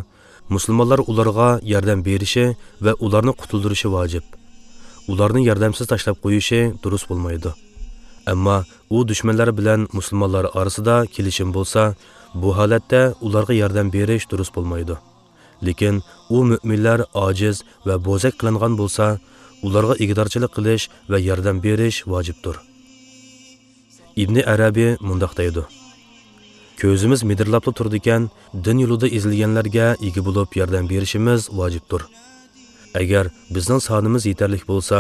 مۇسۇلمانلار ئۇلارغا ياردەم بېرىشى ۋە ئۇلارنى قۇتۇلدۇرۇشى ۋاجىپ. ئۇلارنى ياردەمسىز تاشلاپ قويۇشى دۇرۇس بولمايدۇ. ئەمما ئۇ دۈشمەنلەر بىلەن مۇسۇلمانلار ئارىسىدا كېلىشىم بولسا، بۇ ھالەتتە ئۇلارغا ياردەم بېرىش دۇرۇس بولمايدۇ. لېكىن ئۇ مۆمىنلەر ئاجىز ۋە بوزەك قىلىنغان بولسا، ئۇلارغا ئىگىدارچىلىق قىلىش ۋە ياردەم بېرىش ۋاجىپتۇر. ئىبنى ئەرەبى مۇنداق دەيدۇ: كۆزىمىز مىدىرلاپلا تۇرىدىكەن، دىن يولىدا ئېزىلگەنلەرگە ئىگە بولۇپ ياردەم بېرىشىمىز ۋاجىپتۇر. ئەگەر بىزنىڭ سانىمىز يېتەرلىك بولسا،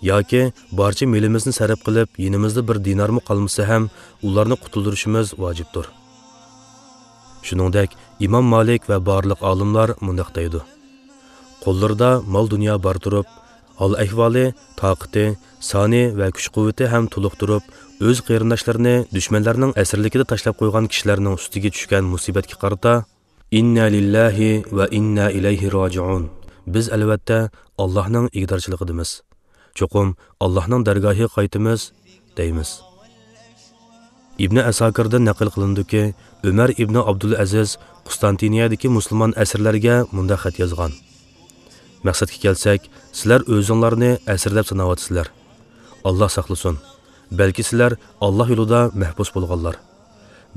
ياكى بارچە مېلىمىزنى سەرپ قىلىپ، يېنىمىزدا بىر دىنارمۇ قالمىسا ھەم، ئۇلارنى قۇتۇلدۇرۇشىمىز ۋاجىپتۇر. شۇنىڭدەك ئىمام مالىك ۋە بارلىق ئالىملار مۇنداق دەيدۇ: قوللىرىدا مال-دۇنيا بار تۇرۇپ، ھال-ئەھۋالى، تاقىتى، سانى ۋە كۈچ-قۇۋۋىتى ھەم تولۇق تۇرۇپ، ئۆز قېرىنداشلىرىنى دۈشمەنلەرنىڭ ئەسىرلىكىدە تاشلاپ قويغان كىشىلەرنىڭ ئۈستىگە چۈشكەن مۇسىبەتكە قارىتا، ئىننا لىللاھى ۋە ئىننا ئىلەيھى راجىئۇن. بىز، ئەلۋەتتە، ئاللاھنىڭ ئىگىدارچىلىقىدىمىز. چوقۇم ئاللاھنىڭ دەرگاھىغا قايتىمىز، دەيمىز. ئىبنى ئەساكىردىن نەقىل قىلىنىدۇكى، ئۆمەر ئىبنى ئابدۇلئەزىز قۇستانتىنىيەدىكى مۇسۇلمان ئەسىرلەرگە مۇنداق خەت يازغان: مەقسەتكە كەلسەك، سىلەر ئۆزۈڭلارنى ئەسىر دەپ ساناۋاتىسىلەر. ئاللاھ ساقلىسۇن. بەلكى سىلەر ئاللاھ يولىدا مەھبۇس بولغانلار.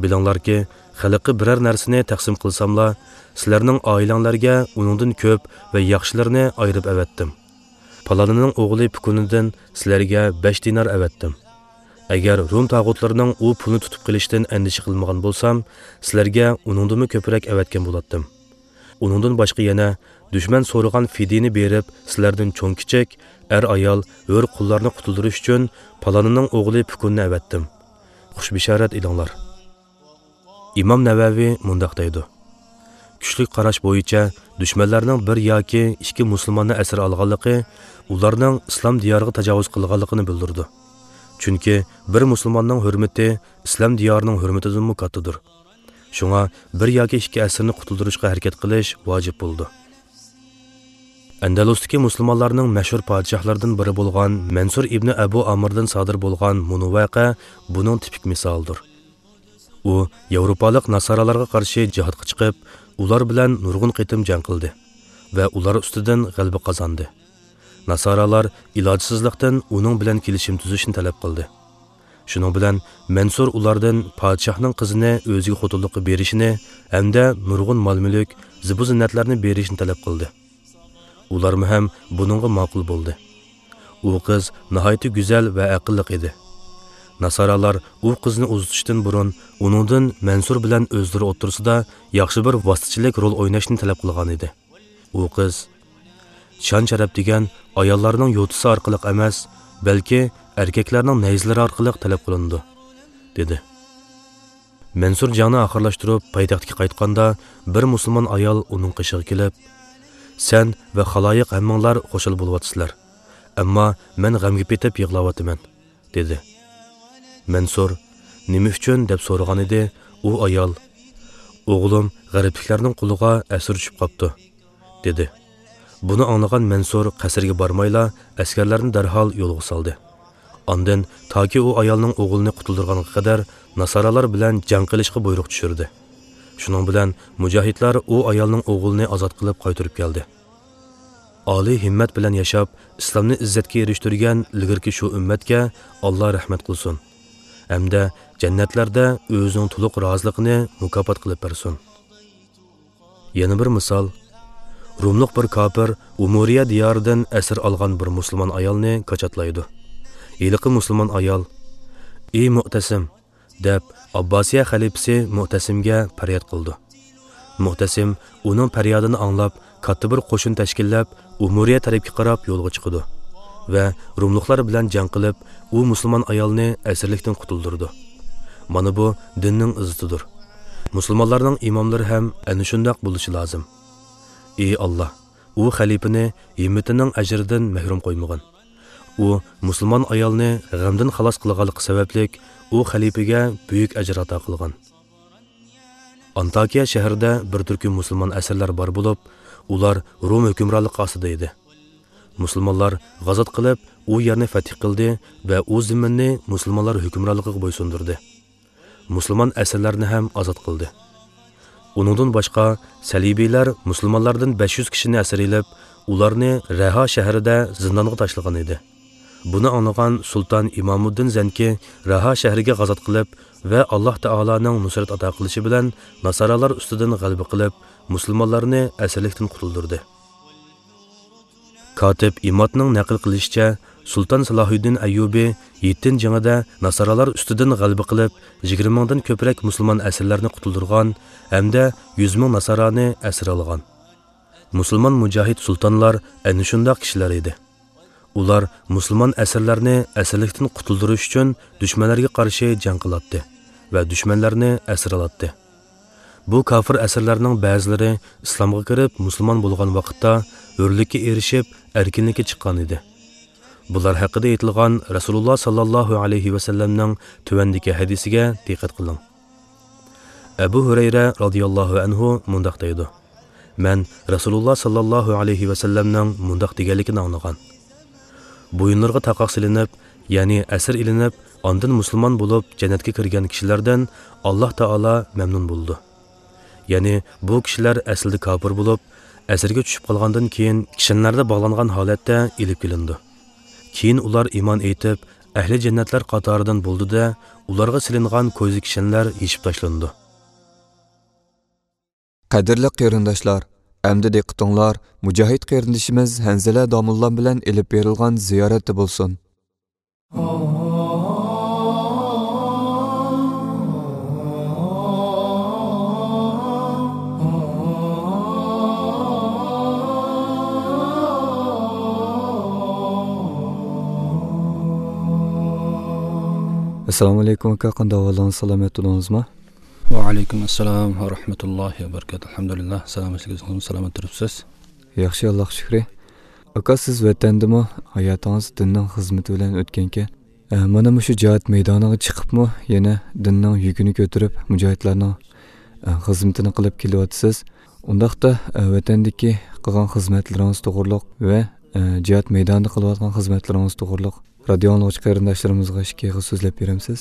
بىلىڭلاركى، خەلققە بىرەر نەرسىنى تەقسىم قىلساملا، سىلەرنىڭ ئائىلەڭلارگە ئۇنىڭدىن كۆپ ۋە ياخشىلىرىنى ئايرىپ ئەۋەتتىم. پالانىنىڭ ئوغلى پۇكۇنىدىن سىلەرگە بەش دىنار ئەۋەتتىم. ئەگەر روم تاغۇتلىرىنىڭ ئۇ پۇلنى تۇتۇپ قېلىشتىن ئەندىشە قىلمىغان بولسام، سىلەرگە ئۇنىڭدىنمۇ كۆپرەك ئەۋەتكەن بولاتتىم. ئۇنىڭدىن باشقا يەنە دۈشمەن سورىغان فىدىيىنى بېرىپ، سىلەردىن چوڭ-كىچىك، ئەر-ئايال، ھۆر-قۇللارنى قۇتۇلدۇرۇش ئۈچۈن پالانىنىڭ ئوغلى پۇكۇننى ئەۋەتتىم. خۇش بېشارەت ئېلىڭلار. ئىمام نەۋەۋى مۇنداق دەيدۇ: كۈچلۈك قاراش بويىچە دۈشمەنلەرنىڭ بىر ياكى ئىككى مۇسۇلماننى ئەسىر ئالغانلىقى ئۇلارنىڭ ئىسلام دىيارىغا تاجاۋۇز قىلغانلىقىنى بىلدۈرىدۇ. چۈنكى بىر مۇسۇلماننىڭ ھۆرمىتى ئىسلام دىيارىنىڭ ھۆرمىتىدىنمۇ كاتتىدۇر. شۇڭا بىر ياكى ئىككى ئەسىرنى قۇتۇلدۇرۇشقا ھەرىكەت قىلىش ۋاجىپ بولىدۇ. ئەندەلۇستىكى مۇسۇلمانلارنىڭ مەشھۇر پادىشاھلىرىدىن بىرى بولغان مەنسۇر ئىبنى ئەبۇ ئامىردىن سادىر بولغان مۇنۇ ۋەقە بۇنىڭ تىپىك مىسالىدۇر. ئۇ ياۋروپالىق ناسارالارغا قارشى جىھادقا چىقىپ، ئۇلار بىلەن نۇرغۇن قېتىم جەڭ قىلدى ۋە ئۇلار ئۈستىدىن غەلىبە قازاندى. ناسارالار ئىلاجسىزلىقتىن ئۇنىڭ بىلەن كېلىشىم تۈزۈشنى تەلەپ قىلدى. شۇنىڭ بىلەن مەنسۇر ئۇلاردىن پادىشاھنىڭ قىزىنى ئۆزىگە خوتۇنلۇققا بېرىشىنى ھەمدە نۇرغۇن مال-مۈلۈك، زىبۇ-زىننەتلەرنى بېرىشنى تەلەپ قىلدى. ئۇلارمۇ ھەم بۇنىڭغا ماقۇل بولدى. ئۇ قىز ناھايىتى گۈزەل ۋە ئەقىللىق ئىدى. ناسارالار ئۇ قىزنى ئۇزىتىشتىن بۇرۇن ئۇنىڭدىن مەنسۇر بىلەن ئۆزلىرى ئوتتۇرىسىدا ياخشى بىر ۋاسىتىچىلىك رول ئويناشنى تەلەپ قىلغان ئىدى. ئۇ قىز، شان-شەرەپ دېگەن ئاياللارنىڭ يوتىسى ئارقىلىق ئەمەس، بەلكى ئەركەكلەرنىڭ نەيزىلىرى ئارقىلىق تەلەپ قىلىنىدۇ، دېدى. مەنسۇر جەڭنى ئاخىرلاشتۇرۇپ، پايتەختكە قايتقاندا، بىر مۇسۇلمان ئايال ئۇنىڭ قېشىغا كېلىپ، سەن ۋە خالايىق ھەممىڭلار خۇشال بولۇۋاتىسىلەر، ئەمما مەن غەمگە پېتىپ يىغلاۋاتىمەن، دېدى. مەنسۇر، نېمە ئۈچۈن؟ دەپ سورىغانىدى، ئۇ ئايال، ئوغلۇم غەربلىكلەرنىڭ قولىغا ئەسىر چۈشۈپ قاپتۇ، دېدى. بۇنى ئاڭلىغان مەنسۇر قەسىرگە بارمايلا، ئەسكەرلەرنى دەرھال يولغا سالدى. ئاندىن تاكى ئۇ ئايالنىڭ ئوغلىنى قۇتۇلدۇرغانغا قەدەر ناسارالار بىلەن جەڭ قىلىشقا بۇيرۇق چۈشۈردى. شۇنىڭ بىلەن مۇجاھىدلار ئۇ ئايالنىڭ ئوغلىنى ئازاد قىلىپ قايتۇرۇپ كەلدى. ئالىي ھىممەت بىلەن ياشاپ، ئىسلامنى ئىززەتكە ئېرىشتۈرگەن ئىلگىرىكى شۇ ئۈممەتكە ئاللا رەھمەت قىلسۇن ھەمدە جەننەتلەردە ئۆزىنىڭ تولۇق رازىلىقىنى مۇكاپات قىلىپ بەرسۇن. يەنە بىر مىسال، روملۇق بىر كاپىر ئۇمۇرىيە دىيارىدىن ئەسىر ئالغان بىر مۇسۇلمان ئايالنى كاچاتلايدۇ. ھېلىقى مۇسۇلمان ئايال، ئى مۇئتەسىم، دەپ، ئابباسىيە خەلىپىسى مۇئتەسىمگە پەرياد قىلىدۇ. مۇئتەسىم ئۇنىڭ پەريادىنى ئاڭلاپ، كاتتا بىر قوشۇن تەشكىللەپ، ئۇمۇرىيە تەرەپكە قاراپ يولغا چىقىدۇ ۋە روملۇقلار بىلەن جەڭ قىلىپ، ئۇ مۇسۇلمان ئايالنى ئەسىرلىكتىن قۇتۇلدۇرىدۇ. مانا بۇ دىننىڭ ئىززىتىدۇر. مۇسۇلمانلارنىڭ ئىماملىرى ھەم ئەنە شۇنداق بولۇشى لازىم. ئى ئاللا، ئۇ خەلىپىنى ھىممىتىنىڭ ئەجرىدىن مەھرۇم قويمىغىن. ئۇ مۇسۇلمان ئايالنى غەمدىن خالاس قىلغانلىقى سەۋەبلىك، ئۇ خەلىپىگە بۈيۈك ئەجىر ئاتا قىلغان. ئانتاكىيە شەھىرىدە بىر تۈركۈم مۇسۇلمان ئەسىرلەر بار بولۇپ، ئۇلار روم ھۆكۈمرانلىقى ئاستىدا ئىدى. مۇسۇلمانلار غازات قىلىپ، ئۇ يەرنى فەتھ قىلدى ۋە ئۇ زېمىننى مۇسۇلمانلار ھۆكۈمرانلىقىغا بويسۇندۇردى. مۇسۇلمان ئەسىرلەرنى ھەم ئازاد قىلدى. ئۇنىڭدىن باشقا، سەلىبىيلەر مۇسۇلمانلاردىن بەش يۈز كىشىنى ئەسىر ئېلىپ، ئۇلارنى رەھا شەھىرىدە زىندانغا تاشلىغان ئىدى. بۇنى ئاڭلىغان سۇلتان ئىمامۇددىن زەنكى رەھا شەھىرىگە غازات قىلىپ ۋە ئاللا تائالانىڭ نۇسرەت ئاتا قىلىشى بىلەن ناسارالار ئۈستىدىن غەلىبە قىلىپ، مۇسۇلمانلارنى ئەسىرلىكتىن قۇتۇلدۇردى. كاتىپ ئىمادنىڭ نەقىل قىلىشىچە، سۇلتان سالاھۇددىن ئەييۇبى ھىتتىن جېڭىدە ناسارالار ئۈستىدىن غەلىبە قىلىپ، يىگىرمە مىڭدىن كۆپرەك مۇسۇلمان ئەسىرلەرنى قۇتۇلدۇرغان ھەمدە يۈز مىڭ ناسارانى ئەسىر ئالغان. مۇسۇلمان مۇجاھىد سۇلتانلار ئەنە شۇنداق كىشىلەر ئىدى. ئۇلار مۇسۇلمان ئەسىرلەرنى ئەسىرلىكتىن قۇتۇلدۇرۇش ئۈچۈن دۈشمەنلەرگە قارشى جەڭ قىلاتتى ۋە دۈشمەنلەرنى ئەسىر ئالاتتى. بۇ كاپىر ئەسىرلەرنىڭ بەزىلىرى ئىسلامغا كىرىپ مۇسۇلمان بولغان ۋاقىتتا ھۆرلۈككە ئېرىشىپ، ئەركىنلىككە چىققان ئىدى. بۇلار ھەققىدە ئېيتىلغان رەسۇلۇللا ساللاللاھۇ ئەلەيھى ۋەسەللەمنىڭ تۆۋەندىكى ھەدىسىگە دىققەت قىلىڭ. ئەبۇ ھۈرەيرە رازىياللاھۇ ئەنھۇ مۇنداق دەيدۇ: مەن رەسۇلۇللا ساللاللاھۇ ئەلەيھى ۋەسەللەمنىڭ مۇنداق دېگەنلىكىنى ئاڭلىغان: بويۇنلىرىغا تاقاق سېلىنىپ، يەنى ئەسىر ئېلىنىپ، ئاندىن مۇسۇلمان بولۇپ جەننەتكە كىرگەن كىشىلەردىن ئاللاھ تائالا مەمنۇن بولىدۇ. يەنى بۇ كىشىلەر ئەسلىدە كاپىر بولۇپ، ئەسىرگە چۈشۈپ قالغاندىن كېيىن كىشەنلەردە باغلانغان ھالەتتە ئېلىپ كېلىنىدۇ. كېيىن ئۇلار ئىمان ئېيتىپ، ئەھلى جەننەتلەر قاتارىدىن بولىدۇ-دە، ئۇلارغا سېلىنغان كويزا كىشەنلەر يېشىپ تاشلىنىدۇ. قەدىرلىك قېرىنداشلار، ئەمدى دىققىتىڭلار مۇجاھىد قېرىندىشىمىز ھەنزىلە داموللام بىلەن ئېلىپ بېرىلغان زىيارەتتە بولسۇن. ئەسسالامۇ ئەلەيكۇم ئاكا، قانداق ئەھۋالىڭىز، سالامەت تۇردىڭىزمۇ؟ ۋەئەلەيكۇم ئەسسالام ۋە رەھمەتۇللاھى ۋە بەرىكاتۇھ. ئەلھەمدۇلىللا، سالامەتلىكىڭىزمۇ، سالامەت تۇرۇپسىز. ياخشى، ئاللاغا شۈكرى. ئاكا، سىز ۋەتەندىمۇ ھاياتىڭىز دىننىڭ خىزمىتى بىلەن ئۆتكەنكەن. ئە، مانا مۇشۇ جىھاد مەيدانىغا چىقىپمۇ يەنە دىننىڭ يۈكىنى كۆتۈرۈپ، مۇجاھىدلارنىڭ، ئە، خىزمىتىنى قىلىپ كېلىۋاتىسىز. ئۇنداقتا، ئە، ۋەتەندىكى قىلغان خىزمەتلىرىڭىز توغرۇلۇق ۋە، ئە، جىھاد مەيدانىدا قىلىۋاتقان خىزمەتلىرىڭىز توغرۇلۇق رادىيو ئاڭلىغۇچى قېرىنداشلىرىمىزغا ئىككى ئېغىز سۆزلەپ بېرەمسىز؟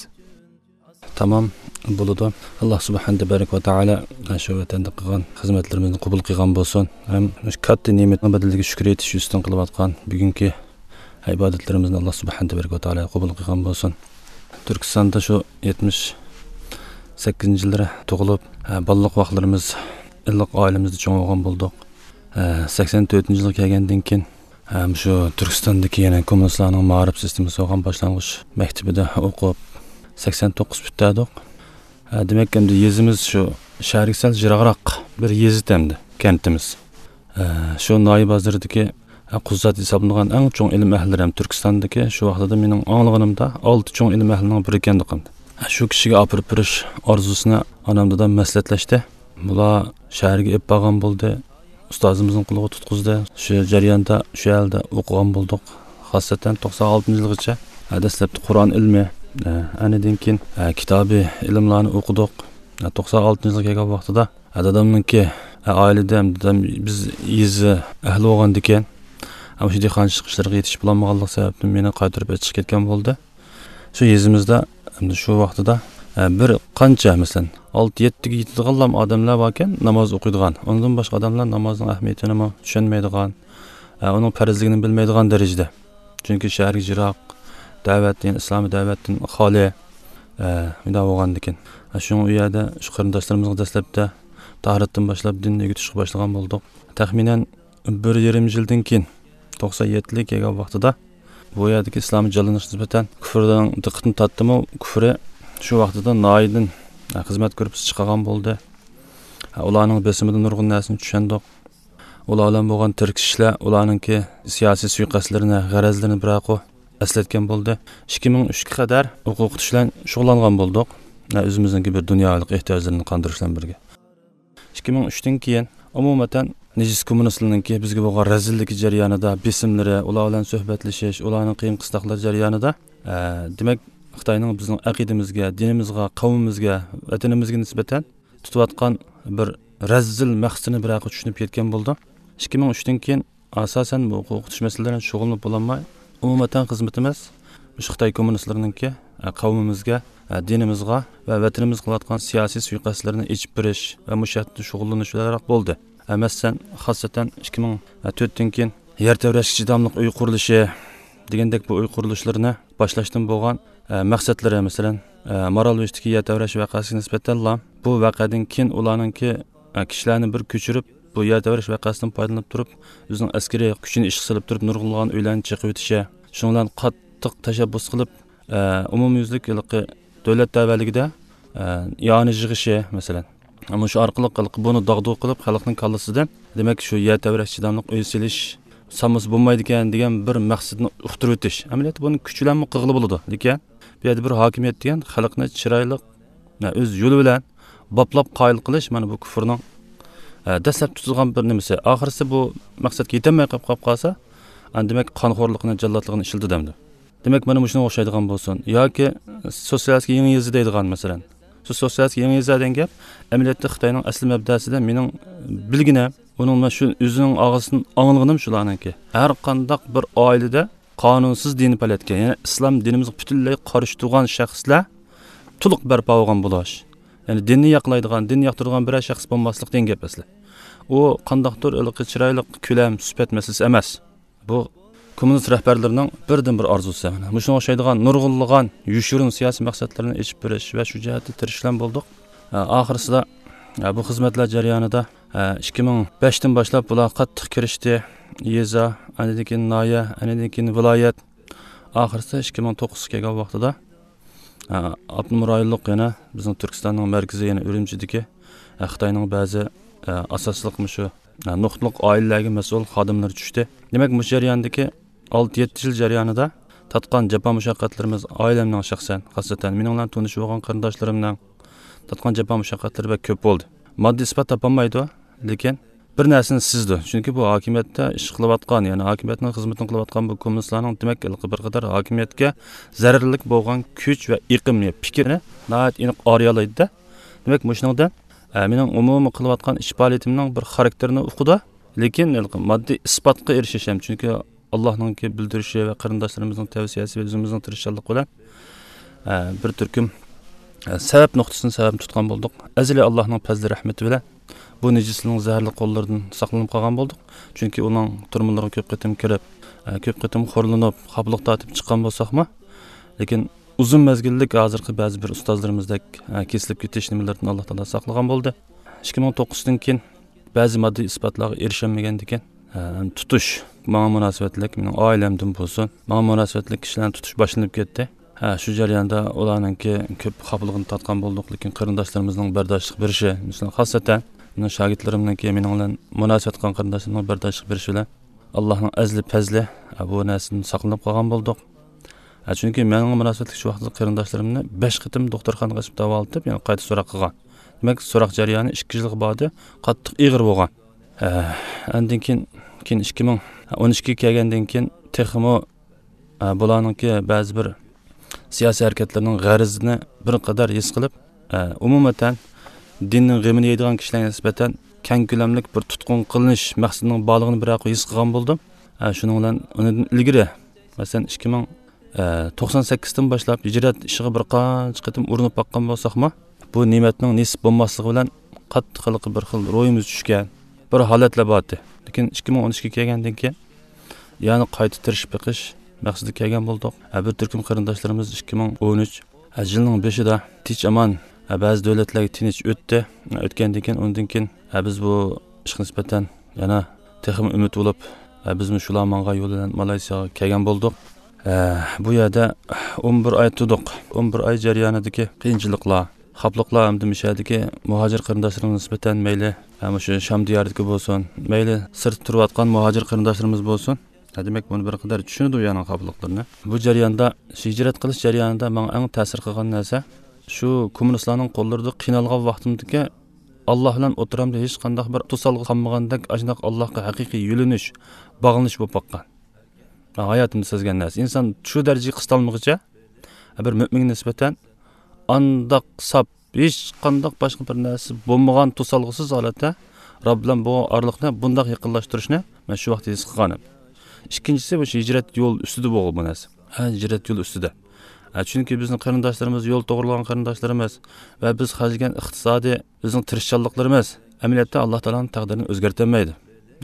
تامام بولىدۇ. ئاللا سۇبھانەھۇ تەبارەك ۋە تائالا شۇ ۋەتەندە قىلغان خىزمەتلىرىمىزنى قوبۇل قىلغان بولسۇن. ھەم مۇشۇ كاتتا نېمەتنىڭ بەدىلىگە شۈكۈر ئېيتىش يۈزىسىدىن قىلىۋاتقان بۈگۈنكى ئىبادەتلىرىمىزنى ئاللا سۇبھانەھۇ تەبارەك ۋە تائالا قوبۇل قىلغان بولسۇن. تۈركىستاندا شۇ يەتمىش سەككىزىنچى يىللىرى تۇغۇلۇپ، ھە، بالىلىق ۋاقىتلىرىمىز ئىللىق ئائىلىمىزدە چوڭ بولغان بولدۇق. ھە، سەكسەن تۆتىنچى يىلغا كەلگەندىن كېيىن، ھە، مۇشۇ تۈركىستاندىكى يەنە كوممۇنىستلارنىڭ مائارىپ سىستېمىسى بولغان باشلانغۇچ مەكتىپىدە ئوقۇپ، سەكسەن توققۇز پۈتتۈردۇق. ھە، دېمەك، ئەمدى يېزىمىز شۇ شەھەرگە سەل يىراقراق بىر يېزا ئەمدى، كەنتىمىز. ھە، شۇ ناھىيە بازىرىدىكى، ھە، قۇززات ھېسابلىنىدىغان ئەڭ چوڭ ئىلىم ئەھلىلىرى ھەم تۈركىستاندىكى شۇ ۋاقتىدا مېنىڭ ئاڭلىغىنىمدا ئالتە چوڭ ئىلىم ئەھلىنىڭ بىرى ئىكەندۇق ئەمدى. ھە، شۇ كىشىگە ئاپىرىپ بېرىش ئارزۇسىنى ئانام دادام مەسلىھەتلەشتى. بۇلار شەھەرگە ئېلىپ بارغان بولدى. ئۇستازىمىزنىڭ قولىغا تۇتقۇزدى. شۇ جەرياندا شۇ يەردە ئوقۇغان بولدۇق. خاسسەتەن توقسان ئالتىنچى يىلغىچە، ھە، دەسلەپتە قۇرئان ئىلمى، ھە، ئاندىن كېيىن، ھە، كىتابى ئىلىملارنى ئوقۇدۇق. ھە، توقسان ئالتىنچى يىلغا كەلگەن ۋاقتىدا، ھە، دادامنىڭكى، ھە، ئائىلىدە ھەم دادام بىز يېزا ئەھلى بولغاندىكىن، ھە، مۇشۇ دېھقانچىلىق ئىشلىرىغا يېتىشىپ بولالمىغانلىق سەۋەبتىن مېنى قايتۇرۇپ ئېچىقىپ كەتكەن بولدى. شۇ يېزىمىزدا ئەمدى شۇ ۋاقتىدا، ئە، بىر قانچە، مەسىلەن، ئالتە يەتتىگە يېتىدىغانلام ئادەملەر باركەن، ناماز ئوقۇيدىغان. ئۇنىڭدىن باشقا ئادەملەر نامازنىڭ ئەھمىيىتىنىمۇ چۈشەنمەيدىغان، ئە، ئۇنىڭ پەرزلىكىنى بىلمەيدىغان دەرىجىدە. چۈنكى شەھەرگە يىراق، دەۋەتتىن، ئىسلامىي دەۋەتتىن خالىي، ئە، مۇنداق بولغاندىكىن. ئە، شۇڭا ئۇ يەردە شۇ قېرىنداشلىرىمىزغا دەسلەپتە تاھارەتتىن باشلاپ دىننى ئۆگىتىشكە باشلىغان بولدۇق. تەخمىنەن بىر يېرىم يىلدىن كېيىن، توقسان يەتتىلىك كەلگەن ۋاقتىدا، بۇ يەردىكى ئىسلامىي جانلىنىشقا نىسبەتەن كۇفرنىڭ دىققىتىنى تارتتىمۇ، كۇفرى شۇ ۋاقتىدا ناھىيىدىن، ھە، خىزمەت گۇرۇپپىسى چىقارغان بولدى. ھە، ئۇلارنىڭ بېسىمىدىن نۇرغۇن نەرسىنى چۈشەندۇق. ئۇلار بىلەن بولغان تىركىشىشلەر ئۇلارنىڭكى سىياسىي سۇيىقەستلىرىنى، غەرەزلىرىنى بىراقۇ ئەسلەتكەن بولدى. ئىككى مىڭ ئۈچكە قەدەر ئوقۇتۇش بىلەن شۇغۇللانغان بولدۇق. ھە، ئۆزىمىزنىڭكى بىر دۇنياۋىلىك ئېھتىياجلىرىنى قاندۇرۇش بىلەن بىرگە. ئىككى مىڭ ئۈچتىن كېيىن، ئومۇمەن، نىجىس كوممۇنىستلارنىڭكى بىزگە بولغان رەزىللىكى جەريانىدا، بېسىملىرى، ئۇلار بىلەن سۆھبەتلىشىش، ئۇلارنىڭ قىيىن قىستاقلىرى جەريانىدا، ئە، دېمەك، خىتاينىڭ بىزنىڭ ئەقىدىمىزگە، دىنىمىزغا، قەۋمىمىزگە، ۋەتىنىمىزگە نىسبەتەن تۇتۇۋاتقان بىر رەزىل مەقسىتىنى بىراقى چۈشىنىپ يەتكەن بولدۇم. ئىككى مىڭ ئۈچتىن كېيىن ئاساسەن بۇ ئوقۇتۇش مەسىلىلىرى بىلەن شۇغۇللىنىپ بولالماي، ئومۇمەن خىزمىتىمىز مۇشۇ خىتاي كوممۇنىستلىرىنىڭكى، ئە، قەۋمىمىزگە، ئە، دىنىمىزغا ۋە ۋەتىنىمىزگە قىلىۋاتقان سىياسىي سۇيىقەستلىرىنى ئېچىپ بېرىش ۋە مۇشۇ ھەقتە شۇغۇللىنىش بىلەنراق بولدى. ئە، مەسىلەن، خاسسەتەن ئىككى مىڭ تۆتتىن كېيىن يەر تەۋرەشكە چىداملىق ئۆي قۇرۇلۇشى دېگەندەك بۇ ئۆي قۇرۇلۇشلىرىنى باشلاشتىن بولغان، ئە، مەقسەتلىرى، مەسىلەن، ئە، مارالبېشىدىكى يەر تەۋرەش ۋەقەسىگە نىسبەتەنلا بۇ ۋەقەدىن كېيىن ئۇلارنىڭكى، ئە، كىشىلەرنى بىر كۆچۈرۈپ، بۇ يەر تەۋرەش ۋەقەسىدىن پايدىلىنىپ تۇرۇپ، ئۆزىنىڭ ئەسكىرىي كۈچىنى ئىشقا سېلىپ تۇرۇپ، نۇرغۇنلىغان ئۆيلەرنى چېقىۋېتىشى، شۇنىڭ بىلەن قاتتىق تەشەببۇس قىلىپ، ئە، ئومۇميۈزلۈك ھېلىقى دۆلەت تەۋەلىكىدە، ئە، ئىئانە يىغىشى، مەسىلەن، مۇشۇ ئارقىلىق ھېلىقى بۇنى داغدۇغا قىلىپ، خەلقنىڭ كاللىسىدىن، دېمەك، شۇ يەر تەۋرەش چىداملىق ئۆي سېلىش سالمىسا بولمايدىكەن دېگەن بىر مەقسەتنى ئۇقتۇرۇۋېتىش. ئەمەلىيەتتە بۇنى كۈچ بىلەنمۇ قىلغىلى بولىدۇ. لېكىن بۇ يەردە بىر ھاكىمىيەت دېگەن خەلقنى چىرايلىق، ئۆز يولى بىلەن باپلاپ قايىل قىلىش، مانا بۇ كۇفرنىڭ، ئە، دەسلەپ تۇتۇلغان بىر نېمىسى. ئاخىرسى بۇ مەقسەتكە يېتەلمەي قېلىپ، قېلىپ قالسا، ئەنە دېمەك قانخورلۇقىنى، جاللاتلىقىنى ئىشلىتىدۇ ئەمدى. دېمەك، مانا مۇشۇنىڭغا ئوخشايدىغان بولسۇن. ياكى سوتسىيالىستىك يېڭى يېزا دەيدىغان، مەسىلەن. شۇ سوتسىيالىستىك يېڭى يېزا دېگەن گەپ ئەمەلىيەتتە خىتاينىڭ ئەسلى مەبدەسىدە مېنىڭ بىلگىنىم، ئۇنىڭ مەن شۇ ئۆزىنىڭ ئاغزىدىن ئاڭلىغىنىم شۇلارنىڭكى. ھەر قانداق بىر ئائىلىدە قانۇنسىز دىنىي پائالىيەتكە، يەنى ئىسلام دىنىمىزغا پۈتۈنلەي قارشى تۇرغان شەخسلەر تولۇق بەرپا بولغان بولۇش. يەنى دىننى ياقلايدىغان، دىننى ياقتۇرىدىغان بىرەر شەخس بولماسلىق دېگەن گەپ ئەسلى. ئۇ قانداقتۇر ھېلىقى چىرايلىق كۆلەم، سۈپەت مەسىلىسى ئەمەس. بۇ كوممۇنىست رەھبەرلىرىنىڭ بىردىنبىر ئارزۇسى. مۇشۇنىڭغا ئوخشايدىغان نۇرغۇنلىغان يوشۇرۇن سىياسىي مەقسەتلەرنى ئېچىپ بېرىش ۋە شۇ جەھەتتە تىرىشىشلار بولدۇق. ئە، ئاخىرسىدا، ئە، بۇ خىزمەتلەر جەريانىدا، ئە، ئىككى مىڭ بەشتىن باشلاپ بۇلار قاتتىق كىرىشتى. يېزا، ئاندىن كېيىن ناھىيە، ئاندىن كېيىن ۋىلايەت. ئاخىرسىدا ئىككى مىڭ توققۇزغا كەلگەن ۋاقتىدا، ئە، ئاپتونوم رايونلۇق يەنە بىزنىڭ تۈركىستاننىڭ مەركىزى يەنە ئۈرۈمچىدىكى، ئە، خىتاينىڭ بەزى، ئە، ئاساسلىق مۇشۇ، ئە، نۇقتىلىق ئائىلىلەرگە مەسئۇل خادىملىرى چۈشتى. دېمەك، مۇشۇ جەرياندىكى ئالتە يەتتە يىل جەريانىدا تارتقان جاپا مۇشەققەتلىرىمىز، ئائىلەمنىڭ شەخسەن، خاسسەتەن مېنىڭ بىلەن تونۇشۇپ بولغان قېرىنداشلىرىمنىڭ تارتقان جاپا مۇشەققەتلىرى بەك كۆپ بولدى. ماددىي ئىسپات تاپالمايدۇ، لېكىن بىر نەرسىنى سېزىدۇ. چۈنكى بۇ ھاكىمىيەتتە ئىش قىلىۋاتقان، يەنى ھاكىمىيەتنىڭ خىزمىتىنى قىلىۋاتقان بۇ كوممۇنىستلارنىڭ دېمەك ھېلىقى بىر قەدەر ھاكىمىيەتكە زەرەرلىك بولغان كۈچ ۋە ئېقىمنى، پىكرىنى ناھايىتى ئېنىق ئارىيالايدۇ-دە. دېمەك، مۇشۇنىڭدىن، ئە، مېنىڭ ئومۇمىي قىلىۋاتقان ئىش پائالىيىتىمنىڭ بىر خاراكتېرىنى ئۇقىدۇ. لېكىن ھېلىقى ماددىي ئىسپاتقا ئېرىشىش ھەم، چۈنكى ئاللاھنىڭكى بىلدۈرۈشى ۋە قېرىنداشلىرىمىزنىڭ تەۋسىيەسى ۋە ئۆزىمىزنىڭ تىرىشچانلىقى بىلەن، ئە، بىر تۈركۈم، ئە، سەۋەب نۇقتىسىنى سەۋەب تۇتقان بولدۇق. ئەزەلىي ئاللاھنىڭ پەزلى رەھمىتى بىلەن بۇ نىجىسلىنىڭ زەھەرلىك قوللىرىدىن ساقلىنىپ قالغان بولدۇق. چۈنكى ئۇنىڭ تۈرمىلىرىغا كۆپ قېتىم كىرىپ، ئە، كۆپ قېتىم خورلىنىپ، خاپىلىق تارتىپ چىققان بولساقمۇ، لېكىن ئۇزۇن مەزگىللىك ھازىرقى بەزى بىر ئۇستازلىرىمىزدەك، ئە، كېسىلىپ كېتىش نېمىلىرىدىن ئاللا تائالا ساقلىغان بولدى. ئىككى مىڭ توققۇزدىن كېيىن بەزى ماددىي ئىسپاتلارغا ئېرىشەلمىگەندىكىن، ئە، تۇتۇش ماڭا مۇناسىۋەتلىك، مېنىڭ ئائىلەمدىن بولسۇن، ماڭا مۇناسىۋەتلىك كىشىلەرنى تۇتۇش باشلىنىپ كەتتى. ھە، شۇ جەرياندا ئۇلارنىڭكى كۆپ خاپىلىقىنى تارتقان بولدۇق، لېكىن قېرىنداشلىرىمىزنىڭ بەرداشلىق بېرىشى، مەسىلەن، خاسسەتەن مېنىڭ شاگىرتلىرىمنىڭكى مېنىڭ بىلەن مۇناسىۋەت قىلغان قېرىنداشلىرىمنىڭ بەرداشلىق بېرىشى بىلەن ئاللاھنىڭ ئەزلى پەزلى، ھە، بۇ نەرسىدىن ساقلىنىپ قالغان بولدۇق. ھە، چۈنكى مېنىڭ مۇناسىۋەتلىك شۇ ۋاقىتتا قېرىنداشلىرىمنى بەش قېتىم دوختۇرخانىغا ئېلىپ داۋالىتىپ، يەنە قايتا سوراق قىلغان. دېمەك، سوراق جەريانى ئىككى يىلغا باردى، قاتتىق ئېغىر بولغان. ھە، ئاندىن كېيىن، كېيىن ئىككى مىڭ ئون ئىككىگە كەلگەندىن كېيىن تېخىمۇ، ھە، بۇلارنىڭكى بەزى بىر سىياسىي ھەرىكەتلىرىنىڭ غەرىزىنى بىر قەدەر ھېس قىلىپ، ئە، ئومۇمەن، دىننىڭ غېمىنى يەيدىغان كىشىلەرگە نىسبەتەن كەڭ كۆلەملىك بىر تۇتقۇن قىلىنىش مەقسىتىنىڭ بارلىقىنى بىر ھېس قىلغان بولدۇم. ئە، شۇنىڭ بىلەن ئۇنىڭدىن ئىلگىرى، مەسىلەن، ئىككى مىڭ، ئە، توقسان سەككىزدىن باشلاپ ھىجرەت ئىشىغا بىر قانچە قېتىم ئۇرۇنۇپ باققان بولساقمۇ، بۇ نېمەتنىڭ نېسىپ بولماسلىقى بىلەن قاتتىق ھېلىقى بىر خىل روھىمىز چۈشكەن بىر ھالەتلەر بار ئىدى. لېكىن ئىككى مىڭ ئون ئىككىگە كەلگەندىن كېيىن يەنە قايتا تىرىشىپ بېقىش مەقسىتىگە كەلگەن بولدۇق. ھە، بىر تۈركۈم قېرىنداشلىرىمىز ئىككى مىڭ ئون ئۈچ، ھە، يىلنىڭ بېشىدا تىنچ ئامان، ھە، بەزى دۆلەتلەرگە تىنچ ئۆتتى. ھە، ئۆتكەندىن كېيىن، ئۇنىڭدىن كېيىن، ھە، بىز بۇ ئىشقا نىسبەتەن يەنە تېخىمۇ ئۈمىد بولۇپ، ھە، بىزمۇ شۇلار ماڭغان يول بىلەن مالايسىياغا كەلگەن بولدۇق. ھە، بۇ يەردە ئون بىر ئاي تۇردۇق. ئون بىر ئاي جەريانىدىكى قىيىنچىلىقلار، خاپىلىقلار ھەمدە مۇشۇ يەردىكى مۇھاجىر قېرىنداشلىرىمىزغا نىسبەتەن مەيلى، ھە، مۇشۇ شام دىيارىدىكى بولسۇن، مەيلى سىرتتا تۇرۇۋاتقان مۇھاجىر قېرىنداشلىرىمىز بولسۇن، ھە، دېمەك، بۇنى بىر قەدەر چۈشىنىدۇ، يەنى خاپىلىقلىرىنى. بۇ جەرياندا، شۇ ھىجرەت قىلىش جەريانىدا ماڭا ئەڭ تەسىر قىلغان نەرسە، شۇ كوممۇنىستلارنىڭ قوللىرىدا قىينالغان ۋاقتىمدىكى ئاللا بىلەن ئوتتۇرامدا ھېچقانداق بىر توسالغۇ قالمىغاندەك، ئاشۇنداق ئاللاغا ھەقىقىي يۆلىنىش، باغلىنىش بولۇپ باققان. ھاياتىمدا سەزگەن نەرسە. ئىنسان شۇ دەرىجىگە قىستالمىغۇچە، بىر مۆمىنگە نىسبەتەن ئانداق ساپ، ھېچقانداق باشقا بىر نەرسە بولمىغان توسالغۇسىز ھالەتتە رەب بىلەن بولغان ئارىلىقنى بۇنداق يېقىنلاشتۇرۇشنى مەن شۇ ۋاقىت ھېس قىلغانىدىم. ئىككىنچىسى، مۇشۇ ھىجرەت يول ئۈستىدە بولغان بۇ نەرسە. ھە، ھىجرەت يول ئۈستىدە. ھە، چۈنكى بىزنىڭ قېرىنداشلىرىمىز، يول توغرىلىغان قېرىنداشلىرىمىز ۋە بىز خەجلىگەن ئىقتىسادىي بىزنىڭ تىرىشچانلىقلىرىمىز ئەمەلىيەتتە ئاللا تائالانىڭ تەقدىرىنى ئۆزگەرتەلمەيدۇ.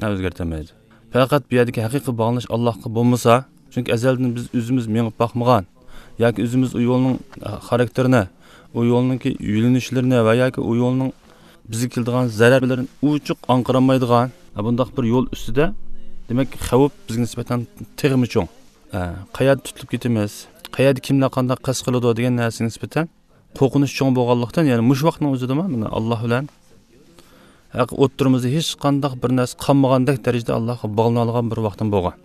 ھە، ئۆزگەرتەلمەيدۇ. پەقەت بۇ يەردىكى ھەقىقىي باغلىنىش ئاللاغا بولمىسا، چۈنكى ئەزەلدىن بىز ئۆزىمىز مېڭىپ باقمىغان ياكى ئۆزىمىز ئۇ يولنىڭ، ئە، خاراكتېرىنى، ئۇ يولنىڭكى يۆنىلىشلىرىنى ۋە ياكى ئۇ يولنىڭ بىزگە كېلىدىغان زەرەرلىرىنى ئوچۇق ئاڭقىرالمايدىغان، ئە، بۇنداق بىر يول ئۈستىدە، دېمەك، خەۋپ بىزگە نىسبەتەن تېخىمۇ چوڭ. ئە، قەيەردە تۇتۇلۇپ كېتىمىز، قەيەردە كىملەر قانداق قەست قىلىدۇ دېگەن نەرسىگە نىسبەتەن قورقۇنچ چوڭ بولغانلىقتىن، يەنى مۇشۇ ۋاقىتنىڭ ئۆزىدىمۇ مانا ئاللا بىلەن ھەق ئوتتۇرىمىزدا ھېچقانداق بىر نەرسە قالمىغاندەك دەرىجىدە ئاللاغا باغلىنالىغان بىر ۋاقتىم بولغان.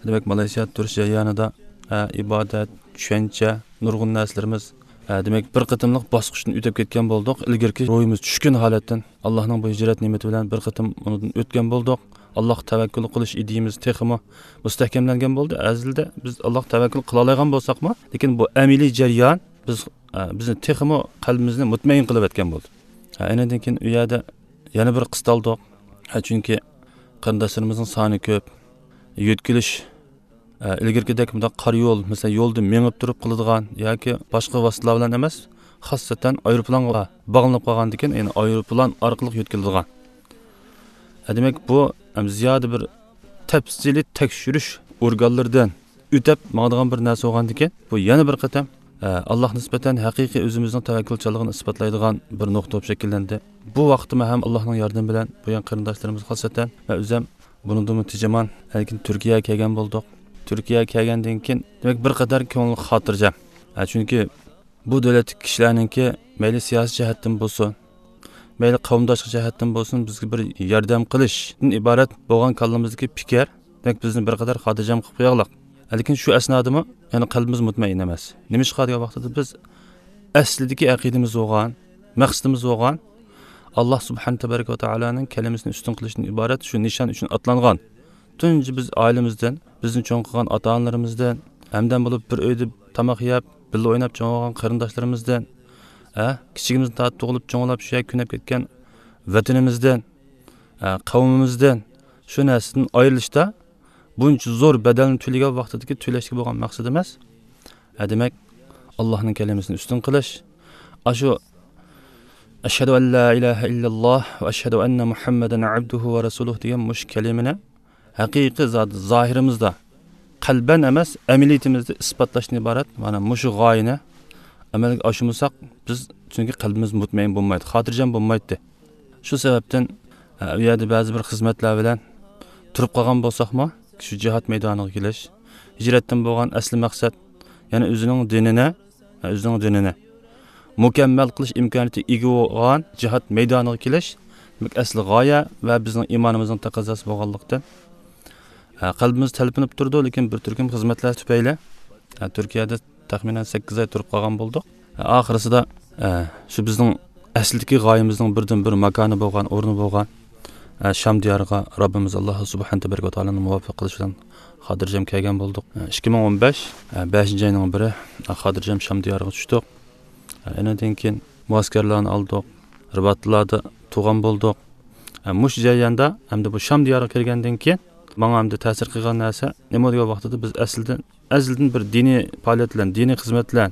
دېمەك، مالايسىيادا تۇرۇش جەريانىدا، ئە، ئىبادەت، چۈشەنچە، نۇرغۇن نەرسىلىرىمىز، ئە، دېمەك، بىر قېتىملىق باسقۇچتىن ئۆتۈپ كەتكەن بولدۇق. ئىلگىرىكى روھىمىز چۈشكۈن ھالەتتىن ئاللاھنىڭ بۇ ھىجرەت نېمىتى بىلەن بىر قېتىم ئۇنىڭدىن ئۆتكەن بولدۇق. ئاللاھقا تەۋەككۈل قىلىش ئىدىيىمىز تېخىمۇ مۇستەھكەملەنگەن بولدى. ئەزىلدە بىز ئاللاھقا تەۋەككۈل قىلالايدىغان بولساقمۇ، لېكىن بۇ ئەمەلىي جەريان بىز، ئە، بىزنى تېخىمۇ قەلبىمىزنى مۇتمەئىن قىلىۋەتكەن بولدى. ئە، ئېنىڭدىن كېيىن ئۇ يەردە يەنە بىر قىستالدۇق. ئە، چۈنكى قېرىنداشلىرىمىزنىڭ سانى كۆپ. يۆتكىلىش، ئە، ئىلگىرىكىدەك بۇنداق قارا يول، مەسىلەن، يولدا مېڭىپ تۇرۇپ قىلىدىغان ياكى باشقا ۋاسىتىلەر بىلەن ئەمەس، خاسسەتەن ئايروپىلانغا باغلىنىپ قالغاندىكىن، يەنى ئايروپىلان ئارقىلىق يۆتكىلىدىغان. ئە، دېمەك، بۇ، ئەم، زىيادە بىر تەپسىلىي تەكشۈرۈش ئورگانلىرىدىن ئۆتەپ ماڭىدىغان بىر نەرسە بولغاندىكىن، بۇ يەنە بىر قېتىم، ئە، ئاللاھقا نىسبەتەن ھەقىقىي ئۆزىمىزنىڭ تەۋەككۈلچانلىقىنى ئىسپاتلايدىغان بىر نۇقتا بولۇپ شەكىللەندى. بۇ ۋاقىتتىمۇ ھەم ئاللاھنىڭ ياردىمى بىلەن بۇ يەر قېرىنداشلىرىمىز خاسسەتەن ۋە ئۆزەم بۇنىڭدىنمۇ تېجىمان، لېكىن تۈركىيەگە كەلگەن بولدۇق. تۈركىيەگە كەلگەندىن كېيىن، دېمەك، بىر قەدەر كۆڭۈل خاتىرجەم. ئە، چۈنكى بۇ دۆلەتتىكى كىشىلەرنىڭكى مەيلى سىياسىي جەھەتتىن بولسۇن، مەيلى قەۋمداشلىق جەھەتتىن بولسۇن، بىزگە بىر ياردەم قىلىشتىن ئىبارەت بولغان كاللىمىزدىكى پىكىر، دېمەك، بىزنى بىر قەدەر خاتىرجەم قىلىپ قويغانلىق. لېكىن شۇ ئەسنادىمۇ يەنە قەلبىمىز مۇتمەئىن ئەمەس. نېمىشقا دېگەن ۋاقتىدا بىز ئەسلىدىكى ئەقىدىمىز بولغان، مەقسىتىمىز بولغان، ئاللا سۇبھانە تەبارەك ۋە تائالانىڭ كەلىمىسىنى ئۈستۈن قىلىشتىن ئىبارەت شۇ نىشان ئۈچۈن ئاتلانغان. تۇنجى بىز ئائىلىمىزدىن، بىزنى چوڭ قىلغان ئاتا-ئانىلىرىمىزدىن، ھەمدەم بولۇپ بىر ئۆيدە تاماق يەپ، بىللە ئويناپ چوڭ بولغان قېرىنداشلىرىمىزدىن، ھە، كىچىكىمىزدىن تارتىپ تۇغۇلۇپ چوڭلاپ شۇ يەردە كۆنۈپ كەتكەن ۋەتىنىمىزدىن، ھە، قەۋمىمىزدىن، شۇ نەرسىدىن ئايرىلىشتا بۇنچە زور بەدەلنى تۆلىگەن ۋاقتىدىكى تۆلەشكە بولغان مەقسىتى ئەمەس. ھە، دېمەك، ئاللاھنىڭ كەلىمىسىنى ئۈستۈن قىلىش. ئاشۇ «ئەشھەدۇ ئەن لا ئىلاھە ئىللاللاھ ۋە ئەشھەدۇ ئەننە مۇھەممەدەن ئەبدۇھۇ ۋە رەسۇلۇھ» دېگەن مۇشۇ كەلىمىنى ھەقىقىي زادى زاھىرىمىزدا، قەلبەن ئەمەس، ئەمەلىيىتىمىزدە ئىسپاتلاشتىن ئىبارەت مانا مۇشۇ غايىنى ئەمەلگە ئاشۇرمىساق، بىز، چۈنكى قەلبىمىز مۇتمەئىن بولمايدۇ، خاتىرجەم بولمايتتى. شۇ سەۋەبتىن، ئە، ئۇ يەردە بەزى بىر خىزمەتلەر بىلەن تۇرۇپ قالغان بولساقمۇ، شۇ جىھاد مەيدانىغا كېلىش، ھىجرەتتىن بولغان ئەسلى مەقسەت، يەنى ئۆزىنىڭ دىنىنى، ئە، ئۆزىنىڭ دىنىنى مۇكەممەل قىلىش ئىمكانىيىتى ئىگە بولغان جىھاد مەيدانىغا كېلىش، دېمەك، ئەسلى غايە ۋە بىزنىڭ ئىمانىمىزنىڭ تەقەززاسى بولغانلىقتىن، ئە، قەلبىمىز تەلپۈنۈپ تۇرىدۇ، لېكىن بىر تۈركۈم خىزمەتلەر تۈپەيلى، ئە، تۈركىيەدە تەخمىنەن سەككىز ئاي تۇرۇپ قالغان بولدۇق. ئاخىرسىدا، ئە، شۇ بىزنىڭ ئەسلىدىكى غايىمىزنىڭ بىردىن بىر ماكانى بولغان، ئورنى بولغان، ئە، شام دىيارىغا رەببىمىز ئاللا سۇبھانە تەبارەك ۋە تائالانىڭ مۇۋەپپەق قىلىشى بىلەن خاتىرجەم كەلگەن بولدۇق. ئە، ئىككى مىڭ ئون بەش، ئە، بەشىنچى ئاينىڭ بىرى، ئە، خاتىرجەم شام دىيارىغا چۈشتۇق. ئە، ئېنىڭدىن كېيىن مۇئەسكەرلەرنى ئالدۇق، رىباتلاردا تۇرغان بولدۇق. ئە، مۇشۇ جەرياندا ھەمدە بۇ شام دىيارىغا كىرگەندىن كېيىن ماڭا ھەمدە تەسىر قىلغان نەرسە نېمە دېگەن ۋاقتىدا بىز ئەسلىدىن ئەزەلدىن بىر دىنىي پائالىيەت بىلەن، دىنىي خىزمەت بىلەن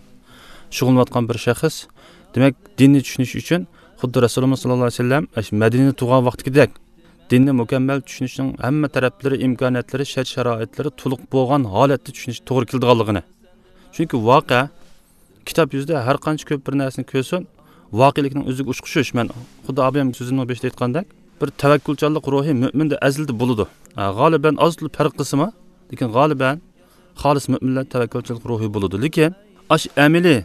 شۇغۇللىنىۋاتقان بىر شەخس. دېمەك، دىننى چۈشىنىش ئۈچۈن خۇددى رەسۇلىمىز ساللاللاھۇ ئەلەيھى ۋەسەللەم ئاشۇ مەدىنىدە تۇرغان ۋاقتىدەك دىننى مۇكەممەل چۈشىنىشنىڭ ھەممە تەرەپلىرى، ئىمكانىيەتلىرى، شەرت-شارائىتلىرى تولۇق بولغان ھالەتتە چۈشىنىش توغرا كېلىدىغانلىقىنى. چۈنكى ۋەقە، كىتاب يۈزىدە ھەر قانچە كۆپ بىر نەرسىنى كۆرسۇن، ۋەقەلىكنىڭ ئۆزىگە ئوخشىشىش. مەن خۇددى ئابايام سۆزىنىڭ بېشىدا ئېيتقاندەك، بىر تەۋەككۈلچانلىق روھى مۆمىندە ئەزەلدە بولىدۇ. ھە، غالىبەن ئاز تولا پەرق قىلسىمۇ، لېكىن غالىبەن خالىس مۆمىنلەر تەۋەككۈلچانلىق روھى بولىدۇ. لېكىن ئاشۇ ئەمەلىي،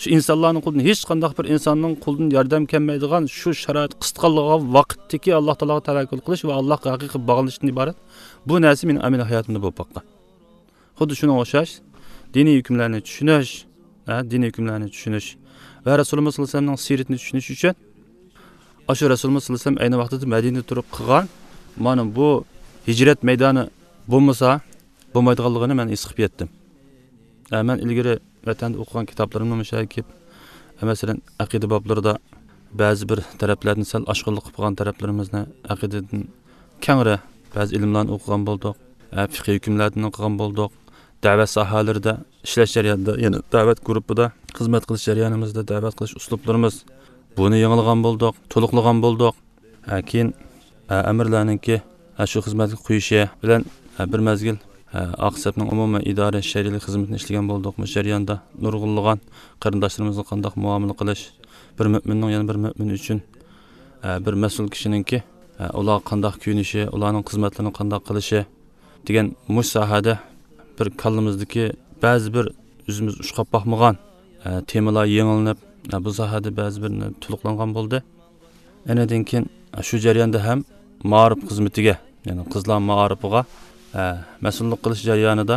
شۇ ئىنسانلارنىڭ قولىدىن ھېچقانداق بىر ئىنساننىڭ قولىدىن ياردەم كەلمەيدىغان شۇ شارائىت قىستىغانلىقى ۋاقىتتىكى ئاللا تائالاغا تەۋەككۈل قىلىش ۋە ئاللاغا ھەقىقىي باغلىنىشتىن ئىبارەت بۇ نەرسە مېنىڭ ئەمەلىي ھاياتىمدا بولۇپ باققان. خۇددى شۇنىڭغا ئوخشاش، دىنىي ھۆكۈملەرنى چۈشىنىش، ھە، دىنىي ھۆكۈملەرنى چۈشىنىش ۋە رەسۇلىمىز ساللاللاھۇ ئەلەيھى ۋەسەللەمنىڭ سىيرىتىنى چۈشىنىش ئۈچۈن، ئاشۇ رەسۇلىمىز ساللاللاھۇ ئەلەيھى ۋەسەللەم ئەينى ۋاقتىدا مەدىنىدە تۇرۇپ قىلغان مانا بۇ ھىجرەت مەيدانى بولمىسا بولمايدىغانلىقىنى مەن ھېس قىلىپ يەتتىم. ھە، مەن ئىلگىرى ۋەتەندە ئوقۇغان كىتابلىرىمنى مۇشۇ يەرگە كېلىپ، مەسىلەن، ئەقىدە بابلىرىدا بەزى بىر تەرەپلەردىن سەل ئاشقۇنلۇق قىلىپ قالغان تەرەپلىرىمىزنى، ئەقىدىدىن كەڭرى بەزى ئىلىملارنى ئوقۇغان بولدۇق. ھە، فىقھىي ھۆكۈملەردىن ئوقۇغان بولدۇق. دەۋەت ساھەلىرىدە ئىشلەش جەريانىدا، يەنى دەۋەت گۇرۇپپىدا خىزمەت قىلىش جەريانىمىزدا دەۋەت قىلىش ئۇسلۇبلىرىمىز، بۇنى يېڭىلىغان بولدۇق، تولۇقلىغان بولدۇق. ھە، كېيىن، ھە، ئەمىرلەرنىڭكى، ھە، شۇ خىزمەتكە قويۇشى بىلەن، ھە، بىر مەزگىل، ھە، ئاق سەپنىڭ ئومۇمىي ئىدارە شەرئىيلىك خىزمىتىنى ئىشلىگەن بولدۇق. مۇشۇ جەرياندا نۇرغۇنلىغان قېرىنداشلىرىمىزغا قانداق مۇئامىلە قىلىش، بىر مۆمىننىڭ يەنە بىر مۆمىن ئۈچۈن، ھە، بىر مەسئۇل كىشىنىڭكى، ھە، ئۇلارغا قانداق كۆيۈنۈشى، ئۇلارنىڭ خىزمەتلىرىنى قانداق قىلىشى دېگەن مۇشۇ ساھەدە بىر كاللىمىزدىكى بەزى بىر ئۆزىمىز ئۇچقاپ باقمىغان، ئە، تېمىلار يېڭىلىنىپ، ئە، بۇ ساھەدە بەزى بىر تولۇقلانغان بولدى. ئەنىدىن كېيىن، ئە، شۇ جەرياندا ھەم مائارىپ خىزمىتىگە، يەنى قىزلار مائارىپىغا، ئە، مەسئۇللۇق قىلىش جەريانىدا،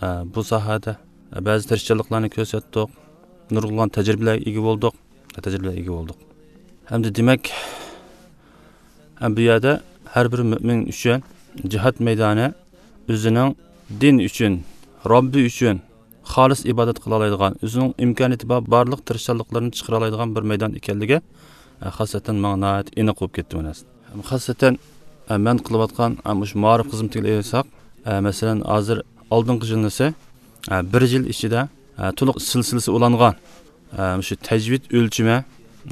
ئە، بۇ ساھەدە، ئە، بەزى تىرىشچانلىقلارنى كۆرسەتتۇق. نۇرغۇنلىغان تەجرىبىلەرگە ئىگە بولدۇق. تەجرىبىلەرگە ئىگە بولدۇق. ھەمدە دېمەك، ھەم بۇ يەردە ھەر بىر مۆمىن ئۈچۈن جىھاد مەيدانى ئۆزىنىڭ دىن ئۈچۈن، رەببى ئۈچۈن خالىس ئىبادەت قىلالايدىغان، ئۆزىنىڭ ئىمكانىيىتى بار بارلىق تىرىشچانلىقلىرىنى چىقىرالايدىغان بىر مەيدان ئىكەنلىكى، ئە، خاسسەتەن ماڭا ناھايىتى ئېنىق بولۇپ كەتتى بۇ نەرسە. خاسسەتەن، ئە، مەن قىلىۋاتقان، ئە، مۇشۇ مائارىپ خىزمىتىگە ئېلىساق، ئە، مەسىلەن، ھازىر ئالدىنقى يىلنىسى، ئە، بىر يىل ئىچىدە، ئە، تولۇق سىلسىلىسى ئۇلانغان، ئە، مۇشۇ تەجۋىد ئۆلچىمى،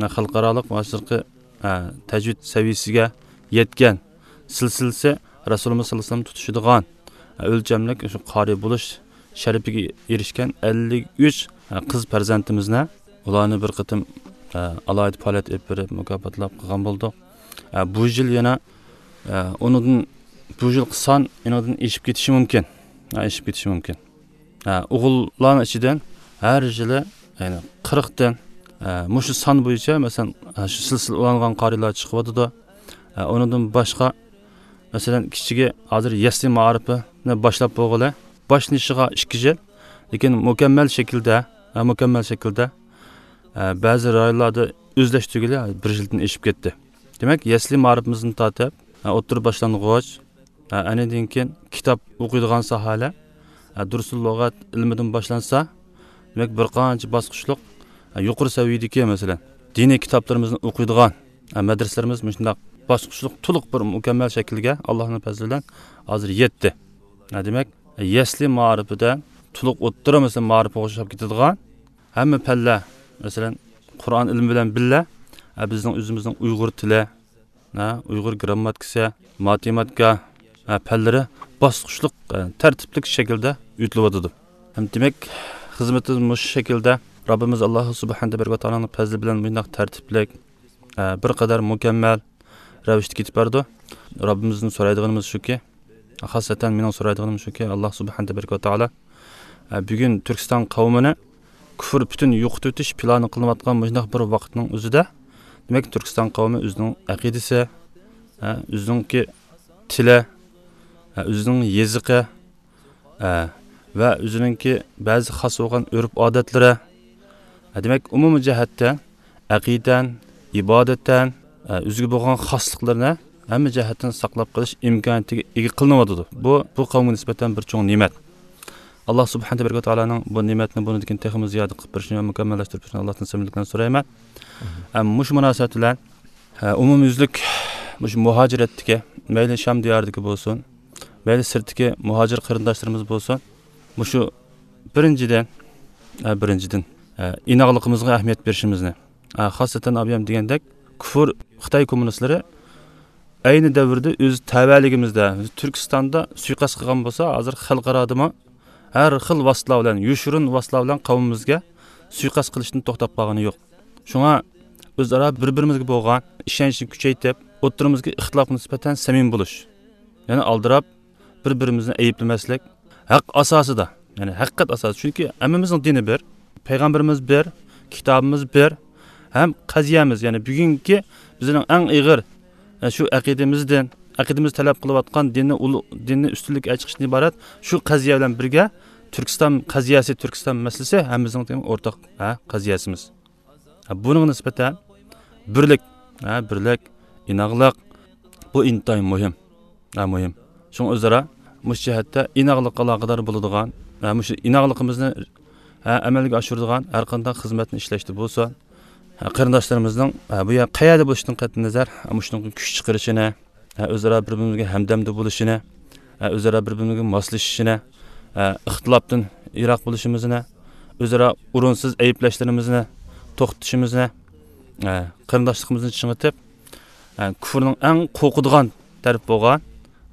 ئە، خەلقئارالىق ۋە ھازىرقى، ئە، تەجۋىد سەۋىيەسىگە يەتكەن، سىلسىلىسى رەسۇلىمىز ساللاللاھۇ ئەلەيھى ۋەسەللەم تۇتۇشىدىغان، ئە، ئۆلچەملىك شۇ قارىي بولۇش شەرىپىگە ئېرىشكەن ئەللىك ئۈچ، ئە، قىز پەرزەنتىمىزنى، ئۇلارنى بىر قېتىم، ئە، ئالاھىدە پائالىيەت ئېلىپ بېرىپ مۇكاپاتلاپ قىلغان بولدۇق. ئە، بۇ يىل يەنە، ئە، ئۇنىڭدىن، بۇ يىلقى سان ئېنىڭدىن ئېشىپ كېتىشى مۇمكىن. ئە، ئېشىپ كېتىشى مۇمكىن. ئە، ئوغۇللارنىڭ ئىچىدىن ھەر يىلى، يەنى قىرىقتىن، ئە، مۇشۇ سان بويىچە، مەسىلەن، ئە، شۇ سىلسىلە ئۇلانغان قارىيلار چىقىۋاتىدۇ. ئە، ئۇنىڭدىن باشقا، مەسىلەن، كىچىكى ھازىر يەسلى مائارىپىنى باشلاپ بولغىلى، باشلىنىشىغا ئىككى يىل، لېكىن مۇكەممەل شەكىلدە، ئە، مۇكەممەل شەكىلدە، ئە، بەزى رايونلاردا ئۆزلەشتۈرگىلى بىر يىلدىن ئېشىپ كەتتى. دېمەك، يەسلى مائارىپىمىزدىن تارتىپ، ئە، ئوتتۇرا باشلانغۇچ، ئە، ئەنىدىن كېيىن كىتاب ئوقۇيدىغان ساھەلەر، ئە، دۇرۇسۇل لۇغەت ئىلمىدىن باشلانسا، دېمەك، بىر قانچە باسقۇچلۇق، ئە، يۇقىرى سەۋىيەدىكى، مەسىلەن، دىنىي كىتابلىرىمىزنى ئوقۇيدىغان، ئە، مەدرىسىلىرىمىز مۇشۇنداق باسقۇچلۇق تولۇق بىر مۇكەممەل شەكىلگە ئاللاھنىڭ پەزلى بىلەن ھازىر يەتتى. ئە، دېمەك، يەسلى مائارىپىدا تولۇق ئوتتۇرا، مەسىلەن، مائارىپقا ئوخشاپ كېتىدىغان ھەممە پەنلەر، مەسىلەن، قۇرئان ئىلمى بىلەن بىللە، ئە، بىزنىڭ ئۆزىمىزنىڭ ئۇيغۇر تىلى، ھە، ئۇيغۇر گىرامماتىكىسى، ماتېماتىكا، ھە، پەنلىرى باسقۇچلۇق، ھە، تەرتىپلىك شەكىلدە ئۆتۈلۈۋاتىدۇ. ھەم دېمەك، خىزمىتىمىز مۇشۇ شەكىلدە رەببىمىز ئاللاھ سۇبھانەھۇ ۋە تائالانىڭ پەزلى بىلەن مۇنداق تەرتىپلىك، ھە، بىر قەدەر مۇكەممەل رەۋىشتە كېتىپ بارىدۇ. رەببىمىزدىن سورايدىغىنىمىز شۇكى، خاسسەتەن مېنىڭ سورايدىغىنىم شۇكى، ئاللاھ سۇبھانەھۇ ۋە تائالا، ھە، بۈگۈن تۈركىستان قەۋمىنى كۇفر پۈتۈن يوقىتىۋېتىش پىلانى قىلىنىۋاتقان مۇشۇنداق بىر ۋاقىتنىڭ ئۆزىدە، دېمەك، تۈركىستان قەۋمى ئۆزىنىڭ ئەقىدىسى، ھە، ئۆزىنىڭكى تىلى، ھە، ئۆزىنىڭ يېزىقى، ھە، ۋە ئۆزىنىڭكى بەزى خاس بولغان ئۆرپ-ئادەتلىرى، ھە، دېمەك، ئومۇمىي جەھەتتە ئەقىدەن، ئىبادەتتىن، ھە، ئۆزىگە بولغان خاسلىقلىرىنى ھەممە جەھەتتىن ساقلاپ قېلىش ئىمكانىيىتىگە ئىگە قىلىنىۋاتىدۇ. بۇ، بۇ قەۋمگە نىسبەتەن بىر چوڭ نېمەت. ئاللاھ سۇبھانەھۇ ۋە تائالانىڭ بۇ نېمەتنى بۇنىڭدىن كېيىن تېخىمۇ زىيادە قىلىپ بېرىشىنى ۋە مۇكەممەللەشتۈرۈپ بېرىشىنى ئاللاھتىن سەمىمىلىك بىلەن سورايمەن. ھەم مۇشۇ مۇناسىۋەت بىلەن، ھە، ئومۇميۈزلۈك مۇشۇ مۇھاجىرەتتىكى، مەيلى شام دىيارىدىكى بولسۇن، مەيلى سىرتتىكى مۇھاجىر قېرىنداشلىرىمىز بولسۇن، مۇشۇ بىرىنچىدىن، ھە، بىرىنچىدىن، ھە، ئىناقلىقىمىزغا ئەھمىيەت بېرىشىمىزنى، ھە، خاسسەتەن ئابىيام دېگەندەك، كۇفر خىتاي كوممۇنىستلىرى ئەينى دەۋردە ئۆز تەۋەلىكىمىزدە، تۈركىستاندا سۇيىقەست قىلغان بولسا، ھازىر خەلقئارادىمۇ ھەر خىل ۋاسىتىلەر بىلەن، يوشۇرۇن ۋاسىتىلەر بىلەن قەۋمىمىزگە سۇيىقەست قىلىشتىن توختاپ قالغىنى يوق. شۇڭا ئۆزئارا بىر-بىرىمىزگە بولغان ئىشەنچنى كۈچەيتىپ، ئوتتۇرىمىزدىكى ئىختىلاپقا نىسبەتەن سەمىمىي بولۇش. يەنى ئالدىراپ، بىر-بىرىمىزنى ئەيىبلىمەسلىك، ھەق ئاساسىدا، يەنى ھەقىقەت ئاساسىدا. چۈنكى ھەممىمىزنىڭ دىنى بىر، پەيغەمبىرىمىز بىر، كىتابىمىز بىر، ھەم قەزىيەمىز، يەنى بۈگۈنكى بىزنىڭ ئەڭ ئېغىر، ئە، شۇ ئەقىدىمىزدىن، ئەقىدىمىز تەلەپ قىلىۋاتقان دىننى ئۇلۇ-، دىننى ئۈستۈنلۈككە چىقىشتىن ئىبارەت شۇ قەزىيە بىلەن بىرگە تۈركىستان قەزىيەسى، تۈركىستان مەسىلىسى ھەممىمىزنىڭ، دېمەك، ئورتاق، ھە، قەزىيەسىمىز. ھە، بۇنىڭغا نىسبەتەن بىرلىك، ھە، بىرلىك، ئىناقلىق، بۇ ئىنتايىن مۇھىم. ھە، مۇھىم. شۇڭا ئۆزئارا مۇشۇ جەھەتتە ئىناقلىققا ئالاقىدار بولىدىغان، ھە، مۇشۇ ئىناقلىقىمىزنى، ھە، ئەمەلگە ئاشۇرىدىغان ھەر قانداق خىزمەتنى ئىشلەشتە بولسۇن، ھە، قېرىنداشلىرىمىزنىڭ، ھە، بۇ يەر قەيەردە بولۇشىدىن قەتئىينەزەر، ھە، مۇشۇنىڭغا كۈچ چىقىرىشىنى، ھە، ئۆزئارا بىر-بىرىمىزگە ھەمدەمدە بولۇشىنى، ھە، ئۆزئارا بىر-بىرىمىزگە ماسلىشىشىنى، ھە، ئىختىلاپتىن يىراق بولۇشىمىزنى، ئۆزئارا ئورۇنسىز ئەيىبلەشلىرىمىزنى توختىتىشىمىزنى، ھە، قېرىنداشلىقىمىزنى چىڭىتىپ، ھە، كۇفرنىڭ ئەڭ قورقىدىغان تەرىپى بولغان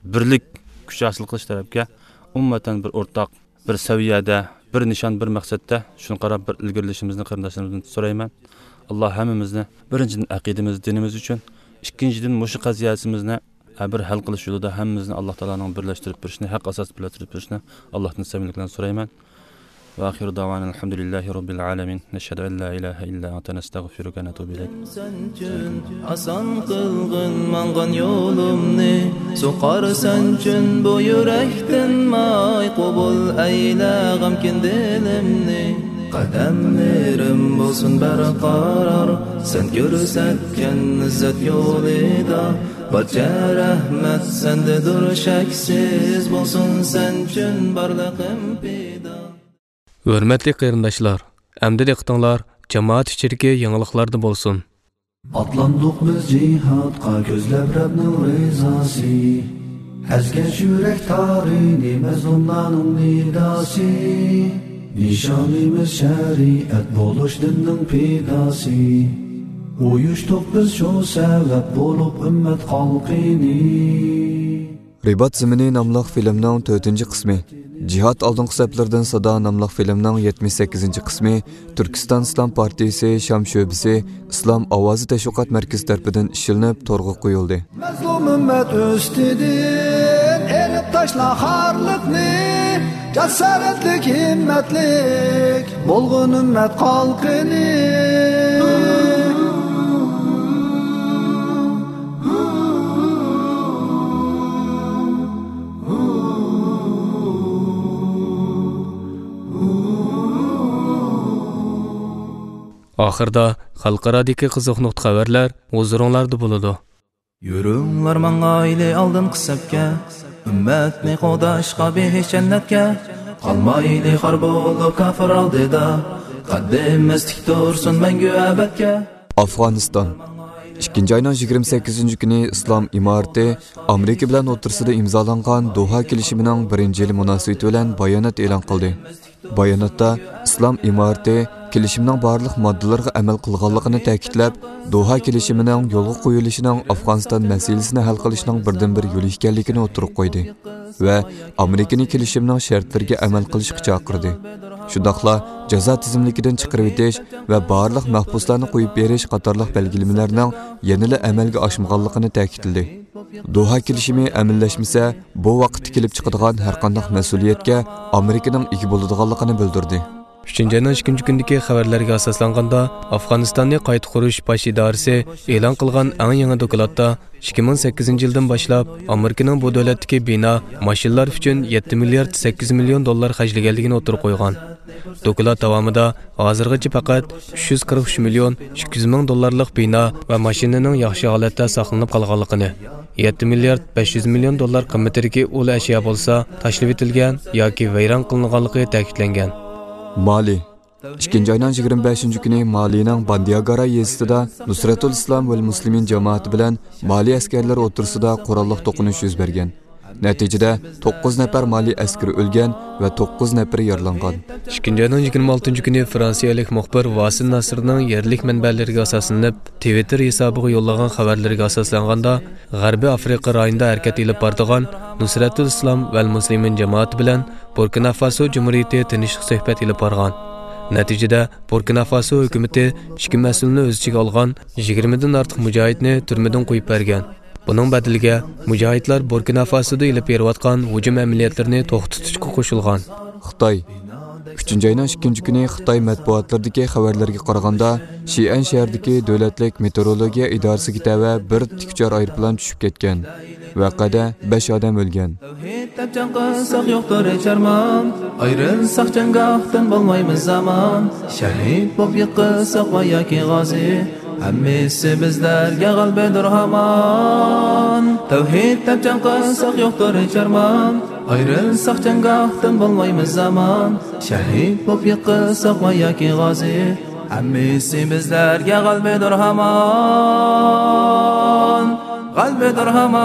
بىرلىك كۈچ ھاسىل قىلىش تەرەپكە ئومۇمەن بىر ئورتاق، بىر سەۋىيەدە، بىر نىشان، بىر مەقسەتتە شۇنى قاراپ بىر ئىلگىرىلىشىمىزنى قېرىنداشلىرىمىزدىن سورايمەن. ئاللا ھەممىمىزنى بىرىنچىدىن ئەقىدىمىز، دىنىمىز ئۈچۈن، ئىككىنچىدىن مۇشۇ قەزىيەسىمىزنى ھە، بىر ھەل قىلىش يولىدا ھەممىمىزنى ئاللاھ تائالانىڭ بىرلەشتۈرۈپ بېرىشىنى، ھەق ئاساسىدا بىرلەشتۈرۈپ بېرىشىنى ئاللاھتىن سەمىمىيلىك بىلەن سورايمەن. ۋە ئاخىرۇ دەۋانا ئەلھەمدۇلىللاھى رەببىل ئالەمىن. نەشھەدۇ ئەن لا ئىلاھە ئىللا ئەنتە نەستەغفىرۇكە ۋە نەتۇبۇ ئىلەيك. سەن ئۈچۈن ئاسان قىلغىن ماڭغان يولۇمنى، سۇقار سەن ئۈچۈن بۇ يۈرەكتىن ماي، قوبۇل ئەيلە غەمكىن دىلىمنى. قەدەملىرىم بولسۇن بەرقارار، سەن كۆرسەتكەن ئىززەت يولىدا. بارچە رەھمەت سەندىدۇر شەكسىز، بولسۇن سەن ئۈچۈن بارلىقىم پىدا. ھۆرمەتلىك قېرىنداشلار، ئەمدى دىققىتىڭلار جامائەت ئىچىدىكى يېڭىلىقلاردا بولسۇن. ئاتلاندۇق بىز جىھادقا كۆزلەپ رەبنىڭ رىزاسى. ئەزگەن يۈرەك تارىنى مەزلۇملارنىڭ نىداسى. نىشانىمىز شەرىئەت بولۇش دىننىڭ پىداسى. ئۇيۇشتۇق بىز شۇ سەۋەب بولۇپ ئۈممەت خەلقىنى. رىبات زېمىنى ناملىق فىلىمنىڭ تۆتىنچى قىسمى، جىھاد ئالدىنقى سەپلىرىدىن سادا ناملىق فىلىمنىڭ يەتمىش سەككىزىنچى قىسمى تۈركىستان ئىسلام پارتىيىسى شام شۆبىسى ئىسلام ئاۋازى تەشۋىقات مەركىزى تەرىپىدىن ئىشلىنىپ تورغا قويۇلدى. مەزلۇم ئۈممەت ئۈستىدىن ئېلىپ تاشلا خارلىقنى، جاسارەتلىك، ھىممەتلىك بولغىن ئۈممەت خەلقىنى. ئاخىرىدا خەلقئارادىكى قىزىق نۇقتا خەۋەرلەر ھۇزۇرۇڭلاردا بولىدۇ. يۈرۈڭلار ماڭايلى ئالدىنقى سەپكە، ئۈممەتنى قوغداشقا بېھىش جەننەتكە. قالمايلى خار بولۇپ كاپىر ئالدىدا، قەددىمىز تىك تۇرسۇن مەڭگۈ ئەبەدكە. ئافغانىستان. ئىككىنچى ئاينىڭ يىگىرمە سەككىزىنچى كۈنى ئىسلام ئىمارىتى ئامېرىكا بىلەن ئوتتۇرىسىدا ئىمزالانغان دوھا كېلىشىمىنىڭ بىرىنچى يىلى مۇناسىۋىتى بىلەن بايانات ئېلان قىلدى. باياناتتا ئىسلام ئىمارىتى كېلىشىمنىڭ بارلىق ماددىلىرىغا ئەمەل قىلغانلىقىنى تەكىتلەپ، دوھا كېلىشىمىنىڭ يولغا قويۇلۇشىنىڭ ئافغانىستان مەسىلىسىنى ھەل قىلىشنىڭ بىردىنبىر يولى ئىكەنلىكىنى ئوتتۇرىغا قويدى ۋە ئامېرىكىنى كېلىشىمنىڭ شەرتلىرىگە ئەمەل قىلىشقا چاقىردى. شۇنداقلا جازا تىزىملىكىدىن چىقىرىۋېتىش ۋە بارلىق مەھبۇسلارنى قويۇپ بېرىش قاتارلىق بەلگىلىمىلەرنىڭ يەنىلا ئەمەلگە ئاشمىغانلىقىنى تەكىتلىدى. دوھا كېلىشىمى ئەمەللەشمىسە، بۇ ۋاقىتتا كېلىپ چىقىدىغان ھەرقانداق مەسئۇلىيەتكە ئامېرىكىنىڭ ئىگە بولىدىغانلىقىنى بىلدۈردى. ئۈچىنچى ئاينىڭ ئىككىنچى كۈنىدىكى خەۋەرلەرگە ئاساسلانغاندا، ئافغانىستاننى قايتا قۇرۇش باش ئىدارىسى ئېلان قىلغان ئەڭ يېڭى دوكلاتتا، ئىككى مىڭ سەككىزىنچى يىلدىن باشلاپ ئامېرىكىنىڭ بۇ دۆلەتتىكى بىنا، ماشىنىلار ئۈچۈن يەتتە مىليارد سەككىز مىليون دوللار خەجلىگەنلىكىنى ئوتتۇرىغا قويغان. دوكلات داۋامىدا ھازىرغىچە پەقەت ئۈچ يۈز قىرىق ئۈچ مىليون ئىككى يۈز مىڭ دوللارلىق بىنا ۋە ماشىنىنىڭ ياخشى ھالەتتە ساقلىنىپ قالغانلىقىنى، يەتتە مىليارد بەش يۈز مىليون دوللار قىممىتىدىكى ئۇل ئەشيا بولسا تاشلىۋېتىلگەن ياكى ۋەيران قىلىنغانلىقى تەكىتلەنگەن. مالى. ئىككىنچى ئاينىڭ يىگىرمە بەشىنچى كۈنى مالىنىڭ باندىياگارا يېزىسىدا نۇسرەتۇل ئىسلام ۋەل مۇسلىمىن جامائىتى بىلەن مالى ئەسكەرلىرى ئوتتۇرىسىدا قوراللىق توقۇنۇش يۈز بەرگەن. نەتىجىدە، توققۇز نەپەر مالى ئەسكىرى ئۆلگەن ۋە توققۇز نەپىرى يارىلانغان. ئىككىنچى ئاينىڭ يىگىرمە ئالتىنچى كۈنى فرانسىيەلىك مۇخبىر ۋاسىل ناسىرنىڭ يەرلىك مەنبەلىرىگە ئاساسلىنىپ، تىۋىتتېر ھېسابىغا يوللىغان خەۋەرلىرىگە ئاساسلانغاندا، غەربىي ئافرىقا رايونىدا ھەرىكەت ئېلىپ بارىدىغان نۇسرەتۇل ئىسلام ۋەل مۇسلىمىن جامائىتى بىلەن بۇركىنا فاسو جۇمھۇرىيىتى تىنچلىق سۆھبەت ئېلىپ بارغان. نەتىجىدە، بۇركىنا فاسو ھۆكۈمىتى ئىككى مەسئۇلنى ئۆز ئىچىگە ئالغان يىگىرمىدىن ئارتۇق مۇجاھىدنى تۈرمىدىن قويۇپ بەرگەن. بۇنىڭ بەدىلىگە مۇجاھىدلار بۇركىنا فاسودا ئېلىپ بېرىۋاتقان ھۇجۇم ئەمەلىيەتلىرىنى توختىتىشقا قوشۇلغان. خىتاي. ئۈچىنچى ئاينىڭ ئىككىنچى كۈنى خىتاي مەتبۇئاتلىرىدىكى خەۋەرلەرگە قارىغاندا، شىئەن شەھىرىدىكى دۆلەتلىك مېتېئورولوگىيە ئىدارىسىگە تەۋە بىر تىك ئۇچار ئايروپىلان چۈشۈپ كەتكەن. ۋەقەدە بەش ئادەم ئۆلگەن. تەۋھىد دەپ جەڭ قىلساق يوقتۇر ھېچ ئارمان، ئايرىلساق جەڭگاھتىن بولمايمىز ئامان، شەھىد بولۇپ يىقىلساق ۋە ياكى غازى، ھەممىسى بىزلەرگە غەلىبىدۇر ھامان. تەۋھىد دەپ جەڭ قىلساق يوقتۇر ھېچ ئارمان، ئايرىلساق جەڭگاھتىن بولمايمىز ئامان، شەھىد بولۇپ يىقىلساق ۋە ياكى غازى، ھەممىسى بىزلەرگە غەلىبىدۇر ھامان، غەلىبىدۇر ھامان.